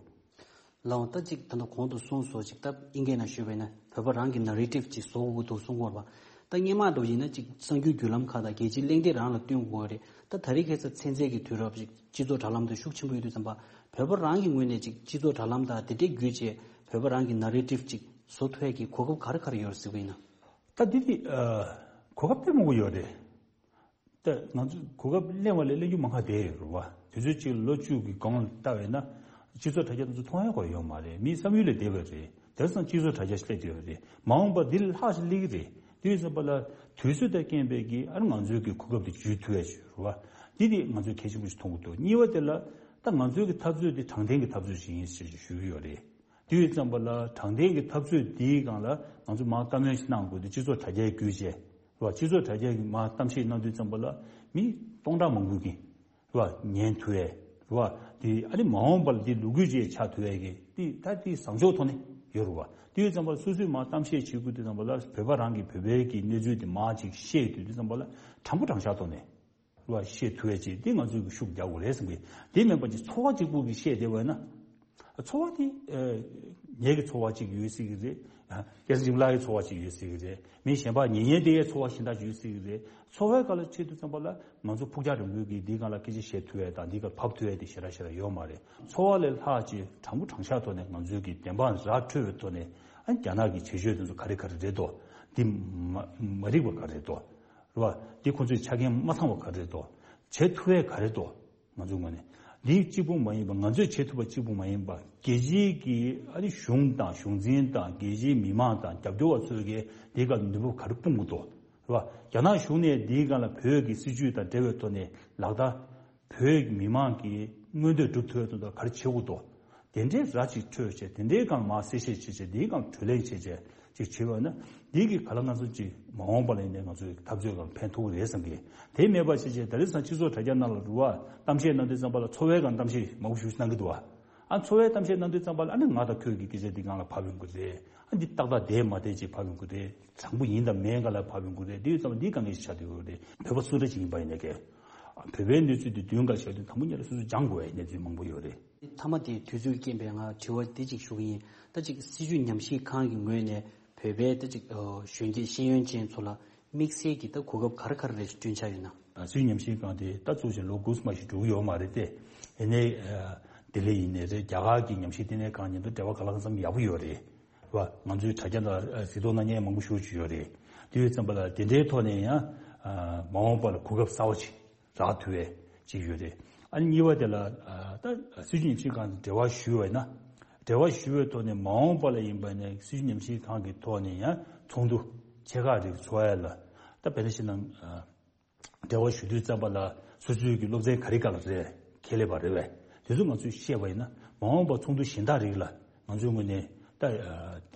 ལགས་འོང་། ད་ཅིག་ད་ལྟ་གོང་དུ་གསུངས་སོང་། ཅིག་ད་དབྱིན་སྐད་ནང་ཞུས་པ་ཡིན་ན་བོད་པ་རང་གི་ན་རེ་ཊིབ་ཅིག་བཟོ་དགོས་ཀྱི་འདུག་གསུང་གི་ཡོད་རེད་པ། ད་སྔོན་མ་འདྲ་བོ་ཡིན་ན་ཅིག་གསར་འགྱུར་བརྒྱུད་ལམ་ཁག་དང་རྒྱལ་སྤྱིའི་གླེང་སྟེགས་རང་ལ་བཏོན་དགོས་རེད། ད་ད་རེས་ཁ་སང་ཚན་རྩལ་གྱི་དུས་རབས་ཅིག་སྤྱི་ཚོགས་དྲ་ལམ་དུ་ཤུགས་ཆེན་པོ་ཡོད་དུས་ཙམ་པ་བོད་པ་རང་གི་ངོས་ནས་ཅིག་སྤྱི་ཚོགས་དྲ་ལམ་དང་དེ་འདྲའི་བརྒྱུད་བྱས་བོད་པ་རང་གི་ན་རེ་ཊིབ་ཅིག་བཟོ་ཐུབ་ཡས་ཀྱི་གོ་སྐབས་ག་རེ་ག་རེ་ཡོད་རེད་ཟེར་གྱི་ཡིན་ན། ད་འདི་དེ་གོ་སྐབས་དཔེ་མང་པོ་ཡོད་རེད། ད་ང་ཚོ་གོ་སྐབས་གླེང་བ་ལས་གླེང་རྒྱུ་མང་ཁ་བསྡད་ཡོད་རེད་བ། དུས་ཚོད་གཅིག་ལོ་བཅུ་གི་གོང་ལ་ལྟ་བས་ན་སྤྱི་ཚོགས་དྲ་རྒྱ་དེ་ཚོ་མཐོང་ཡ་གོ་ཡོད་མ་རེད། མིའི་བསམ་ཡུལ་ལས་འདས་པ་རེད། དེང་སང་སྤྱི་ཚོགས་དྲ་རྒྱ་ཞིག་སླེབས་བསྡད་ཡོད་རེད། མ་འོངས་པ་འདི་ལས་ལྷག་ཞིག་སླེབས་ཀྱི་རེད། དེ་ཡིན་ཙམ་པ་ལ་དུས་ཚོད་དང་རྐྱེན་པས་ཀྱི་ཨ་ནི་ང་ཚོའི་གི་གོ་སྐབས་དེ་འཇུས་ཐུབ་ཡ་ཞིག་རེད་བ། འདི་དེ་ང་ཚོས་གལ་ཆེན་པོ་ཞིག་མཐོང་གི་འདུག་གཉིས་པ་དེ་ལ་ད་ང་ཚོའི་གི་འཐབ་རྩོད་དེ་དྲང་བདེན་གྱི་འཐབ་རྩོད་ཞིག་ཡིན་ཞེས་ཞུ་གི་ཡོད་རེད། དེ་ཡིན་ཙམ་པ་ལ་དྲང་བདེན་གྱི་འཐབ་རྩོད་འདིའི་སྒང་ལ་ང་ཚོ་མར་བཀའ་མོལ་ཞིག་གནང་དགོས་དུས་སྤྱི་ཚོགས་དྲ་རྒྱའི་བརྒྱུད་བྱས་རེད་བ། སྤྱི་ཚོགས་དྲ་རྒྱ་གི་མར་གཏམ་བཤད་གནང་དུས་ཙམ་པ་ལ་མི་སྟོང་ཕྲག་མང་པོ་གིས་རེད་བ་ཉན་ཐུབ་ཡས་རེད་བ། དེ་ཨ་ནི་མ་འོངས་པ་ལ་དེ་ལོ་རྒྱུས་ཅིག་ཆགས་ཐུབ་ཡས་ཀྱི་དེ་ད་དེ་བཟང་ཕྱོགས་ཐོག་ནས་ཡོད་རེད་བ། དེ་ཡིན་ཙམ་པ་ལ་སོ་སོས་མར་གཏམ་བཤད་བྱེད་དགོས་དུས་ཙམ་པ་ལ་བོད་པ་རང་གིས་བོད་པའི་གི་གནས་ཚུལ་དེ་མར་ཅིག་བཤད་དུས་དུས་ཙམ་པ་ལ་དྲང་པོ་དྲང་བཞག་ཐོག་ནས། རེད་བ། བཤད་ཐུབ་ཡས་ཅིག་འདི་ང་ཚོས་ཀྱི་ཤུགས་རྒྱག་དགོས་རེད་བསམ་གི། དེ་མིན་པ་ཅིག་ཚོར་བ་གཅིག་པུ་གིས་བཤད་བསྡད་པ་ཡིན་ན། ཚོར་བ་དེ་ཨ་ངེད་ཀྱི་ཚོར་བ་གཅིག་ཡོད་སྲིད་ཀྱི་རེད། ཨ་སྐལ་བཟང་འཇིགས་མེད་ལགས་ཀྱི་ཚོར་བ་གཅིག་ཡོད་སྲིད་ཀྱི་རེད། མི་གཞན་པ་ཉན་ཉན་བསྡད་ཡས་ཚོར་བ་གཞན་དག་ཅིག་ཡོད་སྲིད་ཀྱི་རེད། ཚོར་བའི་སྒང་ལ་ཕྱིན་དུས་ཙམ་པ་ལ་ང་ཚོ་ཕུགས་རྒྱང་རིང་པོའི་གི་འདིའི་སྒང་ལ་སྐད་ཆ་བཤད་ཐུབ་ཡས་དང་འདིའི་སྒང་ཕབ་ཐུབ་ཡས་དེ་ཞེ་དྲག་ཞེ་དྲག་ཡོད་མ་རེད། ཚོར་བ་ལས་ལྷག་ཅིག་དྲང་པོ་དྲང་བཞག་ཐོག་ནས་ང་ཚོའི་གི་བདེན་དཔང་ར་འཕྲོད་པའི་ཐོག་ནས་ཨ་རྒྱ་ནག་གི་བྱེད་སྤྱོད་དེ་ཚོ་ག་རེ་ག་རེ་རེད་དོ། འདི་མ་མ་རིག་པ་ག་རེ་རེད་དོ། རེད་བ། འདི་ཁོང་ཚོས་ཆ་རྐྱེན་མ་ཚང་བ་ག་རེ་རེད་དོ། བྱེད་ཐུབ་ཡས་ག་རེ་རེད་དོ། ང་ཚོའི་ངོས་ནས། འདི་གཅིག་པུ་མ་ཡིན་པ་ང་ཚོས་བྱེད་ཐུབ་པ་གཅིག་པུ་མ་ཡིན་པ་རྒྱལ་སྤྱིའི་གི་ཨ་ནི་གཞུང་དང་གཞུང་འཛིན་དང་རྒྱལ་སྤྱིའི་མི་མང་དང་རྒྱབ་སྐྱོར་བ་ཚོས་གི་འདི་ག་ནུས་པ་ག་རེ་སྤུངས་དགོས་དོ། རེད་བ། རྒྱ་ནག་གཞུང་ནས་འདིའི་སྒང་ལ་བོད་ཀྱི་སྲིད་བྱུས་དང་འབྲེལ་བའི་ཐོག་ནས་ལག་བསྟར། བོད་ཀྱི་མི་མང་གི་མངོན་འདོད་སྒྲུབ་ཐུབ་ཡ་དོན་དག་ག་རེ་བྱེད་དགོས་དོ། དེ་འདྲའི་ར་ཅིག་འཕྲོད་བྱས་དེ་འདྲའི་སྒང་མར་གསལ་བཤད་བྱས་བྱས་འདིའི་སྒང་གྲོས་གླེང་བྱས་བྱས་ཅིག་བྱས་པ་ན་འདི་གི་ག་ལ་ང་ཚོ་ཅིག་མ་འོངས་པ་ལ་ཡིན་ནའི་ང་ཚོའི་འཐབ་རྩོད་སྒང་ཕན་ཐོགས་ཀྱི་རེད་བསམ་གི། དེ་མེད་པ་བྱས་བྱས་ད་རེས་སང་སྤྱི་ཚོགས་དྲ་རྒྱ་ནང་ལ་རུ་བ་གཏམ་བཤད་གནང་དུས་ཙམ་པ་ལ་ཚོར་བའི་སྒང་གཏམ་བཤད་མང་པོ་ཞིག་གནང་གི་འདུག་བ། ཨ་ཚོར་བའི་གཏམ་བཤད་གནང་དུས་ཙམ་པ་ལ་ཨ་ནི་ང་དང་ཁྱོད་ཀྱི་སྐད་ཆ་འདི་སྒང་ལ་ཕབ་ཡོང་གི་རེད། ཨ་འདི་ཏག་ཏག་བསྡད་མ་བསྡད་ཅིག་ཕབ་ཡོང་གི་རེད། དྲང་པོ་ཡིན་དང་མིན་སྒང་ལ་ཕབ་ཡོང་གི་རེད། འདི་ཡོད་ཙམ་པ་འདི་དཀའ་ངལ་ཞིག་ཆགས་བསྡད་ཡོད་རེད། བོད་པ་སུ་འདྲ་ཅིག་ཡིན་པ་ཡིན་ནའི་གི་བོད་པའི་གནས་ཚུལ་འདི་མདུན་ཁ་བཞག་དུས་དང་པོ་ཉིད་ལ་སོ་སོས་སྦྱང་དགོས་པའི་གནས་ཚུལ་མང་པོ་ཡོད་རེད། མཐའ་མ་དེ་དུས་ཚོད་རྐྱེན་པས་ང་དྲི་བ་འདི་ཅིག་ཞུ་གི་ཡིན། ད་ཅིག་སྲིད་བྱུས་ཉམས་ཞིབ་ཁང་གི་ངོས་ནས་བོད་པའི་ད་ཅིག་གཞོན་སྐྱེས་ཤེས་ཡོན་ཅན་ཚོ་ལ་དམིགས་བསལ་གྱི་ད་གོ་སྐབས་ག་རེ་ག་རེ་རེ་བསྐྲུན་འཆར་ཡོད་ན། སྲིད་བྱུས་ཉམས་ཞིབ་ཁང་དེ་ད་གཙོ་ཆེ་ལོ་དགུ་ཙམ་ཞིག་འགྲོ་གི་ཡོད་མ་རེད་དེ། ཡིན་ནའི་ ལྡི་ལི་ཡིན་ནའི་རེད། རྒྱ་གར་གྱི་ཉམས་ཞིབ་ལྟེ་གནས་ཁང་མཉམ་དུ་འབྲེལ་བ་གང་ལ་གང་འཚམ་ཡག་པོ་ཡོད་རེད། རེད་བ། ང་ཚོའི་དྲ་རྒྱ་ལ་གཟིགས་རྟོག་གནང་མཁན་མང་པོ་ཞེ་པོ་ཅིག་ཡོད་རེད། དེ་ཡོད་ཙམ་པ་ལ་དེ་འདྲའི་ཐོག་ནས་ཡང་མ་འོངས་པ་ལ་གོ་སྐབས་གསར་པ་ཅིག་རག་ཐུབ་པའི་ཅིག་ཡོད་རེད། ཨ་ནི་གཉིས་པ་དེ་ལ་ད་སྲིད་བྱུས་ཉམས་ཞིབ་ཁང་དང་འབྲེལ་བ་ཞུས་པ་ཡིན་ན། འབྲེལ་བ་ཞུས་པའི་ཐོག་ནས་མ་འོངས་པ་ལ་ཡིན་པ་ནས་སྲིད་བྱུས་ཉམས་ཞིབ་ཁང་གི་ཐོག་ནས་ཡང་ཚོགས་འདུ་ཆེ་ཁག་རིགས་ཚོགས་ཡ་ལ་ད་བལ་ཏེ་ཤི་ནང་འབྲེལ་བ་ཞུ་དུས་ཙམ་པ་ལ་སོ་སོའི་གི་སློབ་ཚན་ག་རེ་ག་ལ་རེད། ཁེ་ལས་པ་རེད་བས། དེ་ཚོ་ང་ཚོས་བཤད་པ་ཡིན་ན་མ་འོངས་པ་ཚོགས་འདུ་གཞན་དག་རིགས་ལ་ང་ཚོའི་ངོས་ནས་ད་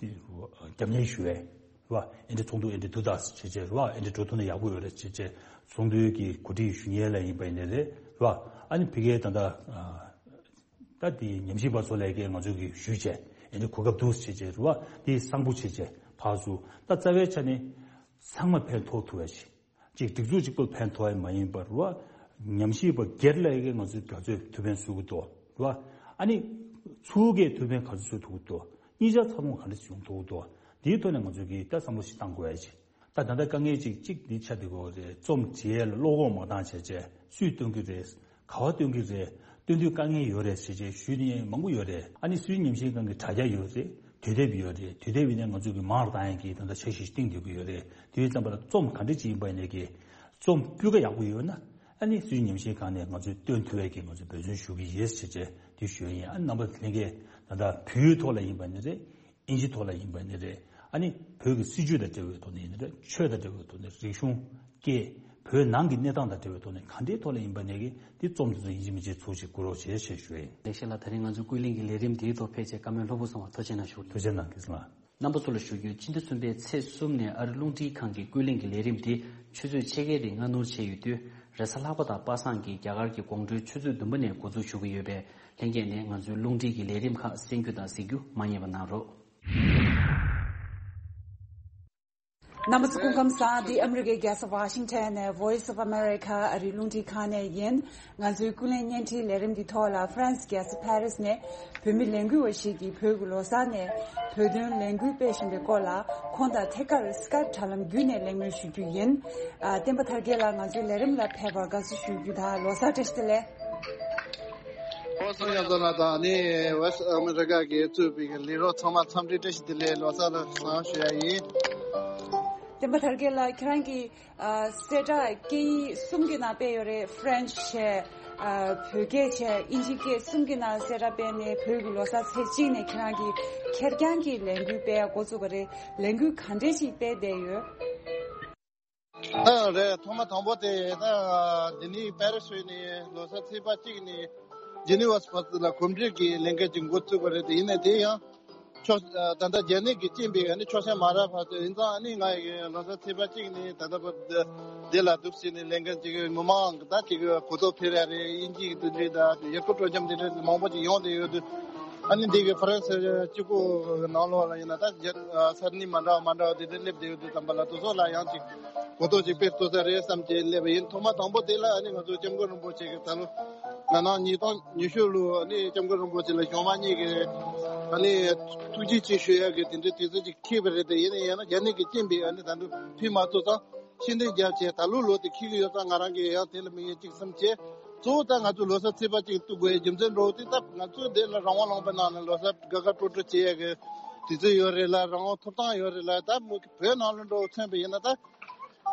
རྒྱབ་གཉེར་ཞུ་བས། རེད་བ། ཨེ་འདྲ་ཚོགས་འདུ་ཨེ་འདྲ་འདུག་ད་བྱས་བྱས་རེད་བ། ཨེ་འདྲ་འགྲོ་ཐུབ་ན་ཡག་པོ་ཡོད་རེད་བྱས་བྱས་ཚོགས་འདུའི་གི་གོ་སྒྲིག་ཞུ་མཁན་ལ་ཡིན་པ་ཡིན་ནའི་རེད། རེད་བ། ཨ་ནི་ཕ་གིའི་ད་ལྟ་ད་དེ་ཉམས་ཞིབ་པ་ཚོ་ལས་ཀའི་ང་ཚོ་གི་ཞུས་བྱས་ཨེ་འདྲ་གོ་སྐབས་འདུག་བྱས་བྱས་རེད་བ། དེ་བཟང་པོ་བྱས་བྱས་ཕར་ཚུར་ད་རྩ་བའི་ཆ་ནས་ཚང་མ་ཕན་ཐོགས་ཐུབ་པ་ཞིག་ཅིག་སྒྲིག་འཛུགས་གཅིག་པོ་ཕན་ཐོགས་ཡ་མ་ཡིན་པར་བ། ཉམས་ཞིབ་པ་སྒེར་ལ་ཡི་གེ་ང་ཚོའི་རྒྱ་མཚོས་ཐུགས་ཕན་གསོས་ཀྱི་འདུག་བ། ཨ་ནི་ཚུར་གྱིས་ཐུགས་ཕན་ག་ཚོད་གསོས་ཐུབ་ཀྱི་འདུག་གཉིས་ཆ་ཚ་ཐོང་ག་འདྲ་བྱུང་ཐུབ་ཀྱི་འདུག་འདིའི་ཐོག་ནས་ང་ཚོས་ཀྱི་ད་བསམ་བློ་ཞིག་བཏང་དགོས་ཡ་ཅིག་ད་ད་ལྟ་དཀའ་ངལ་ཅིག་ཅིག་འདི་ཆགས་བསྡད་ཀྱི་ཡོད་རེད། རྩོམ་བྱེད་ཡས་ལ་བློ་ཁོག་མ་བཏང་བྱས་བྱས་སུས་སྟོན་གྱི་རེད། ག་བ་སྟོན་གྱི་རེད། སྟོན་དུས་དཀའ་ངལ་ཡོད་རེད་ཟེར་བྱས་ཞུས་ནས་མང་པོ་ཡོད་རེད། ཨ་ནི་སུའི་ཉམས་ཞིབ་ཁང་གི་དྲ་རྒྱ་ཡོད་རེད། དུས་དེབ་ཡོད་རེད། དུས་དེབ་ཡིན་ན་ང་ཚོ་གི་མང་རུ་བཏང་ཡས་ཀྱི་ད་ལྟ་འཆར་གཞི་ཞིག་བཏིང་སྡོད་ཀྱི་ཡོད་རེད། དེ་ཡོད་ཙམ་པ་ལ་རྩོམ་ག་འདྲ་ཅིག་ཡིན་པ་ཡིན་ནའི་གི་རྩོམ་སྤུས་ཀ་ཡག་པོ་ཡོད་ན་ཨ་ནི་སུའི་ཉམས་ཞིབ་ཁང་ནས་ང་ཚོས་སྟོན་ཐུབ་ཡས་ཀྱི་ང་ཚོས་འབད་བརྩོན་ཞུ་གི་ཡོད་ཟེར་བྱས་དེ་ཞུ་ཡས་ཡིན། ཨ་ནི་རྣམ་པ་ལྷན་རྒྱས་ད་ལྟ་བོད་ཡིག་ཐོག་ལ་ཡིན་པ་ཡིན་ནའི་རེད། དབྱིན་ཇི་ཐོག་ལ་ཡིན་པ་ནི་རེད། ཨ་ནི་བོད་ཀྱི་སྲིད་བྱུས་དང་འབྲེལ་བའི་ཐོག་ནས་ཡིན་ནི་རེད། ཆོས་དང་འབྲེལ་བའི་ཐོག་ནས་རིག་གཞུང་སྐད། བོད་ནང་གི་གནས་སྟངས་དང་འབྲེལ་བའི་ཐོག་ནས་ག་འདྲའི་ཐོག་ལ་ཡིན་པ་ནས་ཀྱི་དེ་རྩོམ་དེ་ཚོ་ཡིན་གཅིག་མིན་གཅིག་ཚུགས་ཤིག་བསྐུར་རོགས་བྱེད་ཞེས་ཞུ་ཡིན། ལེགས་བཤད་ལགས། ད་རིང་ང་ཚོའི་ཀུན་གླེང་གི་ལས་རིམ་འདིའི་ཐོག་ཕལ་ཆེར་བཀའ་མོལ་ལྷུག་པོ་སོང་བ་ཐུགས་རྗེ་གནང་ཞུ། ཐུགས་རྗེ་གནང་། ཁྱེད་ཚོ་ལ། རྣམ་པ་ཚོ་ལ་ཞུ་རྒྱུ། སྤྱི་ཟླ་གསུམ་པའི་ཚེས་གསུམ་ནས་ཨ་རི་རླུང་འཕྲིན་ཁང་གི་ཀུན་གླེང་གི་ལས་རིམ་དེ་ཆུ་ཚོད་ཕྱེད་ཀའི་རིང་སྔ་སྣུར་བྱས་ཡོད་དུས། རེས་གཟའ་ལྷག་པ་དང་པ་སངས་ཀྱིས་རྒྱ་གར་གྱི་དགོང་དྲོའི་ཆུ་ཚོད་བདུན་པ་ནས་འགོ་འཛུགས་ཞུ་གི་ཡོད་པས། ལྷན་རྒྱས་ནས་ང་ཚོའི་རླུང་འཕྲིན་གྱི་ལས་རིམ་ཁག་གསན་རྒྱུ་དང་གཟིགས་རྒྱུ་མ་བསྙེལ་བ་གནང་རོགས། རྣམ་པ་ཚོ་སྐུ་ཁམས་བཟང་། འདི་ཨ་མི་རི་ཀའི་རྒྱལ་ས་ཝ་ཤིང་ཊོན་ནས་Voice of America ཨ་རིའི་རླུང་འཕྲིན་ཁང་ནས་ཡིན། ང་ཚོའི་ཀུན་གླེང་བརྙན་འཕྲིན་ལས་རིམ་འདི་ཐོག་ལ་ཧྥ་རན་སི་རྒྱལ་ས་ཕ་རི་སི་ནས་བོད་མི་ལས་འགུལ་བ་ཞིག་གིས་བོད་ཀྱི་ལོ་གསར་ནས་བོད་དོན་ལས་འགུལ་སྤེལ་བཞིན་པའི་སྐོར་ལ་ཁོང་དང་ཐད་ཀར་སི་ཀའེབ་དྲ་ལམ་བརྒྱུད་ནས་གླེང་མོལ་ཞུ་རྒྱུ་ཡིན། ཨ། བསྟན་པ་དར་རྒྱས་ལགས་ང་ཚོའི་ལས་རིམ་ལ་ཕེབས་པར་དགའ་བསུ་ཞུ་རྒྱུ་དང་ལོ་གསར་བཀྲ་ཤིས་བདེ་ལེགས། ཁོང་གསུམ་ཡང་ཚོ་ལ་དང་ནི་ཝེ་སི་ཨ་མི་རི་ཀ་གི་གཙོས་པའི་ལས་རོགས་ཚང་མ་འཚམས་འདྲི་བཀྲ་ཤིས་བདེ་ལེགས་ལོ་གསར་ལ་བཟང་ཞུ་ཡ་ཡིན། བསྟན་པ་དར་རྒྱས་ལགས། ཁྱེད་རང་གི་ཨ། གསལ་བསྒྲགས་སྐད་ཡིག་གསུམ་གྱི་ནང་སྤེལ་ཡོད་རེད། ཧྥ་རན་ཆི་བྱས། ཨ། བོད་སྐད་བྱས། དབྱིན་ཇི་སྐད་གསུམ་གྱི་ནང་གསལ་བསྒྲགས་སྤེལ་ནས་བོད་ཀྱི་ལོ་གསར་ཚེས་གཅིག་ནས་ཁྱེད་རང་གིས་ཁེར་རྐྱང་གི་ལས་འགུལ་སྤེལ་ཡ་འགོ་བཙུགས་པ་རེད། ལས་འགུལ་ག་འདྲས་ཅིག་སྤེལ་བསྡད་ཡོད། ཨ། རེད། ཐོག་མ་དང་པོ་དེ་ད་འདི་ནི་པེ་རི་སི་ནས་ལོ་གསར་ཚེས་པ་གཅིག་ནས་ཇི་ནི་ཝ་སི་ཕར་ཚུར་ལ་གོམ་བགྲོད་ཀྱི་ལས་འགུལ་ཅིག་འགོ་བཙུགས་པ་རེད། དེ་ཡིན་ནའི་དེ་ཡང་ཕྱོགས་ད་ལྟ་རྒྱ་ནག་གིས་རྐྱེན་པས་ཨ་ནི་ཕྱོགས་ཞེན་མ་རག་བར་དུ་ཡིན་ཙང་ཨ་ནི་ང་ཡི་ལོ་གསར་ཚེས་པ་གཅིག་ནས་ད་ལྟ་བར་འདི་ལ་འདུག་ཟེར་ནས་ལས་འགུལ་ཅིག་ངོ་མ་ད་ཅིག་གོ་རྟོགས་འཕེལ་ཡ་རེད། དབྱིན་ཇིའི་དེ་འདྲའི་ད་ཡུལ་སྐོར་སྤྲོ་འཆམ་དེ་འདྲ་མང་པོ་ཅིག་ཡོང་བསྡད་ཡོད་དུས་ཨ་ནི་འདི་གི་ཧྥ་རན་སི་གཅིག་པོ་ནང་ལོགས་ལ་ཡིན་ན་ད་རྒྱ་ས་གནས་མ་འདྲ་བ་མ་འདྲ་བ་དེ་འདྲ་སླེབས་བསྡད་ཡོད་དུས་ཙམ་པ་ལ་དེ་ཚོ་ལ་ཡང་ཅིག་གོ་རྟོགས་ཅིག་སྤེལ་ཐུབ་ས་རེད་བསམ་གྱི་སླེབས་པ་ཡིན། ཐོག་མ་དང་པོ་དེ་ལ་ཨ་ནི་ང་ཚོ་སྐྱབས་མགོན་རིན་པོ་ཆེ་གི་ད་ལོ་ང་ནང་ཉིས་སྟོང་ཉི་ཤུ་ལོ་ཨ་ནི་སྐྱབས་མགོན་རིན་པོ་ཆེ་ལ་གཞུང་མང་གཉིས་ཀྱི་ཨ་ནི་ཐུགས་རྗེ་ཆེ་ཞུ་ཡག་གི་དེ་འདྲའི་དུས་ཚོད་ཅིག་འཁེལ་བ་རེད་དེ། ཡིན་ན་ཡང་ན་རྒྱ་ནག་གི་རྐྱེན་པས་ཨ་ནི་ད་དུང་ཕུལ་མ་ཐུབ་ཙང་ཤུགས་འདོན་རྒྱབ་བྱས་ད་ལོ་ལོ་དེ་འཁེལ་གྱི་ཡོད་ཙང་ང་རང་གིས་ཡང་དེ་ལ་དམིགས་ཡུལ་གཅིག་བསམ་བྱས། གཙོ་བོ་ད་ང་ཚོ་ལོ་གསར་ཚེས་པ་གཅིག་གཏུག་དགོས་ཡའི་རྒྱུ་མཚན་འདྲ་བོ་དེ་ད་ང་ཚོ་འདི་ལ་རང་དབང་ལུང་པའི་ནང་ནས་ལོ་གསར་དགའ་དགའ་སྤྲོ་སྤྲོ་བྱེད་ཡག་གི་དུས་ཚོད་ཡོད་རེད་ལ། རང་དབང་ཐོབ་ཐང་ཡོད་རེད་ལ། ད་མི་བོད་ནང་ལ་འགྲོ་མཚོན་པ་ཡིན་ན་ད་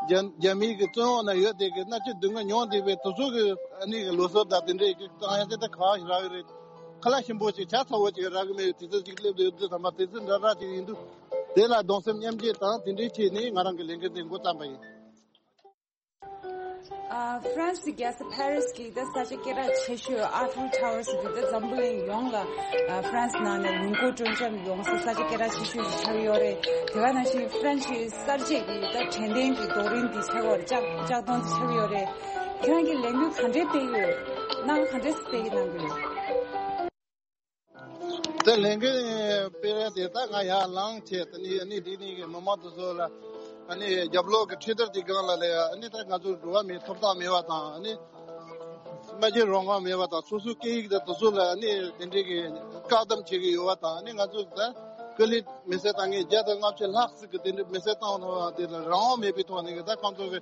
རྒྱ་རྒྱ་མིའི་གི་བཙོན་འོག་ན་ཡོད་དེ་གི་མནར་གཅོད་སྡུག་བསྔལ་མྱོང་བསྡད་པའི་དེ་ཚོ་གི་ཨ་ནི་གི་ལོ་གསར་དང་དེ་འདྲའི་གི་བཏང་ཡ་དེ་ད་ག་ཞིག་རག་གི་རེད། ཁ་ལག་ཞིམ་པོ་ཞིག་ཇ་ཚ་བོ་ཞིག་རག་གི་མེད་པའི་དུས་ཚོད་ཅིག་སླེབས་བསྡད་ཡོད་དུས་ཙམ་པ་དུས་ཚོད་འདྲ་འདྲ་ཅིག་ཡིན་དུས་དེ་ལ་གདུང་སེམས་མཉམ་སྐྱེད་དང་དེ་འདྲའི་ཆེད་ནས་ང་རང་གི་ལས་འགུལ་འདི་འགོ་བརྩམས་པ་ཡིན། ཨ། ཧྥ་རན་སི་རྒྱལ་ས་ཕ་རི་སི་གི་ད་ས་ཆ་སྐད་གྲགས་ཆེ་ཤོས་ཨ་ཧྥིལ་ཊ་ཝར་ཟེར་དུས་ད་འཛམ་བུ་གླིང་ཡོངས་ལ་ཨ་ཧྥ་རན་སི་ནང་ནས་ལུང་སྐོར་སྤྲོ་འཆམ་ཡོང་ས་ས་ཆ་སྐད་གྲགས་ཆེ་ཤོས་ཤིག་ཆགས་ཡོད་རེད། དེ་ག་ནང་བཞིན་ཧྥ་རན་སི་གསར་བརྗེ་གི་ད་དྲན་རྟེན་གྱི་རྡོ་རིང་འདི་ཆགས་ཡོད་རེད། ལྕགས་ལྕགས་སྡོང་འདི་ཆགས་ཡོད་རེད། ཁྱེད་རང་གིས་ལས་འགུལ་ག་འདྲས་སྤེལ་ཡོད། གནང་ག་འདྲས་སྤེལ་གནང་གི་ཡོད། དེ་ལས་འགུལ་སྤེལ་རེས་དེ་ད་ང་ཡར་ལངས་བྱས་དེ་ནི་ཨ་ནི་འདི་ནི་གི་མི་མང་དེ་ཚོ་ལ་ཨ་ནི་རྒྱབ་ལོགས་ཀྱི་ཁྲིད་ཐར་དེ་སྒང་ལ་ལས་ཨ་ནི་ད་ང་ཚོ་འགྲོ་བ་མིའི་ཐོབ་ཐང་མེད་པ་དང་ཨ་ནི་སྨྲ་བརྗོད་རང་དབང་མེད་པ་དང་སོ་སོའི་སྐད་ཡིག་དང་དེ་ཚོ་ལ་ཨ་ནི་དེ་འདྲའི་གི་བཀག་སྡོམ་བྱེད་ཀྱི་ཡོད་པ་དང་ཨ་ནི་ང་ཚོ་ད་སྐུ་ལུས་མེ་སྲེག་བཏང་མཁན་བརྒྱ་དང་ལྔ་བཅུ་ལྷག་ཙམ་གི་དེ་འདྲའི་མེ་སྲེག་བཏང་བ་དེ་ལ་རང་དབང་མེད་པའི་ཐོག་ནས་གི་ད་ཁོང་ཚོ་གི་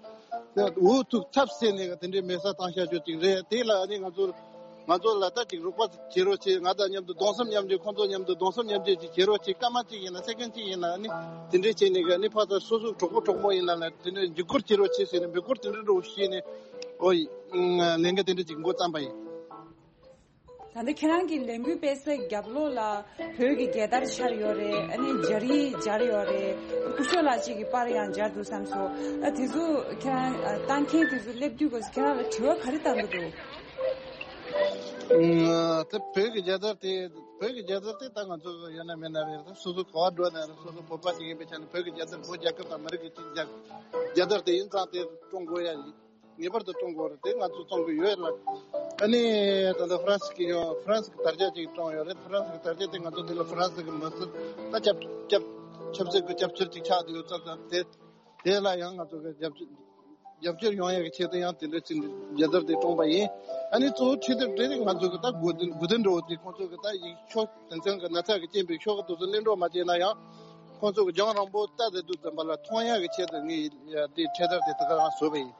འུ་ཐུག་ཚབ་བྱས་ནས་གི་དེ་འདྲའི་མེ་སྲེག་བཏང་བཞག་རྒྱུ་ཅིག་རེད། དེ་ལ་ཨ་ནི་ང་ཚོ། ང་ཚོ་ལ་ད་ཅིག་རོགས་པ་བྱེད་རོགས་བྱེད། ང་དང་མཉམ་དུ་གདུང་སེམས་མཉམ་སྐྱེད། ཁོང་ཚོ་མཉམ་དུ་གདུང་སེམས་མཉམ་སྐྱེད་ཅིག་བྱེད་རོགས་བྱེད། སྐར་མ་གཅིག་ཡིན་ན་སེ་ཀན་གཅིག་ཡིན་ན་ནི་དེ་འདྲས་བྱས་ནས་གི་ནི་ཕར་ཚུར་སོ་སོ་གྲོགས་པོ་གྲོགས་མོ་ཡིན་ན་ལ་དེ་འདྲས་འཇུག་སྒོར་བྱེད་རོགས་བྱེད་ཟེར་ནས་འབོད་སྐུལ་དེ་འདྲས་འདྲ་བོ་བྱས་ནས། ཨོ་ཡི། ལས་འགུལ་དེ་འདྲས་ཅིག་འགོ་བརྩམས་པ་ཡིན། ད་ལྟ་ཁྱེད་རང་གི་ལས་འགུལ་སྤེལ་སའི་རྒྱབ་ལོགས་ལ་བོད་ཀྱི་རྒྱལ་དར་འཕྱར་ཡོད་རེད། ཨ་ནི་སྦྱར་ཡིག་སྦྱར་ཡོད་རེད། སྐུ་ཞབས་ལགས་གཅིག་གི་པར་ཡང་སྦྱར་འདུག་བསམ་སོང་། ཨ་དེ་ཚོ་ཁྱེད་རང་ཨ་ལྟ་མཁན་དེ་ཚོ་སླེབས་དུས་སྐབས་སུ་ཁྱེད་རང་ལ་དྲི་བ་ག་རེ་བཏང་གི་འདུག་ཨ་ད་བོད་ཀྱི་རྒྱལ་དར་དེ། བོད་ཀྱི་རྒྱལ་དར་དེ་ད་ང་ཚོ་ཡོད་ན་མེད་ན་རེད། ད་སོ་སོ་ག་བ་འགྲོ་ན་རེད། སོ་སོ་བོད་པ་ཞིག་ཡིན་པའི་ཆ་ནས་བོད་ཀྱི་རྒྱལ་དར། བོད་རྒྱལ་ཁབ་དང་མི་རིགས་ཀྱི་གཅིག་རྒྱལ་རྒྱལ་དར་དེ་ཡིན་ཙང་དེ་བཀྲོངས་དགོས་ཡ་ཡིན། ངེས་པར་དུ་བཀྲོངས་དགོས་རེད། དེ་ང་ཚོས་བཀྲོངས་ཀྱི་ཡོད་ལ། ཨ་ནི་ད་ལྟ་ཧྥ་རན་སི་གི་ཡང་ཧྥ་རན་སི་གི་དར་ཆ་ཅིག་བཀྲོངས་ཡོད་རེད། ཧྥ་རན་སི་གི་དར་ཆ་དེ་ང་ཚོ་འདི་ལ་ཧྥ་རན་སི་གི་མི་སེར་ད་སྐྱབས་སྐྱབས་ཆབ་སྲིད་ཀྱི་སྐྱབས་བཅོལ་ཅིག་ཆགས་བསྡད་ཡོད་ཙང་། དེ་དེ་ལ་ཡང་ང་ཚོ་གི་རྒྱབ་སྐྱོར་རྒྱབ་སྐྱོར་ཡོང་ཡག་གི་ཆེད་དུ་ཡང་དེ་འདྲ་ཅིག་རྒྱལ་དར་དེ་བཀྲོངས་པ་ཡིན། ཨ་ནི་གཙོ་བོ་ཁྲིད་དེབ་དེ་ང་ཚོ་གི་ད་དགོས་དོན་དགོས་དོན་འདྲ་བོ་དེ། ཁོང་ཚོ་གི་ད་ཡིག་ཤོག་དེ་ཚོ་གི་ན་ཚ་གི་རྐྱེན་པས་ཤོག་གི་དུས་སུ་གླེང་རོགས་མ་བྱས་ན་ཡང་། ཁོང་ཚོ་གི་རྒྱང་རིང་པོ་ལྟ་བསྡད་དུས་ཙམ་པ་ལ་མཐོང་ཡག་གི་ཆེད་དུ་ངས་ཡ་དེ་ཁྲིད་དེབ་དེ་དེ་ག་རང་བཟོས་པ་ཡིན།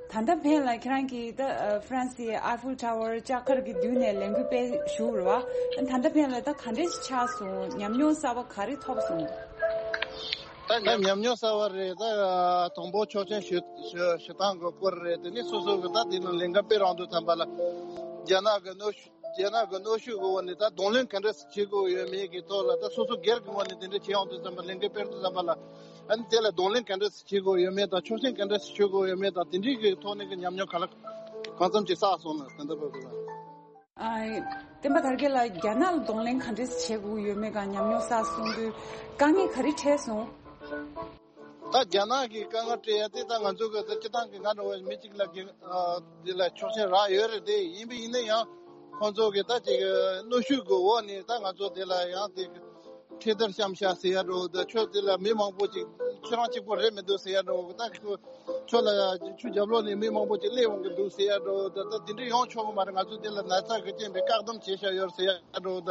ད་ལྟ་ཕན་ལ་ཁྱེད་རང་གིས་ད་ཨ་ཧྥ་རན་སིའི་ཨའི་ཧྥིལ་ཊ་ཝར་ལྕགས་མཁར་གྱི་མདུན་ནས་ལས་འགུལ་སྤེལ་བཞུགས་རེད་བ། ད་ལྟ་ཕན་ལ་ད་ག་འདྲས་ཆགས་སོང་། ཉམས་མྱོང་གསར་པ་ག་རེ་ཐོབ་སོང་། ད་ཉམས་མྱོང་གསར་པ་རེད། ད་དང་པོ་ཆོག་མཆན་ཞུ་ཞུ་ཞུ་སྟངས་ཀྱི་སྐོར་རེད། དེ་ནས་སོ་སོ་གི་ད་དེ་ནང་ལས་འགུལ་སྤེལ་རང་དུས་ཙམ་པ་ལ་རྒྱ་ནག་གི་གནོན་ཤུགས། རྒྱ་ནག་གི་གནོན་ཤུགས་ཀྱི་འོག་ནས་ད་གདོང་ལེན་ག་འདྲ་བྱེད་དགོས་ཡོད་མེད་ཀྱི་ཐོག་ལ། ད་སོ་སོ་སྒེར་གྱི་ངོས་ནས་དེ་འདྲ་བྱེད་ཡོང་དུས་ཙམ་པ། ལས་འགུལ་སྤེལ་དུས་ཙམ་པ་ལ། ཨ་ནི་དེ་ལ་གདོང་ལེན་ག་འདྲ་བྱེད་དགོས་ཡོད་མེད་དང་། ཆོག་མཆན་ག་འདྲ་ཞུ་དགོས་ཡོད་མེད་དང་། དེ་འདྲའི་གི་ཐོག་ནས་ཀྱི་ཉམས་མྱོང་ག་ལ་གང་འཚམ་ཅིག་བསགས་སོང་ན། ད་ལྟ་བར་དུ་ལ། ཨ། བསྟན་པ་དར་རྒྱས་ལགས། རྒྱ་ནག་ལ་གདོང་ལེན་ག་འདྲ་བྱེད་དགོས་ཡོད་མེད་སྒང་ཉམས་མྱོང་བསགས་སོང་དུས་དཀའ་ངལ་ག་རེ་འཕྲད་སོང་། ད་རྒྱ་ནག་གི་དཀའ་ངལ་འཕྲད་ཡ་དེ། ད་ང་ཚོ་གི་ད་སྤྱི་བཏང་གི་ང་འདྲ་བའི་མི་གཅིག་ལ་གི་ཨ་དེ་ལ་ཆོག་མཆན་རག་ཡོད་རེད། དེ་ཡིན་པ་ཡིན་ན་ཡང་ཁོང་ཚོ་གི་ད་ཅིག་གནོན་ཤུགས་ཀྱི་འོག་ནས་ད་ང་ཚོ་དེ་ལ་ཡང་དེ་ཁྲིད་དེབ་བཤམས་ཤག་ཟེར་ཡ་འདྲ་བོ། ད་ཁྱོད་དེ་ལ་མི་མང་པོ་ཅིག་ཁྱེད་རང་གཅིག་པོ་རེད་མི་འདུག་ཟེར་ཡ་འདྲ་བོ། ད་ཁྱོད་ཁྱོད་ལ་ཁྱོད་རྒྱབ་ལོགས་ནས་མི་མང་པོ་ཅིག་སླེབས་འོང་གི་འདུག་ཟེར་ཡ་འདྲ་བོ། ད་ད་དེ་འདྲ་ཡོང་ཆོག་གི་མ་རེད། ང་ཚོ་དེ་ལ་ན་ཚ་གི་རྐྱེན་པས་བཀག་སྡོམ་བྱས་བཞག་ཡོད་ཟེར་ཡ་འདྲ་བོ། ད་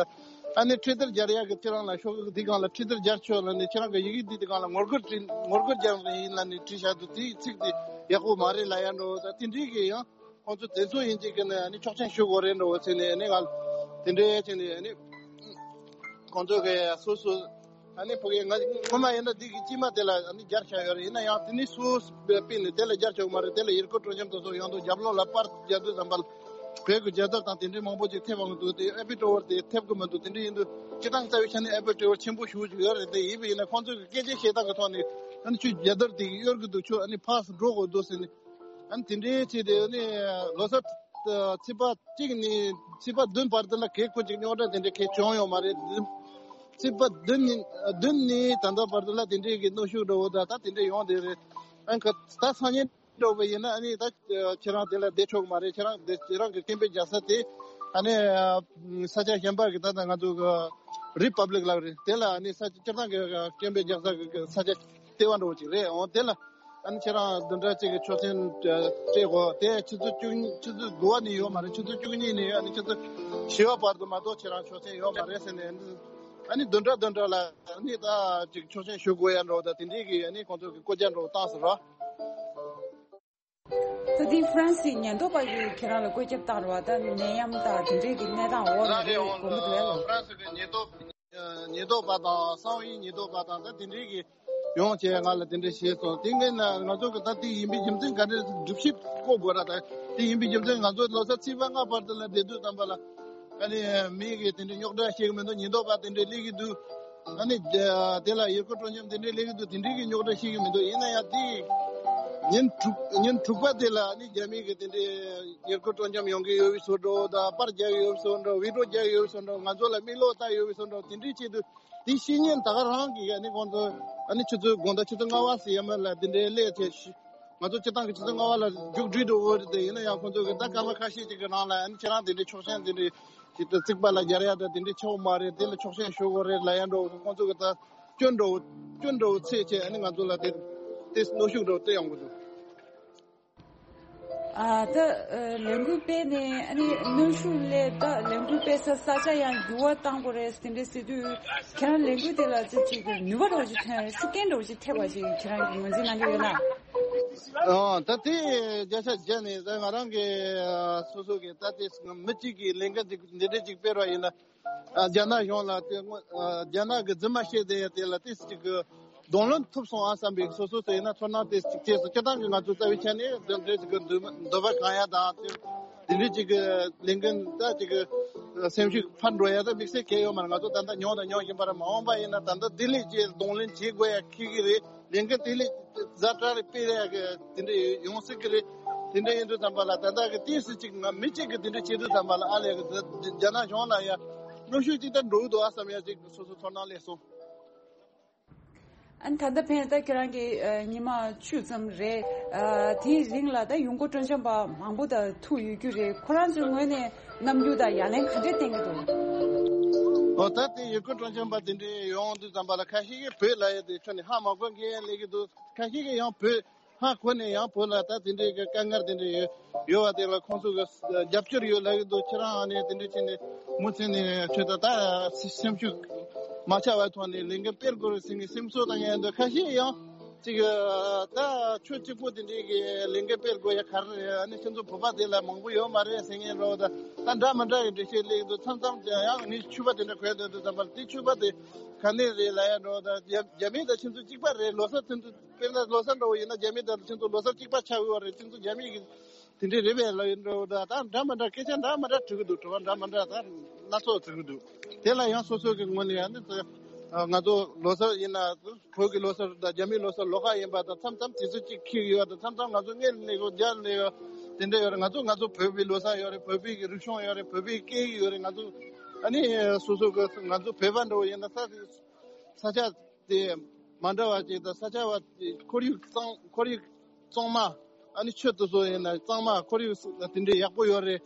ཨ་ནི་ཁྲིད་དེབ་སྦྱར་ཡག་གི་ཁྱེད་རང་ལ་ཤོག་གུ་འདི་སྒང་ལ་ཁྲིད་དེབ་སྦྱར་ཆོག་ལབ་ནས། ཁྱེད་རང་གི་ཡི་གེ་འདི་འདི་སྒང་ལ་ངོ་རྒོལ་བྲིས། ངོ་རྒོལ་རྒྱག་གི་ཡིན་ལབ་ནས་བྲིས་བཞག་འདུག། དེའི་ཚིག་དེ་ཡག་པོ་མ་རེད་ལབ་ཡ་འདྲ་བོ། ད་དེ་འདྲའི་གི་ཡང་ཁོང་ཚོ་དེ་ཚོ་ཡིན་གཅིག་གི་ནས་ཨ་ནི་ཆོག་མཆན་ཞུ་དགོས་རེད་འདྲ་བོ་ཟེར་ནས། ཨ་ནི་ང་དེ་འདྲའི་བྱས་ནས་ཨ་ནི་ཁོང་ཚོ་གི་སོ་སོ་ཨ་ནི་ཕ་གི་ང་སྔོན་མ་ཡིན་ན་འདི་གི་དཀྱིལ་མ་དེ་ལ་ཨ་ནི་སྦྱར་བཞག་ཡོད་རེད། ཡིན་ན་ཡང་དེ་ནི་སུ་སྤེལ་ནས་དེ་ལ་སྦྱར་ཆོག་མ་རེད། དེ་ལ་ཡུལ་སྐོར་སྤྲོ་འཆམ་དེ་ཚོ་ཡོང་དུས་རྒྱབ་ལོགས་ལ་པར་རྒྱག་དུས་ཙམ་པ་ལ་བོད་ཀྱི་རྒྱལ་དར་དང་དེ་འདྲའི་མང་པོ་ཅིག་ཐེབས་འོང་གི་འདུག། དེ་ཨའི་ཧྥིལ་ཊ་ཝར་དེ་ཐེབས་གི་མི་འདུག། དེ་འདྲ་ཡིན་དུས་སྤྱི་བཏང་རྩ་བའི་ཆ་ནས་ཨའི་ཧྥིལ་ཊ་ཝར་ཆེན་པོ་ཞེ་པོ་ཅིག་ཡོད་རེད། དེ་ཡིན་པ་ཡིན་ན་ཁོང་ཚོས་སྐད་ཆ་བཤད་སྟངས་ཀྱི་ཐོག་ནས་ཨ་ནི་ཁྱོད་རྒྱལ་དར་དེ་གཡོར་གི་འདུག། ཁྱོད་ཨ་ནི་ཕར་འགྲོ་དགོས་འདུག་ཟེར་ནས། ཨ་ནི་དེ་འདྲའི་ཆེད་དུ་ནི་ལོ་གསར་ཚེས་པ་གཅིག་ནས་ཚེས་པ་བདུན་བར་དུ་ལ་གས་ཁོ་ཅིག་རྙོག་དྲ་དེ་འདྲའི་གས་བྱུང་ཡོད་མ་རེད། ཚེས་པ་བདུན་ནས་བདུན་ནས་ད་ལྟ་བར་དུ་ལ་དེ་འདྲའི་གི་གནོན་ཤུགས་འདྲ་བོ་ད་ད་དེ་འདྲའི་ཡོང་བསྡད་རེད། ཨ་ནི་ད་སང་ཉིན་འགྲོ་བ་ཡིན་ན་ཨ་ནི་ད་ཁྱེད་རང་དེ་ལ་བསྡད་ཆོག་གི་མ་རེད། ཁྱེད་རང་དེ་ཁྱེད་རང་གི་སྐད་འབོད་རྒྱག་ས་དེ་ཨ་ནི་ས་ཆ་གཞན་པ་གི་ད་ད་ང་ཚོ་གི་རི་པབ་ལིག་ལབ་རེད། དེ་ལ་ཨ་ནི་ས་ཆ་སྤྱིར་བཏང་གི་སྐད་འབོད་རྒྱག་ས་གི་ས་ཆ་ལྟེ་བ་འདྲ་བོ་ཅིག་རེད། འོ་དེ་ལ་ཨ་ནི་ཁྱེད་རང་བདུན་ཕྲག་གཅིག་གི་ཆོག་མཆན་སྤྲད་དགོས། དེ་ཆུ་ཚོད་བཅུ་ཆུ་ཚོད་དགུ་པ་ནས་ཡོད་མ་རེད། ཆུ་ཚོད་བཅུ་གཉིས་ནས་ཨ་ནི་ཆུ་ཚོད་བཞི་པ་བར་དུ་མ་གཏོགས་ཁྱེད་རང་ཆོག་མཆན་ཡོད་མ་རེད་ཟེར་ནས། ཨ་ནི་བདུན་ཕྲག་བདུན་ཕྲག་ལ་ཨ་ནི་ད་ཅིག་ཆོག་མཆན་ཞུ་དགོས་ཡ་འདྲ་བོ་ད་དེ་འདྲའི་གི་ཨ་ནི་ཁོང་ཚོ་གི་བཀོད་རྒྱ་འདྲ་བོ་བཏང་ཟེར་རོ། ད་དེ་ཧྥ་རན་སིའི་ཉེན་རྟོག་པ་གིས་ཁྱེད་རང་ལ་བཀོད་ཁྱབ་བཏང་རེད་བ། ད་ནད་ཡམས་དང་དེ་འདྲའི་གི་གནས་སྟངས་འོག་ལ་རེད་དགོངས་པ་འདུག་ཨེ་ལོ། ཧྥ་རན་སི་གི་ཉེན་རྟོག་ཉེན་རྟོག་པ་དང་གསང་བའི་ཉེན་རྟོག་པ་དང་ད་དེ་འདྲའི་གི་ཡོང་བྱས་ང་ལ་དེ་འདྲ་བཤད་སོང་། དེ་ངས་ན་ང་ཚོ་གི་ད་དེ་ཡིན་པའི་རྒྱུ་མཚན་ག་འདྲ་སྒྲུབ་བྱེད་བཀོད་དགོས་ར། ད་དེ་ཡིན་པའི་རྒྱུ་མཚན་ང་ཚོ་ལོ་གསར་ཚེས་པ་ལྔ་བར་དུ་ལ་བསྡད་དུས་ཙམ་པ་ལ་ཨ་ནི་མི་གི་དེ་འདྲའི་རྙོག་དྲ་བཤད་གི་མི་འདུག། ཉེན་རྟོག་པ་དེ་འདྲའི་སླེབས་གི་འདུག། ཨ་ནི་དེ་ལ་ཡུལ་སྐོར་སྤྲོ་འཆམ་དེ་འདྲའི་སླེབས་གི་འདུག། དེ་འདྲའི་གི་རྙོག་དྲ་བཤད་གི་མི་འདུག། ཡིན་ན་ཡང་དེ་ཉིན་དྲུག་ཉིན་དྲུག་པ་དེ་ལ་ཨ་ནི་རྒྱ་མི་གི་དེ་འདྲའི་ཡུལ་སྐོར་སྤྲོ་འཆམ་ཡོང་གི་ཡོད་པའི་བཟོ་འདྲ་དང་པར་རྒྱག་གི་ཡོད་པའི་བཟོ་འདྲ། བི་ཌི་ཡོ་རྒྱག་གི་ཡོད་པའི་བཟོ་འདྲ། ང་ཚོ་ལ་མིག་ལོག་ལྟ་ཡོད་པའི་བཟོ་འདྲ། དེ་འདྲའི་ཆེད་དུ། དེ་བཤེས་གཉེན་ད་ག་རང་གིས་ཨ་ནི་ཁོང་ཚོ་ཨ་ནི་ཆུ་ཚོད་དགོང་དག་ཆུ་ཚོད་ལྔ་པ་ཟེར་ཡ་མ་ལ་དེ་འདྲའི་སླེབས་བྱས་ཤི། ང་ཚོ་སྤྱི་བཏང་གི་ཆུ་ཚོད་ལྔ་པ་ལ་མཇུག་སྒྲིལ་འགྲོ་གི་རེད། དེ་ཡིན་ན་ཡང་ཁོང་ཚོ་གི་ད་སྐར་མ་ཁ་ཤས་ཅིག་གི་ནང་ལ་ཨ་ནི་ཁྱེད་རང་དེ་འདྲའི་ཆོག་མཆན་དེ་འདྲའི་ཞིག་ཏུ་རྩིག་པ་ལ་སྦྱར་ཡ་ད་དེ་འདྲའི་ཆེ་བོ་མ་རེད། དེ་ལ་ཆོག་མཆན་ཞུ་དགོས་རེད་ལབ་ཡ་འགྲོ། ཁོང་ཚོ་གི་ད་སྐྱོན་འགྲོ་སྐྱོན་འགྲོ་ཚད་བྱས་ཨ་ནི་ང་ཚོ་ལ་དེ་དེ་གནོན་ཤུགས་འགྲོ་སྤྲད་ཡོང་གི་འདུག། ཨ་ད་ཨ་ལས་འགུལ་སྤེལ་ནས་ཨ་ནི་གནོན་ཤུགས་སླེབས། ད་ལས་འགུལ་སྤེལ་ས་ས་ཆ་ཡང་འགྱུར་བ་བཏང་དགོས་རེད་དེ་འདྲ་ཟེར་དུས། ཁྱེད་རང་ལས་འགུལ་དེ་ལ་ཅིག་ཅིག་ནུས་པ་འདྲ་བོ་ཅིག་ཐོན་རེད། ཤུགས་རྐྱེན་འདྲ་བོ་ཅིག་ཐེབས་པ་ཞིག་ཁྱེད་རང་གིས་ངོས་འཛིན་གནང་གི་ཡོད་ན། ཨོ་ད་དེ་བརྒྱ་ཆ་བརྒྱ་ནས་ད་ང་རང་གི་ཨ་སོ་སོ་གི་ད་དེ་མི་གཅིག་གིས་ལས་འགུལ་འདི་འདི་འདྲ་ཅིག་སྤེལ་བ་ཡིན་ན། ཨ་རྒྱ་ནག་གཞུང་ལ་དེ་སྔོན་ཨ་རྒྱ་ནག་གི་རྫུན་མ་བཤད་བསྡད་ཡ་དེ་ལ་ཏོག་ཙམ་ཅིག་གི་གདོང་ལེན་ཐུབ་སོང་ཨ་བསམ་པའི་སོ་སོ་ཚོ་ཡིན་ན་ཚོར་སྣང་ཏོག་ཙམ་ཅིག་སྐྱེས་སོང་། སྤྱིར་བཏང་གི་ང་ཚོ་རྩ་བའི་ཆ་ནས་འདི་འདྲ་ཅིག་གི་འདོད་འདོད་པ་གང་ཡ་དང་དེ་འདྲ་ཅིག་གི་ལས་འགན་ད་ཅིག་གི་སེམས་ཤུགས་འཕར་འགྲོ་ཡ་ད་དམིགས་བསལ་གང་ཡོད་མ་རེད། ང་ཚོ་ད་ལྟ་མྱོང་དང་མྱོང་བཞིན་པ་རེད། མ་འོངས་པ་ཡིན་ན་ད་ལྟ་དེ་ལས་ཅིག་གདོང་ལེན་བྱེད་དགོས་ཡ་ཁེལ་གི་རེད། ལས་འགན་དེ་ལས་ཛ་དྲག་རེ་སྤེལ་ཡ་གི་དེ་འདྲ་ཡོང་སྲིད་གི་རེད། དེ་འདྲ་ཡིན་དུས་ཙམ་པ་ལ་ད་ལྟ་གི་ཏོག་ཙམ་ཅིག་ང་མི་གཅིག་གི་དེ་འདྲ་བྱེད་དུས་ཙམ་པ་ལ་ཨ་ལས་གི་རྒྱ་ནག་གཞུང་ལ་ཡ་གནོན་ཤུགས་ཅིག་ད་འགྲོ་གི་འདུག་ཨ་བསམ་ཡ་ཅིག་སོ་སོ་ཚོར་སྣང་སླེབས་སོང་། ཨ་ནི་ད་ལྟ་ཕན་ད་ཁྱེད་རང་གི་ཨ་ཉི་མ་བཅུ་ཙམ་རེད། ཨ་དེའི་རིང་ལ་ད་ཡོང་སྒོ་སྤྲོ་འཆམ་པ་མང་པོ་ད་ཐུག་ཡོད་རྒྱུ་རེད། ཁོ་རང་ཚོའི་ངོས་ནས་རྣམ་འགྱུར་དང་ཡ་ལན་ག་འདྲས་བསྟན་གྱི་འདུག་ཨོ་ད་དེ་ཡོང་སྒོ་སྤྲོ་འཆམ་པ་དེ་འདྲས་ཡོང་དུས་ཙམ་པ་ལ་ཁ་ཤས་ཀྱིས་བོད་ལ་ཡ་དེ་ཁྱོན་ནས་ཧ་མ་གོ་མཁན་ཡང་སླེབས་ཀྱི་འདུག་ཁ་ཤས་ཀྱིས་ཡང་བོད་ཧ་གོ་ནས་ཡང་བོད་ལ་ད་དེ་འདྲའི་གི་དཀའ་ངལ་དེ་འདྲ་ཡོད་ཡོད་པ་དེ་ལ་ཁོང་ཚོ་གི་རྒྱབ་སྐྱོར་ཡོད་ལབ་ཀྱི་འདུག་ཁྱེད་རང་ཨ་ནི་དེ་འདྲ་བྱས་ནས་མུ་མཐུད་ནས་ཁྱོད་ད་ད་སེམས་ཤུགས་མ་ཆག་པའི་ཐོག་ནས་ལས་འགུལ་སྤེལ་དགོས་རེད་ཟེར་ནས་སེམས་གསོ་བཏང་ཡ་འདུག་ཁ་ཤས་ཡང་ཅིག་ད་ཁྱོད་གཅིག་པོ་དེ་འདྲའི་གི་ལས་འགུལ་སྤེལ་དགོས་ཡ་ག་རེ་རེད། ཨ་ནི་ཁྱེད་ཚོ་བོད་པ་དེ་ལ་མང་པོ་ཡོད་མ་རེད་ཟེར་མཁན་འདྲ་བོ་ད་ད་འདྲ་མི་འདྲ་གི་འགྲེལ་བཤད་སླེབས་ཀྱི་འདུག་མཚམས་མཚམས་ཀྱང་ཡང་ངས་ཕྱུ་པ་དེ་འདྲ་གོན་བསྡད་འདུག་ཙམ་པ་ལ་དེ་ཕྱུ་པ་དེ་ག་ནས་རེད་ལབ་ཡ་འདྲ་བོ་ད་རྒྱ་རྒྱ་མི་དང་ཁྱེད་ཚོ་གཅིག་པ་རེད། ལོ་གསར་ཚུན་ཚོད། དཔེར་ན་ལོ་གསར་འདྲ་བོ་ཡིན་ན་རྒྱ་མི་དང་ཁྱེད་ཚོ་ལོ་གསར་གཅིག་པ་ཆགས་ཡོད་རེད། ཁྱེད་ཚོ་རྒྱ་མི་གི་དེ་འདྲའི་རེད་པས་ལབ་ཡིན་འགྲོ་ད་ད་འདྲ་མི་འདྲ་སྐད་ཆ་འདྲ་མི་འདྲ་དྲི་གི་འདུག་དྲི་བ་འདྲ་མི་འདྲ་ད་སྣ་ཚོགས་དྲི་གི་འདུག་དེ་ལ་ཡང་སོ་སོ་གི་ངོས་ནས་ཡང་ནི་ང་ཚོ་ལོ་གསར་ཡིན་ན་བོད་ཀྱི་ལོ་གསར་དང་རྒྱ་མིའི་ལོ་གསར་ལོགས་ཀ་ཡིན་པ་དང་མཚམས་མཚམས་དུས་ཚོད་གཅིག་འཁེལ་གི་ཡོད་དང་མཚམས་མཚམས་ང་ཚོ་སྔོན་ནས་ཡོད་རྒྱ་ནས་ཡོད་དེ་འདྲ་ཡོད་རེད། ང་ཚོ་ང་ཚོ་བོད་པའི་ལོ་གསར་ཡོད་རེད། བོད་པའི་གི་རིག་གཞུང་ཡོད་རེད། བོད་པའི་སྐད་ཡིག་ཡོད་རེད། ང་ཚོ་ཨ་ནི་སོ་སོ་གི་ང་ཚོ་བོད་པ་འདྲ་བོ་ཡིན་ན་ས་ས་ཆ་དེ་མ་འདྲ་བ་ཅིག་དང་ས་ཆ་བ་ཁོར་ཡུག་གཙང་ཁོར་ཡུག་གཙང་མ་ཨ་ནི་ཆུ་དེ་ཚོ་ཡིན་ན་གཙང་མ་ཁོར་ཡུག་དེ་འདྲའི་ཡག་པོ་ཡོད་རེད།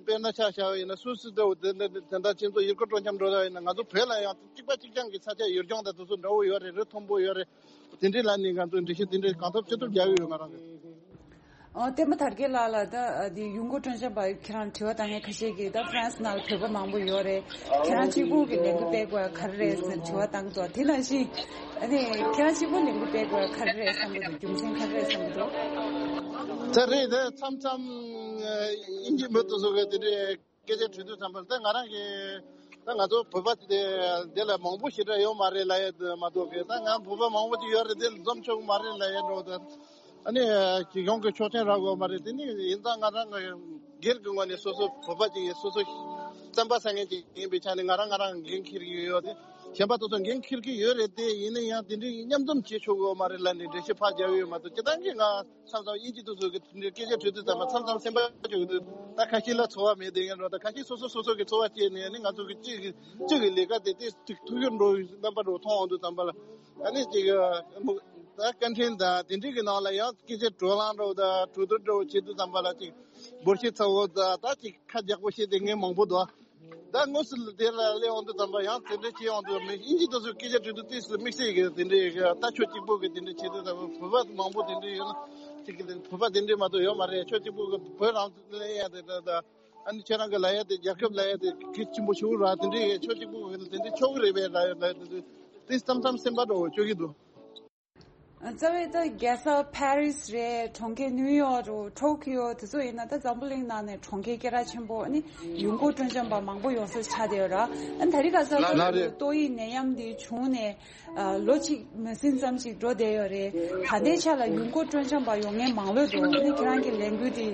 དཔེར་ན་ཆ་བཞག་པ་ཡིན་ན་སུད་སི་འདྲ་བོ་དེ་འདྲ་དེ་འདྲ་ཁྱེད་ཚོ་ཡུལ་སྐོར་སྤྲོ་འཆམ་འགྲོ་ཡ་ཡིན་ན་ང་ཚོ་བོད་ལ་ཡང་གཅིག་པ་གཅིག་རྐྱང་གི་ས་ཆ་ཡུལ་ལྗོངས་དང་དེ་ཚོ་འདྲ་བོ་ཡོད་རེད། རི་མཐོན་པོ་ཡོད་རེད། དེ་འདྲའི་ལ་ནི་ང་ཚོ་འགྲེལ་བཤད་དེ་འདྲའི་གང་ཐུབ་ཅི་ཐུབ་རྒྱག་གི་ཡོད་ང་རང་གི། ཨོ་བསྟན་པ་དར་རྒྱས་ལགས་ལ་ད་འདི་ཡོང་སྒོ་སྤྲོ་འཆམ་པ་ཁྱེད་རང་དྲི་བ་བཏང་མཁན་ཁ་ཤས་ཀྱིས་ད་ཧྥ་རན་སི་ནང་ལ་བོད་པ་མང་པོ་ཡོད་རེད། ཁྱེད་རང་གཅིག་པུ་གི་ལས་འགུལ་སྤེལ་དགོས་ག་རེ་རེད་ཟེར་དྲི་བ་བཏང་འདུག་དེ་ནང་བཞིན་ཨ་ནི་ཁྱེད་རང་གཅིག་པུ་ལས་འགུལ་སྤེལ་དགོས་ག་རེ་རེད་བསམ་གྱི་འདུག་རྒྱུ་མཚན་ག་རེ་རེད་བསམ་གྱི་འདུག་ད་རེད་དེ་མཚམས་མཚམས་དབྱིན་ཇི་མི་དེ་ཚོ་གི་དེ་འདྲའི་སྐད་ཆ་དྲི་དུས་ཙམ་པར་ད་ང་རང་གི་ད་ང་ཚོ་བོད་པ་དེ་འདི་ལ་མང་པོ་ཞེ་དྲག་ཡོད་མ་རེད་ལབ་ཡ་མ་གཏོགས་གི་ད་ང་བོད་པ་མང་པོ་ཅིག་ཡོད་རེད། འདི་ལ་འཛོམས་ཆོག་གི་མ་རེད་ལབ་ཡ་འགྲོ་ད། ཨ་ནི་གཞུང་གི་ཆོག་མཆན་རག་དགོས་མ་རེད། དེ་ནི་ཡིན་ཙང་ང་རང་གི་སྒེར་གྱི་ངོས་ནས་སོ་སོ་བོད་པ་ཅིག་ཡིན་སོ་སོ་བཙན་པ་ཟ་མཁན་ཅིག་ཡིན་པའི་ཆ་ནས་ང་རང་ང་རང་འགན་འཁྱེར་གྱི་ཡོད་དེ་གཞན་པ་དེ་ཚོ་འགན་འཁྱེར་གྱི་ཡོད་རེད། དེ་ཡིན་ན་ཡང་དེ་འདྲའི་མཉམ་འཛོམས་བྱེད་ཆོག་གི་མ་རེད་ལབ་ནས་འགྲེལ་བཤད་ཕར་རྒྱག་གི་ཡོད་མ་གཏོགས་སྤྱིར་བཏང་གི་ང་མཚམས་མཚམས་དབྱིན་ཇི་དེ་ཚོ་གི་དེ་འདྲའི་སྐད་ཆ་དྲི་དུས་ཙམ་པ་མཚམས་མཚམས་སེམས་པ་སྐྱོ་གི་འདུག་ད་ཁ་ཤས་ལ་ཚོར་བ་མེད་དེ་ཡིན་རོགས། ད་ཁ་ཤས་སོ་སོ་སོ་སོ་གི་ཚོར་བ་སྐྱེས་ནས་ནི་ང་ཚོ་གི་སྤྱི་གི་སྤྱི་གི་ལས་ཀ་དེ་དེ་ཐུགས་ཁུར་འགྲོ་བའི་རྣམ་པ་འགྲོ་མཐོང་འོང་དུས་ཙམ་པ་ལ། ཨ་ནི་ཅིག་ད་བཀའ་འཕྲིན་དང་དེ་འདྲའི་གི་ནང་ལ་ཡང་སྐད་ཆ་བགྲོ་གླེང་འདྲ་བོ་དང་གྲོས་བསྡུར་འདྲ་བོ་བྱེད་དུས་ཙམ་པ་ལ་ཅིག་འབོར་ཆེ་ཚ་བོ་དང་ད་ཅིག་ཁ་རྒྱག་པོ་བྱེད་དེ་ངས་མང་པོ་འདུག་ད་དངོས་སུ་དེ་ལ་སླེབས་འོང་དུས་ཙམ་པ་ཡང་དེ་འདྲ་བྱེད་འོང་དུས་མི་དབྱིན་ཇི་དེ་ཚོའི་སྐད་ཆ་དྲིས་དུས་ཏོག་ཙམ་དམིགས་བསལ་གི་དེ་འདྲའི་གི་ད་ཆོས་གཅིག་པོ་གི་དེ་འདྲ་བྱེད་དུས་ཙམ་པ་བོད་པ་མང་པོ་དེ་འདྲ་ཡོད་ན་ཅིག་གི་བོད་པ་དེ་འདྲ་མ་གཏོགས་ཡོད་མ་རེད། ཆོས་གཅིག་པོ་གི་བོད་རང་ལ་ཡ་དེ་ད་ད་ཨ་ནི་ཁྱེད་རང་གི་ལ་ཡ་དེ་རྒྱལ་ཁབ་ལ་ཡ་དེ་གལ་ཆེན་པོ་ཞིག་ར་དེ་འདྲའི་ཆོས་གཅིག་པོ་གི་དེ་འདྲ་ཆོག་གི་རེད་པས་ལ་ཡ་ལ་ཡ་དེ་དེ་མཚམས་མཚམས་སེམས་པ་འདྲ་བོ་སྐྱོ་གི་འདུག་རྩ་བའི་ད་རྒྱལ་ས་ཕ་རི་སི་རེད། གྲོང་ཁྱེར་ནིའུ་ཡོག་རེད། ཊོ་ཀི་ཡོ་དེ་ཚོ་ཡིན་ན་ད་འཛམ་བུ་གླིང་ནང་ནས་གྲོང་ཁྱེར་སྐད་གྲགས་ཆེན་པོ་ཨ་ནི་ཡོང་སྒོ་སྤྲོ་འཆམ་པ་མང་པོ་ཡོང་ས་ཆགས་བསྡད་ཡོད་ར། ཨ་ནི་ད་རེས་ཁ་སང་ལ་རེད། ཏོག་དབྱིབས་ནད་ཡམས་འདི་བྱུང་ནས་ཨ་ལོ་གཅིག་མ་ཟིན་ཙམ་ཞིག་འགྲོ་བསྡད་ཡོད་རེད། ད་ལྟའི་ཆ་ལ་ཡོང་སྒོ་སྤྲོ་འཆམ་པ་ཡོང་མཁན་མང་ལོས་འདུག་ཨ་ནི་ཁྱེད་རང་གི་ལས་འགུལ་འདི་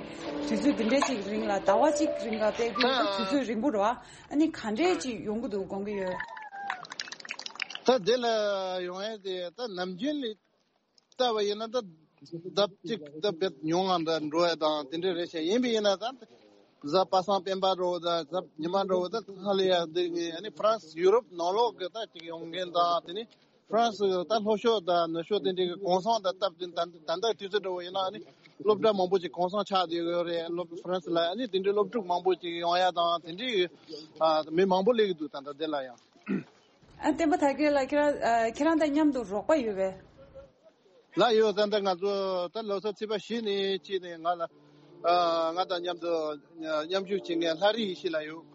དུས་ཚོད་འདི་འདྲས་ཅིག་རིང་ལ་ཟླ་བ་གཅིག་རིང་ལ་སྤེལ་རྒྱུ་ཡིན་ན་དུས་ཚོད་རིང་པོ་རེད་བ། ཨ་ནི་ག་འདྲས་ཅིག་ཡོང་གི་འདུག་དགོངས་ཀྱི་ཡོད། ད་དེ་ལ་ཡོང་ཡས་དེ་ད་ནམ་རྒྱུན་ལས་ལྟ་བ་ཡིན་ན་ད་ལྡབ་གཅིག་ལྡབ་བརྒྱད་ཉུང་ང་འདྲ་འགྲོ་ཡ་དང་དེ་འདྲ་རེད་ཤག་ཡིན་པ་ཡིན་ན་ད་གཟའ་པ་སངས་སྤེན་པ་འདྲ་བོ་དང་གཟའ་ཉི་མ་འདྲ་བོ་ད་ཧ་ལས་ཡ་འདི་ཨ་ནི་ཧྥ་རན་སི་ཡུ་རོབ་ནང་ལོགས་གི་ད་ཅིག་ཡོང་མཁན་དང་དེ་ནི་ཧྥ་རན་སི་ད་ལྷོ་ཕྱོགས་དང་ནུབ་ཕྱོགས་དེ་འདྲའི་གི་གུང་སེང་དང་སྟབས་བསྟུན་ད་ད་ལྟ་དུས་ཚོད་འདྲ་བོ་ཡིན་ན་ཨ་ནི་སློབ་གྲྭ་མང་པོ་ཅིག་གུང་སེང་ཆགས་བསྡད་ཡོད་རེད། སློབ་ཧྥ་རན་སི་ལ་ཨ་ནི་དེ་འདྲའི་སློབ་ཕྲུག་མང་པོ་ཅིག་ཡོང་ཡ་དང་དེ་འདྲའི་གི་ཨ་མི་མང་པོ་སླེབས་ཀྱི་འདུག་ད་ལྟ་དེ་ལ་ཡང་། ཨ་བསྟན་པ་དར་རྒྱས་ལགས་ཁྱེད་རང་ཨ་ཁྱེད་རང་དང་མཉམ་དུ་རོགས་པ་ཡོད་པས། ལགས་ཡོད། ད་ལྟ་ང་ཚོ་ད་ལོ་གསར་ཚེས་པ་བཞི་ནས་ཕྱིན་ནས་ང་ལ་ ང་དང་མཉམ་དུ་མཉམ་ཞུགས་བྱེད་མཁན་ལྷ་རི་ཡེ་ཤེས་ལགས་ཡོད།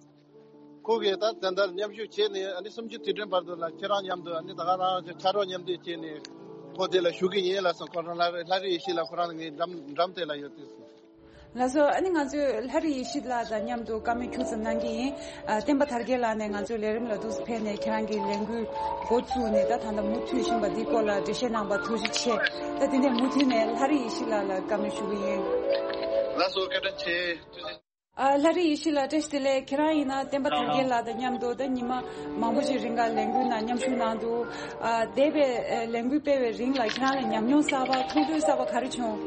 ཁོ་གིས་ད་ད་ལྟ་མཉམ་ཞུགས་བྱས་ནས་ཨ་ནི་སུམ་ཅུ་དུས་དྲན་བར་དུ་ལ་ཁྱེད་རང་མཉམ་དུ་ཨ་ནི་ད་ག་རང་ཕྱག་རོགས་མཉམ་འདེགས་བྱས་ནས་ཁོ་དེ་ལ་ཞུགས་ཀྱི་ཡིན་ལབ་སོང་། ཁོ་རང་ལྷ་ལྷ་རི་ཡེ་ཤེས་ལགས་ཁོ་རང་ངའི་འགྲམ་འགྲམ་དེ་ལ་ཡོད་དུས་སོང་། ལགས་སོ། ཨ་ནི་ང་ཚོས་ལྷ་རི་ཡེ་ཤེས་ལགས་དང་མཉམ་དུ་བཀའ་མོལ་ཁྱུག་ཙམ་གནང་གི་ཡིན། ཨ། བསྟན་པ་དར་རྒྱས་ལགས་ནས་ང་ཚོའི་ལས་རིམ་ལ་འདུག་སེ་ཕེབས་ནས་ཁྱེད་རང་གི་ལས་འགུལ་འགོ་བཙུགས་ནས་ད་ད་ལྟ་མུ་མཐུད་བཞིན་པ་འདིའི་སྐོར་ལ་འགྲེལ་བཤད་གནང་བར་ཐུགས་རྗེ་ཆེ། ད་དེ་ནས་མུ་མཐུད་ནས་ལྷ་རི་ཡེ་ཤེས་ལགས་ལ་བཀའ་མོལ་ཞུ་གི་ཡིན། ལགས་སོ། བཀའ་དྲིན་ཆེ། ཐུགས་རྗེ་ཆེ། ཨ། ལྷ་རི་ཡེ་ཤེས་ལགས་བཀྲ་ཤིས་བདེ་ལེགས། ཁྱེད་རང་ཡིན་ན་བསྟན་པ་དར་རྒྱས་ལགས་དང་མཉམ་དུ་ད་ཉི་མ་མང་པོ་ཞིག་རིང་ག་ལས་འགུལ་ནང་མཉམ་ཞུགས་གནང་འདུག་ཨ། འདས་པའི་ཨ་ལས་འགུལ་སྤེལ་བའི་རིང་ལ་ཁྱེད་རང་ལ་ཉམས་མྱོང་གསར་པ་མཐོང་ཐོས་གསར་པ་ག་རེ་བྱུང་།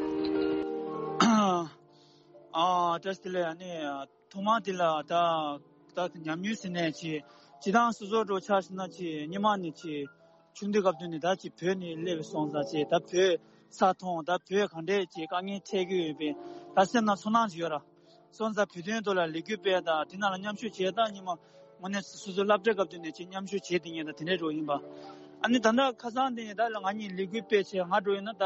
ཨ། བཀྲ་ཤིས་བདེ་ལེགས། ཨ་ནི་ཐོག་མ་དེ་ལ་ད་ད་ཉམས་མྱོང་ཟེར་ནས་ཅི་ཅི་དང་སོ་སོ་འགྲོ་ཆ་ཟེར་ན་ཅི་སྔོན་མ་ནས་ཅི། ཆུང་དུས་སྐབས་དུས་ནས་ད་ཅིག་བོད་ནས་སླེབས་སོང་ཙང་ཅིག་ད་བོད་ས་མཐོང་། ད་བོད་ག་འདྲས་ཅིག་དཀའ་ངལ་འཕྲད་ཀྱི་ཡོད་པའི་ད་སེམས་ནང་ཚོར་སྣང་ཅིག་ཡོད་ར། སོང་ཙང་བོད་དོན་ཐོག་ལ་ལས་འགུལ་སྤེལ་དང་དེ་ནང་ལ་མཉམ་ཞུགས་བྱས་ད་ཉི་མ་དངོས་གནས་སོ་སོ་སློབ་གྲྭའི་སྐབས་དུས་ནས་ཅིག་མཉམ་ཞུགས་བྱས་དེ་ངས་ད་དེ་འདྲས་འགྲོ་ཡིན་པ། ཨ་ནི་ད་ལྟ་ཁ་སང་དེ་ནས་ད་ང་གཉིས་ལས་འགུལ་སྤེལ་བྱས་ང་འགྲོ་ཡིན་ན་ད་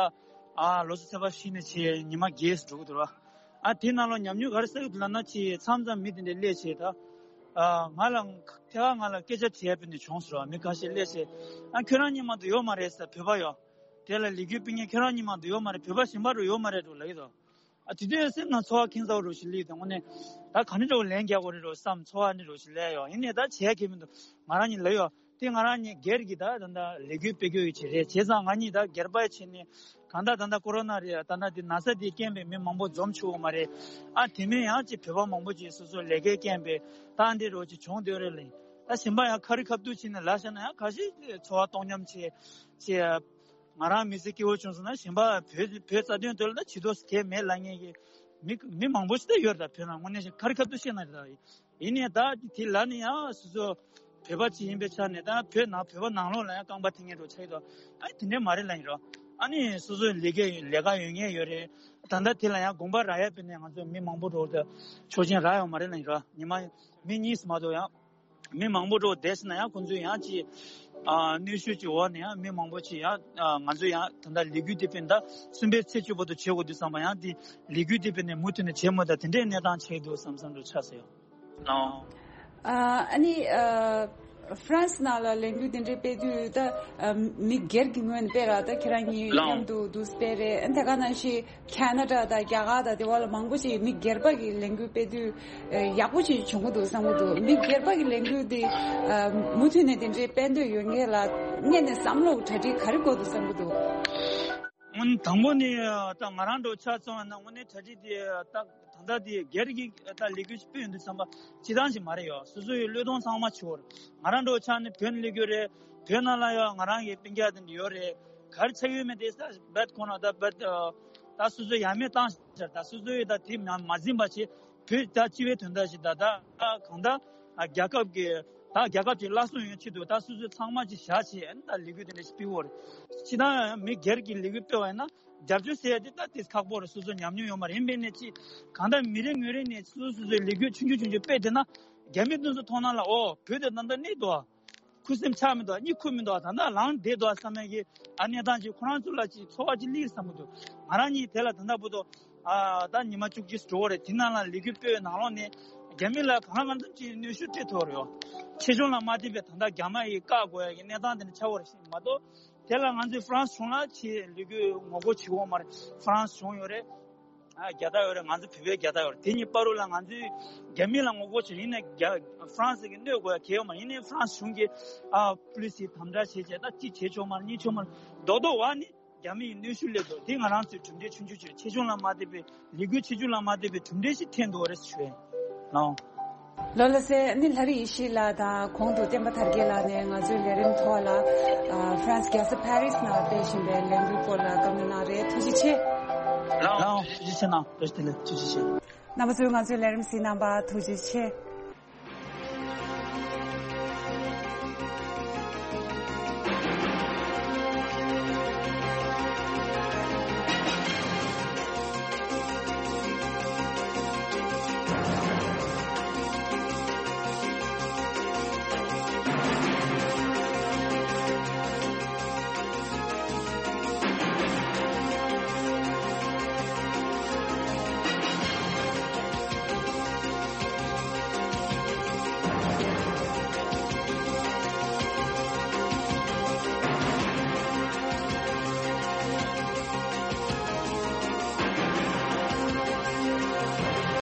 ཨ་ལོ་སོ་ཚེས་པ་བཞི་ནས་བྱས་ཉི་མ་བརྒྱད་ཙམ་འགྲོ་གི་འདུག་ར། ཨ་དེ་ནང་ལ་ཉམས་མྱོང་ག་རེ་བསགས་ཡོད་ལབ་ན་ཅིག་མཚམས་མཚམས་མི་དེ་འདྲས་སླེབས་བྱས་ད། ཨ་ང་ལ་ཐད་ཀར་ང་ལ་སྐད་ཆ་དྲིས་ཡ་དཔེ་ནས་བྱུང་སོང་ར། མི་ཁ་ཤས་སླེབས་བྱས་ཨ་ཁྱོད་རང་གཉིས་མ་གཏོགས་ཡོད་མ་རེད་ཟེར། བོད་པ་ཡོད། དེ་ལ་ལས་འགུལ་སྤེལ་མཁན་ཁྱོད་རང་གཉིས་མ་གཏོགས་ཡོད་མ་རེད། བོད་པ་གཞན་པ་རུ་ཡོད་མ་རེད་འགྲོ་ལབ་ཀྱི་འདུག་ཨ་དེ་དུས་སེམས་ནང་ཚོར་བ་ཁེངས་ཚ་བོ་རུ་ཞིག་སླེབས་ཏེ་དངོས་གནས་ད་ག་ནས་འགྲོ་ལན་རྒྱག་དགོས་རེད་འགྲོ་བསམ་ཚོར་བ་ནི་རུ་ཞིག་སླེབས་ཡོད། ཡིན་ནའི་ད་བྱས་ཁེ་མི་འདུག་ང་རང་གཉིས་ལབ་ཡོད། དེ་ང་རང་གཉིས་སྒེར་གྱི་ད་ད་ལྟ་ལས་འགུལ་སྤེལ་རྒྱུ་ཡི་ཆེད་རེད། བྱས་ཙང་ང་གཉིས་ད་སྒེར་པ་ཡི་ཆེད་ནས་གང་ལྟར་ད་ལྟ་ཀོ་རོ་ན་རེད། ད་ལྟ་འདི་ན་ཚ་འདིའི་རྐྱེན་པས་མི་མང་པོ་འཛོམས་ཆོག་གི་མ་རེད། ཨ་དེ་མིན་ཡང་ཅིག་བོད་པ་མང་པོ་ཅིག་སོ་སོ་ལས་ཀའི་རྐྱེན་པས་ད་འདི་རོ་ཅིག་བྱུང་སྡོད་རེད་ལ། ད་གཞན་པ་ཡང་ཁ་རི་ཁ་ཐུག་བྱས་ནས་ལབ་བཞག་ན་ཡང་ཁ་ཤས་ཚོར་བ་སྟོང་ཉམས་བྱས་བྱས། ང་རང་མི་ཚེ་སྐྱིད་པོ་བྱུང་སོང་ན་གཞན་པ་བོད་བོད་རྩ་དོན་དོན་ལ་ད་བྱེད་དོ་གལ་མེད་ལབ་མཁན་གྱི་མི་མི་མང་པོ་ཞིག་ད་ཡོད་རེད། ད་བོད་ནང་དངོས་གནས་ཤིག་ཁ་རི་ཁ་ཐུག་བཤད་ན་རེད་ད། ཡིན་ནའི་ད་དེ་ལ་ནི་ཡང་སོ་སོ་བོད་པ་ཅིག་ཡིན་པའི་ཆ་ནས་ད་བོད་ནང་བོད་པ་ནང་ལོགས་ལ་ཡང་རྐང་པ་འཐེན་མཁན་འགྲོ་ཆགས་ཡོད་དོ། ཨ་དེ་འདྲས་མ་རེད་ལབ་ཡིན་རོ། ཨ་ནི་སོ་སོའི་ལས་ཀ་ལས་ཀ་ཡོད་མཁན་ཡོད་རེད། ད་ལྟ་དེ་ལ་ཡང་དགོངས་པ་རག་ཡ་དཔེ་ནས་ང་ཚོ་མི་མང་པོ་འགྲོ་ད་ཆོག་མཆན་རག་ཡོད་མ་རེད་ལབ་ཡིན་རོ། ཉི་མ་མི་གཉིས་སུ་མ་གཏོགས་ཡང་མི་མང་པོ་འགྲོ་བསྡད་ཟིན་ན་ཡང་ཁོང་ཚོས་ཡང་ཅིག་ཨ་གནོན་ཤུགས་ཀྱི་འོག་ནས་ཡང་མི་མང་པོ་ཅིག་ཡང་ཨ་ང་ཚོས་ཡང་ད་ལྟ་ལས་འགུལ་དེ་དཔེ་ད་གསུམ་པའི་ཚེས་བཅུ་བར་དུ་བྱེད་དགོས་དུས་ཙམ་པ་ཡང་དེ་ལས་འགུལ་དེ་དཔེ་ནས་མུ་མཐུད་ནས་བྱེད་མུ་ད་དེ་འདྲའི་གནས་སྟངས་ཆགས་འདུག་བསམ་བསམ་འདྲ་ཆགས་སོང་། ཨ་ནི་ཨ་ཧྥ་རན་སི་ནང་ལ་ལས་འགུལ་དེ་འདྲའི་སྤེལ་དུས་ད་ཨ་མི་སྒེར་གྱི་ངོས་ནས་སྤེལ་ར། ད་ཁྱེད་རང་གཉིས་མཉམ་དུ་འདུག་སྤེལ་རེད། ཨ་ནི་ད་ག་ནང་བཞིན་ཁ་ན་ཌ་དང་རྒྱ་གར་དང་དེ་བ་ལ་མང་པོ་ཞིག་མི་སྒེར་པ་གི་ལས་འགུལ་སྤེལ་དུས་ཨ་ཡག་པོ་ཞིག་བྱུང་གི་འདུག་བསམ་གི་འདུག་མི་སྒེར་པ་གི་ལས་འགུལ་འདི་ཨ་མུ་མཐུད་ནས་དེ་འདྲའི་སྤེལ་འདོད་ཡོད་མཁན་ལ་སྔོན་ནས་བསམ་བློ་གྲ་སྒྲིག་ག་རེ་དགོས་འདུག་བསམ་གི་འདུག་དངོས་གནས་དང་པོ་ནས་ད་ང་རང་འདྲ་ཆ་ཚང་བ་ན་དངོས་གནས་གྲ་སྒྲིག་དེ་ད་ད་ལྟ་དེ་སྒེར་གྱི་ད་ལས་འགུལ་ཞིག་སྤེལ་ཡོང་དུས་ཙམ་པ་སྤྱི་བཏང་ཞིག་མ་རེད་ཡོད། སོ་སོ་ཡི་བློས་གཏོང་ཚང་མ་བྱེད་དགོས་རེད། ང་རང་འདྲ་ཆ་ནས་བོད་ནས་སླེབས་ཡོད་རེད། བོད་ནང་ལ་ཡོད་ང་རང་གི་སྤུན་ཀྱག་དེ་འདྲ་ཡོད་རེད། ག་རེ་ཆགས་ཡོད་མེད་དེ་ས་བད་ཁོ་ན་ད་བད་ད་སོ་སོ་ཡ་མེད་བཏང་ཤར་ད་སོ་སོ་ཡི་ད་དེ་མ་མ་འཛིན་པ་བྱེད། བོད་ད་སྤྱི་བའི་དོན་དག་ཞིག་ད་ད་གང་ད་རྒྱལ་ཁབ་ཀྱི་ད་རྒྱལ་ཁབ་ཀྱི་བླ་སྲོག་ཡོང་ཆེད་དུ་ད་སོ་སོ་ཚང་མ་ཅིག་བཞག་བྱས་ཨ་ནི་ད་ལས་འགུལ་དེ་འདྲ་ཞིག་སྤེལ་བོ་རེད། སྤྱི་བཏང་མི་སྒེར་གྱི་ལས་འགུལ་སྤེལ་བ་ཡིན་ན་རྒྱབ་སྐྱོར་ཟེར་ཡ་དེ་ད་དེ་ཁག་པོ་རེད། སོ་སོ་ཉམས་མྱོང་ཡོད་མ་རེད། ཡིན་པས་ནས་ཅིག་གང་ལྟར་མི་རེ་ངོས་རེ་ནས་སོ་སོ་སོ་སོའི་ལས་འགུལ་ཆུང་ཆུང་ཆུང་ཆུང་སྤེལ་བསྡད་ན་རྒྱ་མི་དེ་ཚོ་མཐོང་སྣང་ལ་ཨོ་བོད་དེ་ད་ལྟ་གནས་འདུག་ཨ། ཁུ་སིམ་ཆགས་མི་འདུག་ཨ། གཉིད་ཁུག་མི་འདུག་ཨ། ད་ལྟ་ལངས་བསྡད་འདུག་ཨ་བསམ་ཡ་གི་ཨ་གནས་སྟངས་ཅིག་ཁོ་རང་ཚོ་ལ་ཅིག་ཚོར་བ་ཅིག་སླེབས་བསམ་གི་འདུག་ང་རང་གཉིས་དེ་ལ་ད་ལྟ་བར་དུ་ཨ་ད་ཉི་མ་བཅུ་གཅིག་འགྲོ་བ་རེད། དེ་ནང་ལ་ལས་འགུལ་སྤེལ་བའི་ནང་ལོགས་ནས་རྒྱ་མི་ལ་གང་ལ་གང་འཚམ་ཅིག་གནོན་ཤུགས་སྤྲད་ཐུབ་པ་རེད་ཡོ། ཆེ་ཆུང་ལ་མ་བལྟས་པའི་ད་ལྟ་རྒྱ་མ་ཡིས་བཀག་དགོས་ཡ་གི་གནས་སྟངས་དེ་འདྲ་ཆགས་པ་རེད་ཤག་མ་གཏོགས། དེ་ལ་ང་ཚོས་ཧྥ་རན་སི་གཞུང་ལ་ཆེས་ལས་འགུལ་ངོ་རྒོལ་བྱེད་དགོས་མ་རེད། ཧྥ་རན་སི་གཞུང་ཡོད་རེད། ཨ་རྒྱལ་དར་ཡོད་རེད། ང་ཚོ་བོད་པའི་རྒྱལ་དར་ཡོད་རེད། དེ་གཉིས་བར་དུ་ལ་ང་ཚོས་རྒྱ་མི་ལ་ངོ་རྒོལ་བྱེད་ཡིན་ནའི་རྒྱ་ཧྥ་རན་སི་གི་གནོད་དགོས་ཡ་གལ་ཡོད་མ་རེད། ཡིན་ནའི་ཧྥ་རན་སི་གཞུང་གིས་ཨ་པུ་ལི་སི་དམ་དྲག་བྱེད་བྱས་ད་གཅིག་བྱེད་ཆོག་མ་རེད། གཉིས་ཆོག་མ་རེད། རྡོག་རྡོག་བ་ནི་རྒྱ་མི་ཡི་གནོན་ཤུགས་སླེབས་འདུག་དེ་ང་རང་ཚོའི་གྲུབ་འབྲས་ཆུང་ཆུང་ཆུང་ཆེ་ཆུང་ལ་མ་བལྟས་པའི་ལས་འགུལ་ཆེ་ཆུང་ལ་མ་བལྟས་པའི་གྲུབ་འབྲས་ཤིག་ཐོན་འདུག་རེད་ཞུ་ཡ་ཡིན། ལོ་ལ་སེ་ནི་ལྷ་རི་ཡེ་ཤེས་ལགས་དང་གོང་དུ་བསྟན་པ་དར་རྒྱས་ལགས་ནས་ང་ཚོའི་ལས་རིམ་ཐོག་ལ་ཨ་ཧྥ་རན་སི་རྒྱལ་ས་ཕ་རི་སི་ནང་སྤེལ་བཞིན་པའི་ལས་འགུལ་སྐོར་ལ་བཀའ་མོལ་གནང་རེད། ཐུགས་རྗེ་ཆེ། ལའོ་ཐུགས་རྗེ་ཆེ་གནང་། བཀྲ་ཤིས་བདེ་ལེགས། ཐུགས་རྗེ་ཆེ། རྣམ་པ་ཚོས་ང་ཚོའི་ལས་རིམ་གཟིགས་གནང་བར་ཐུགས་རྗེ་ཆེ།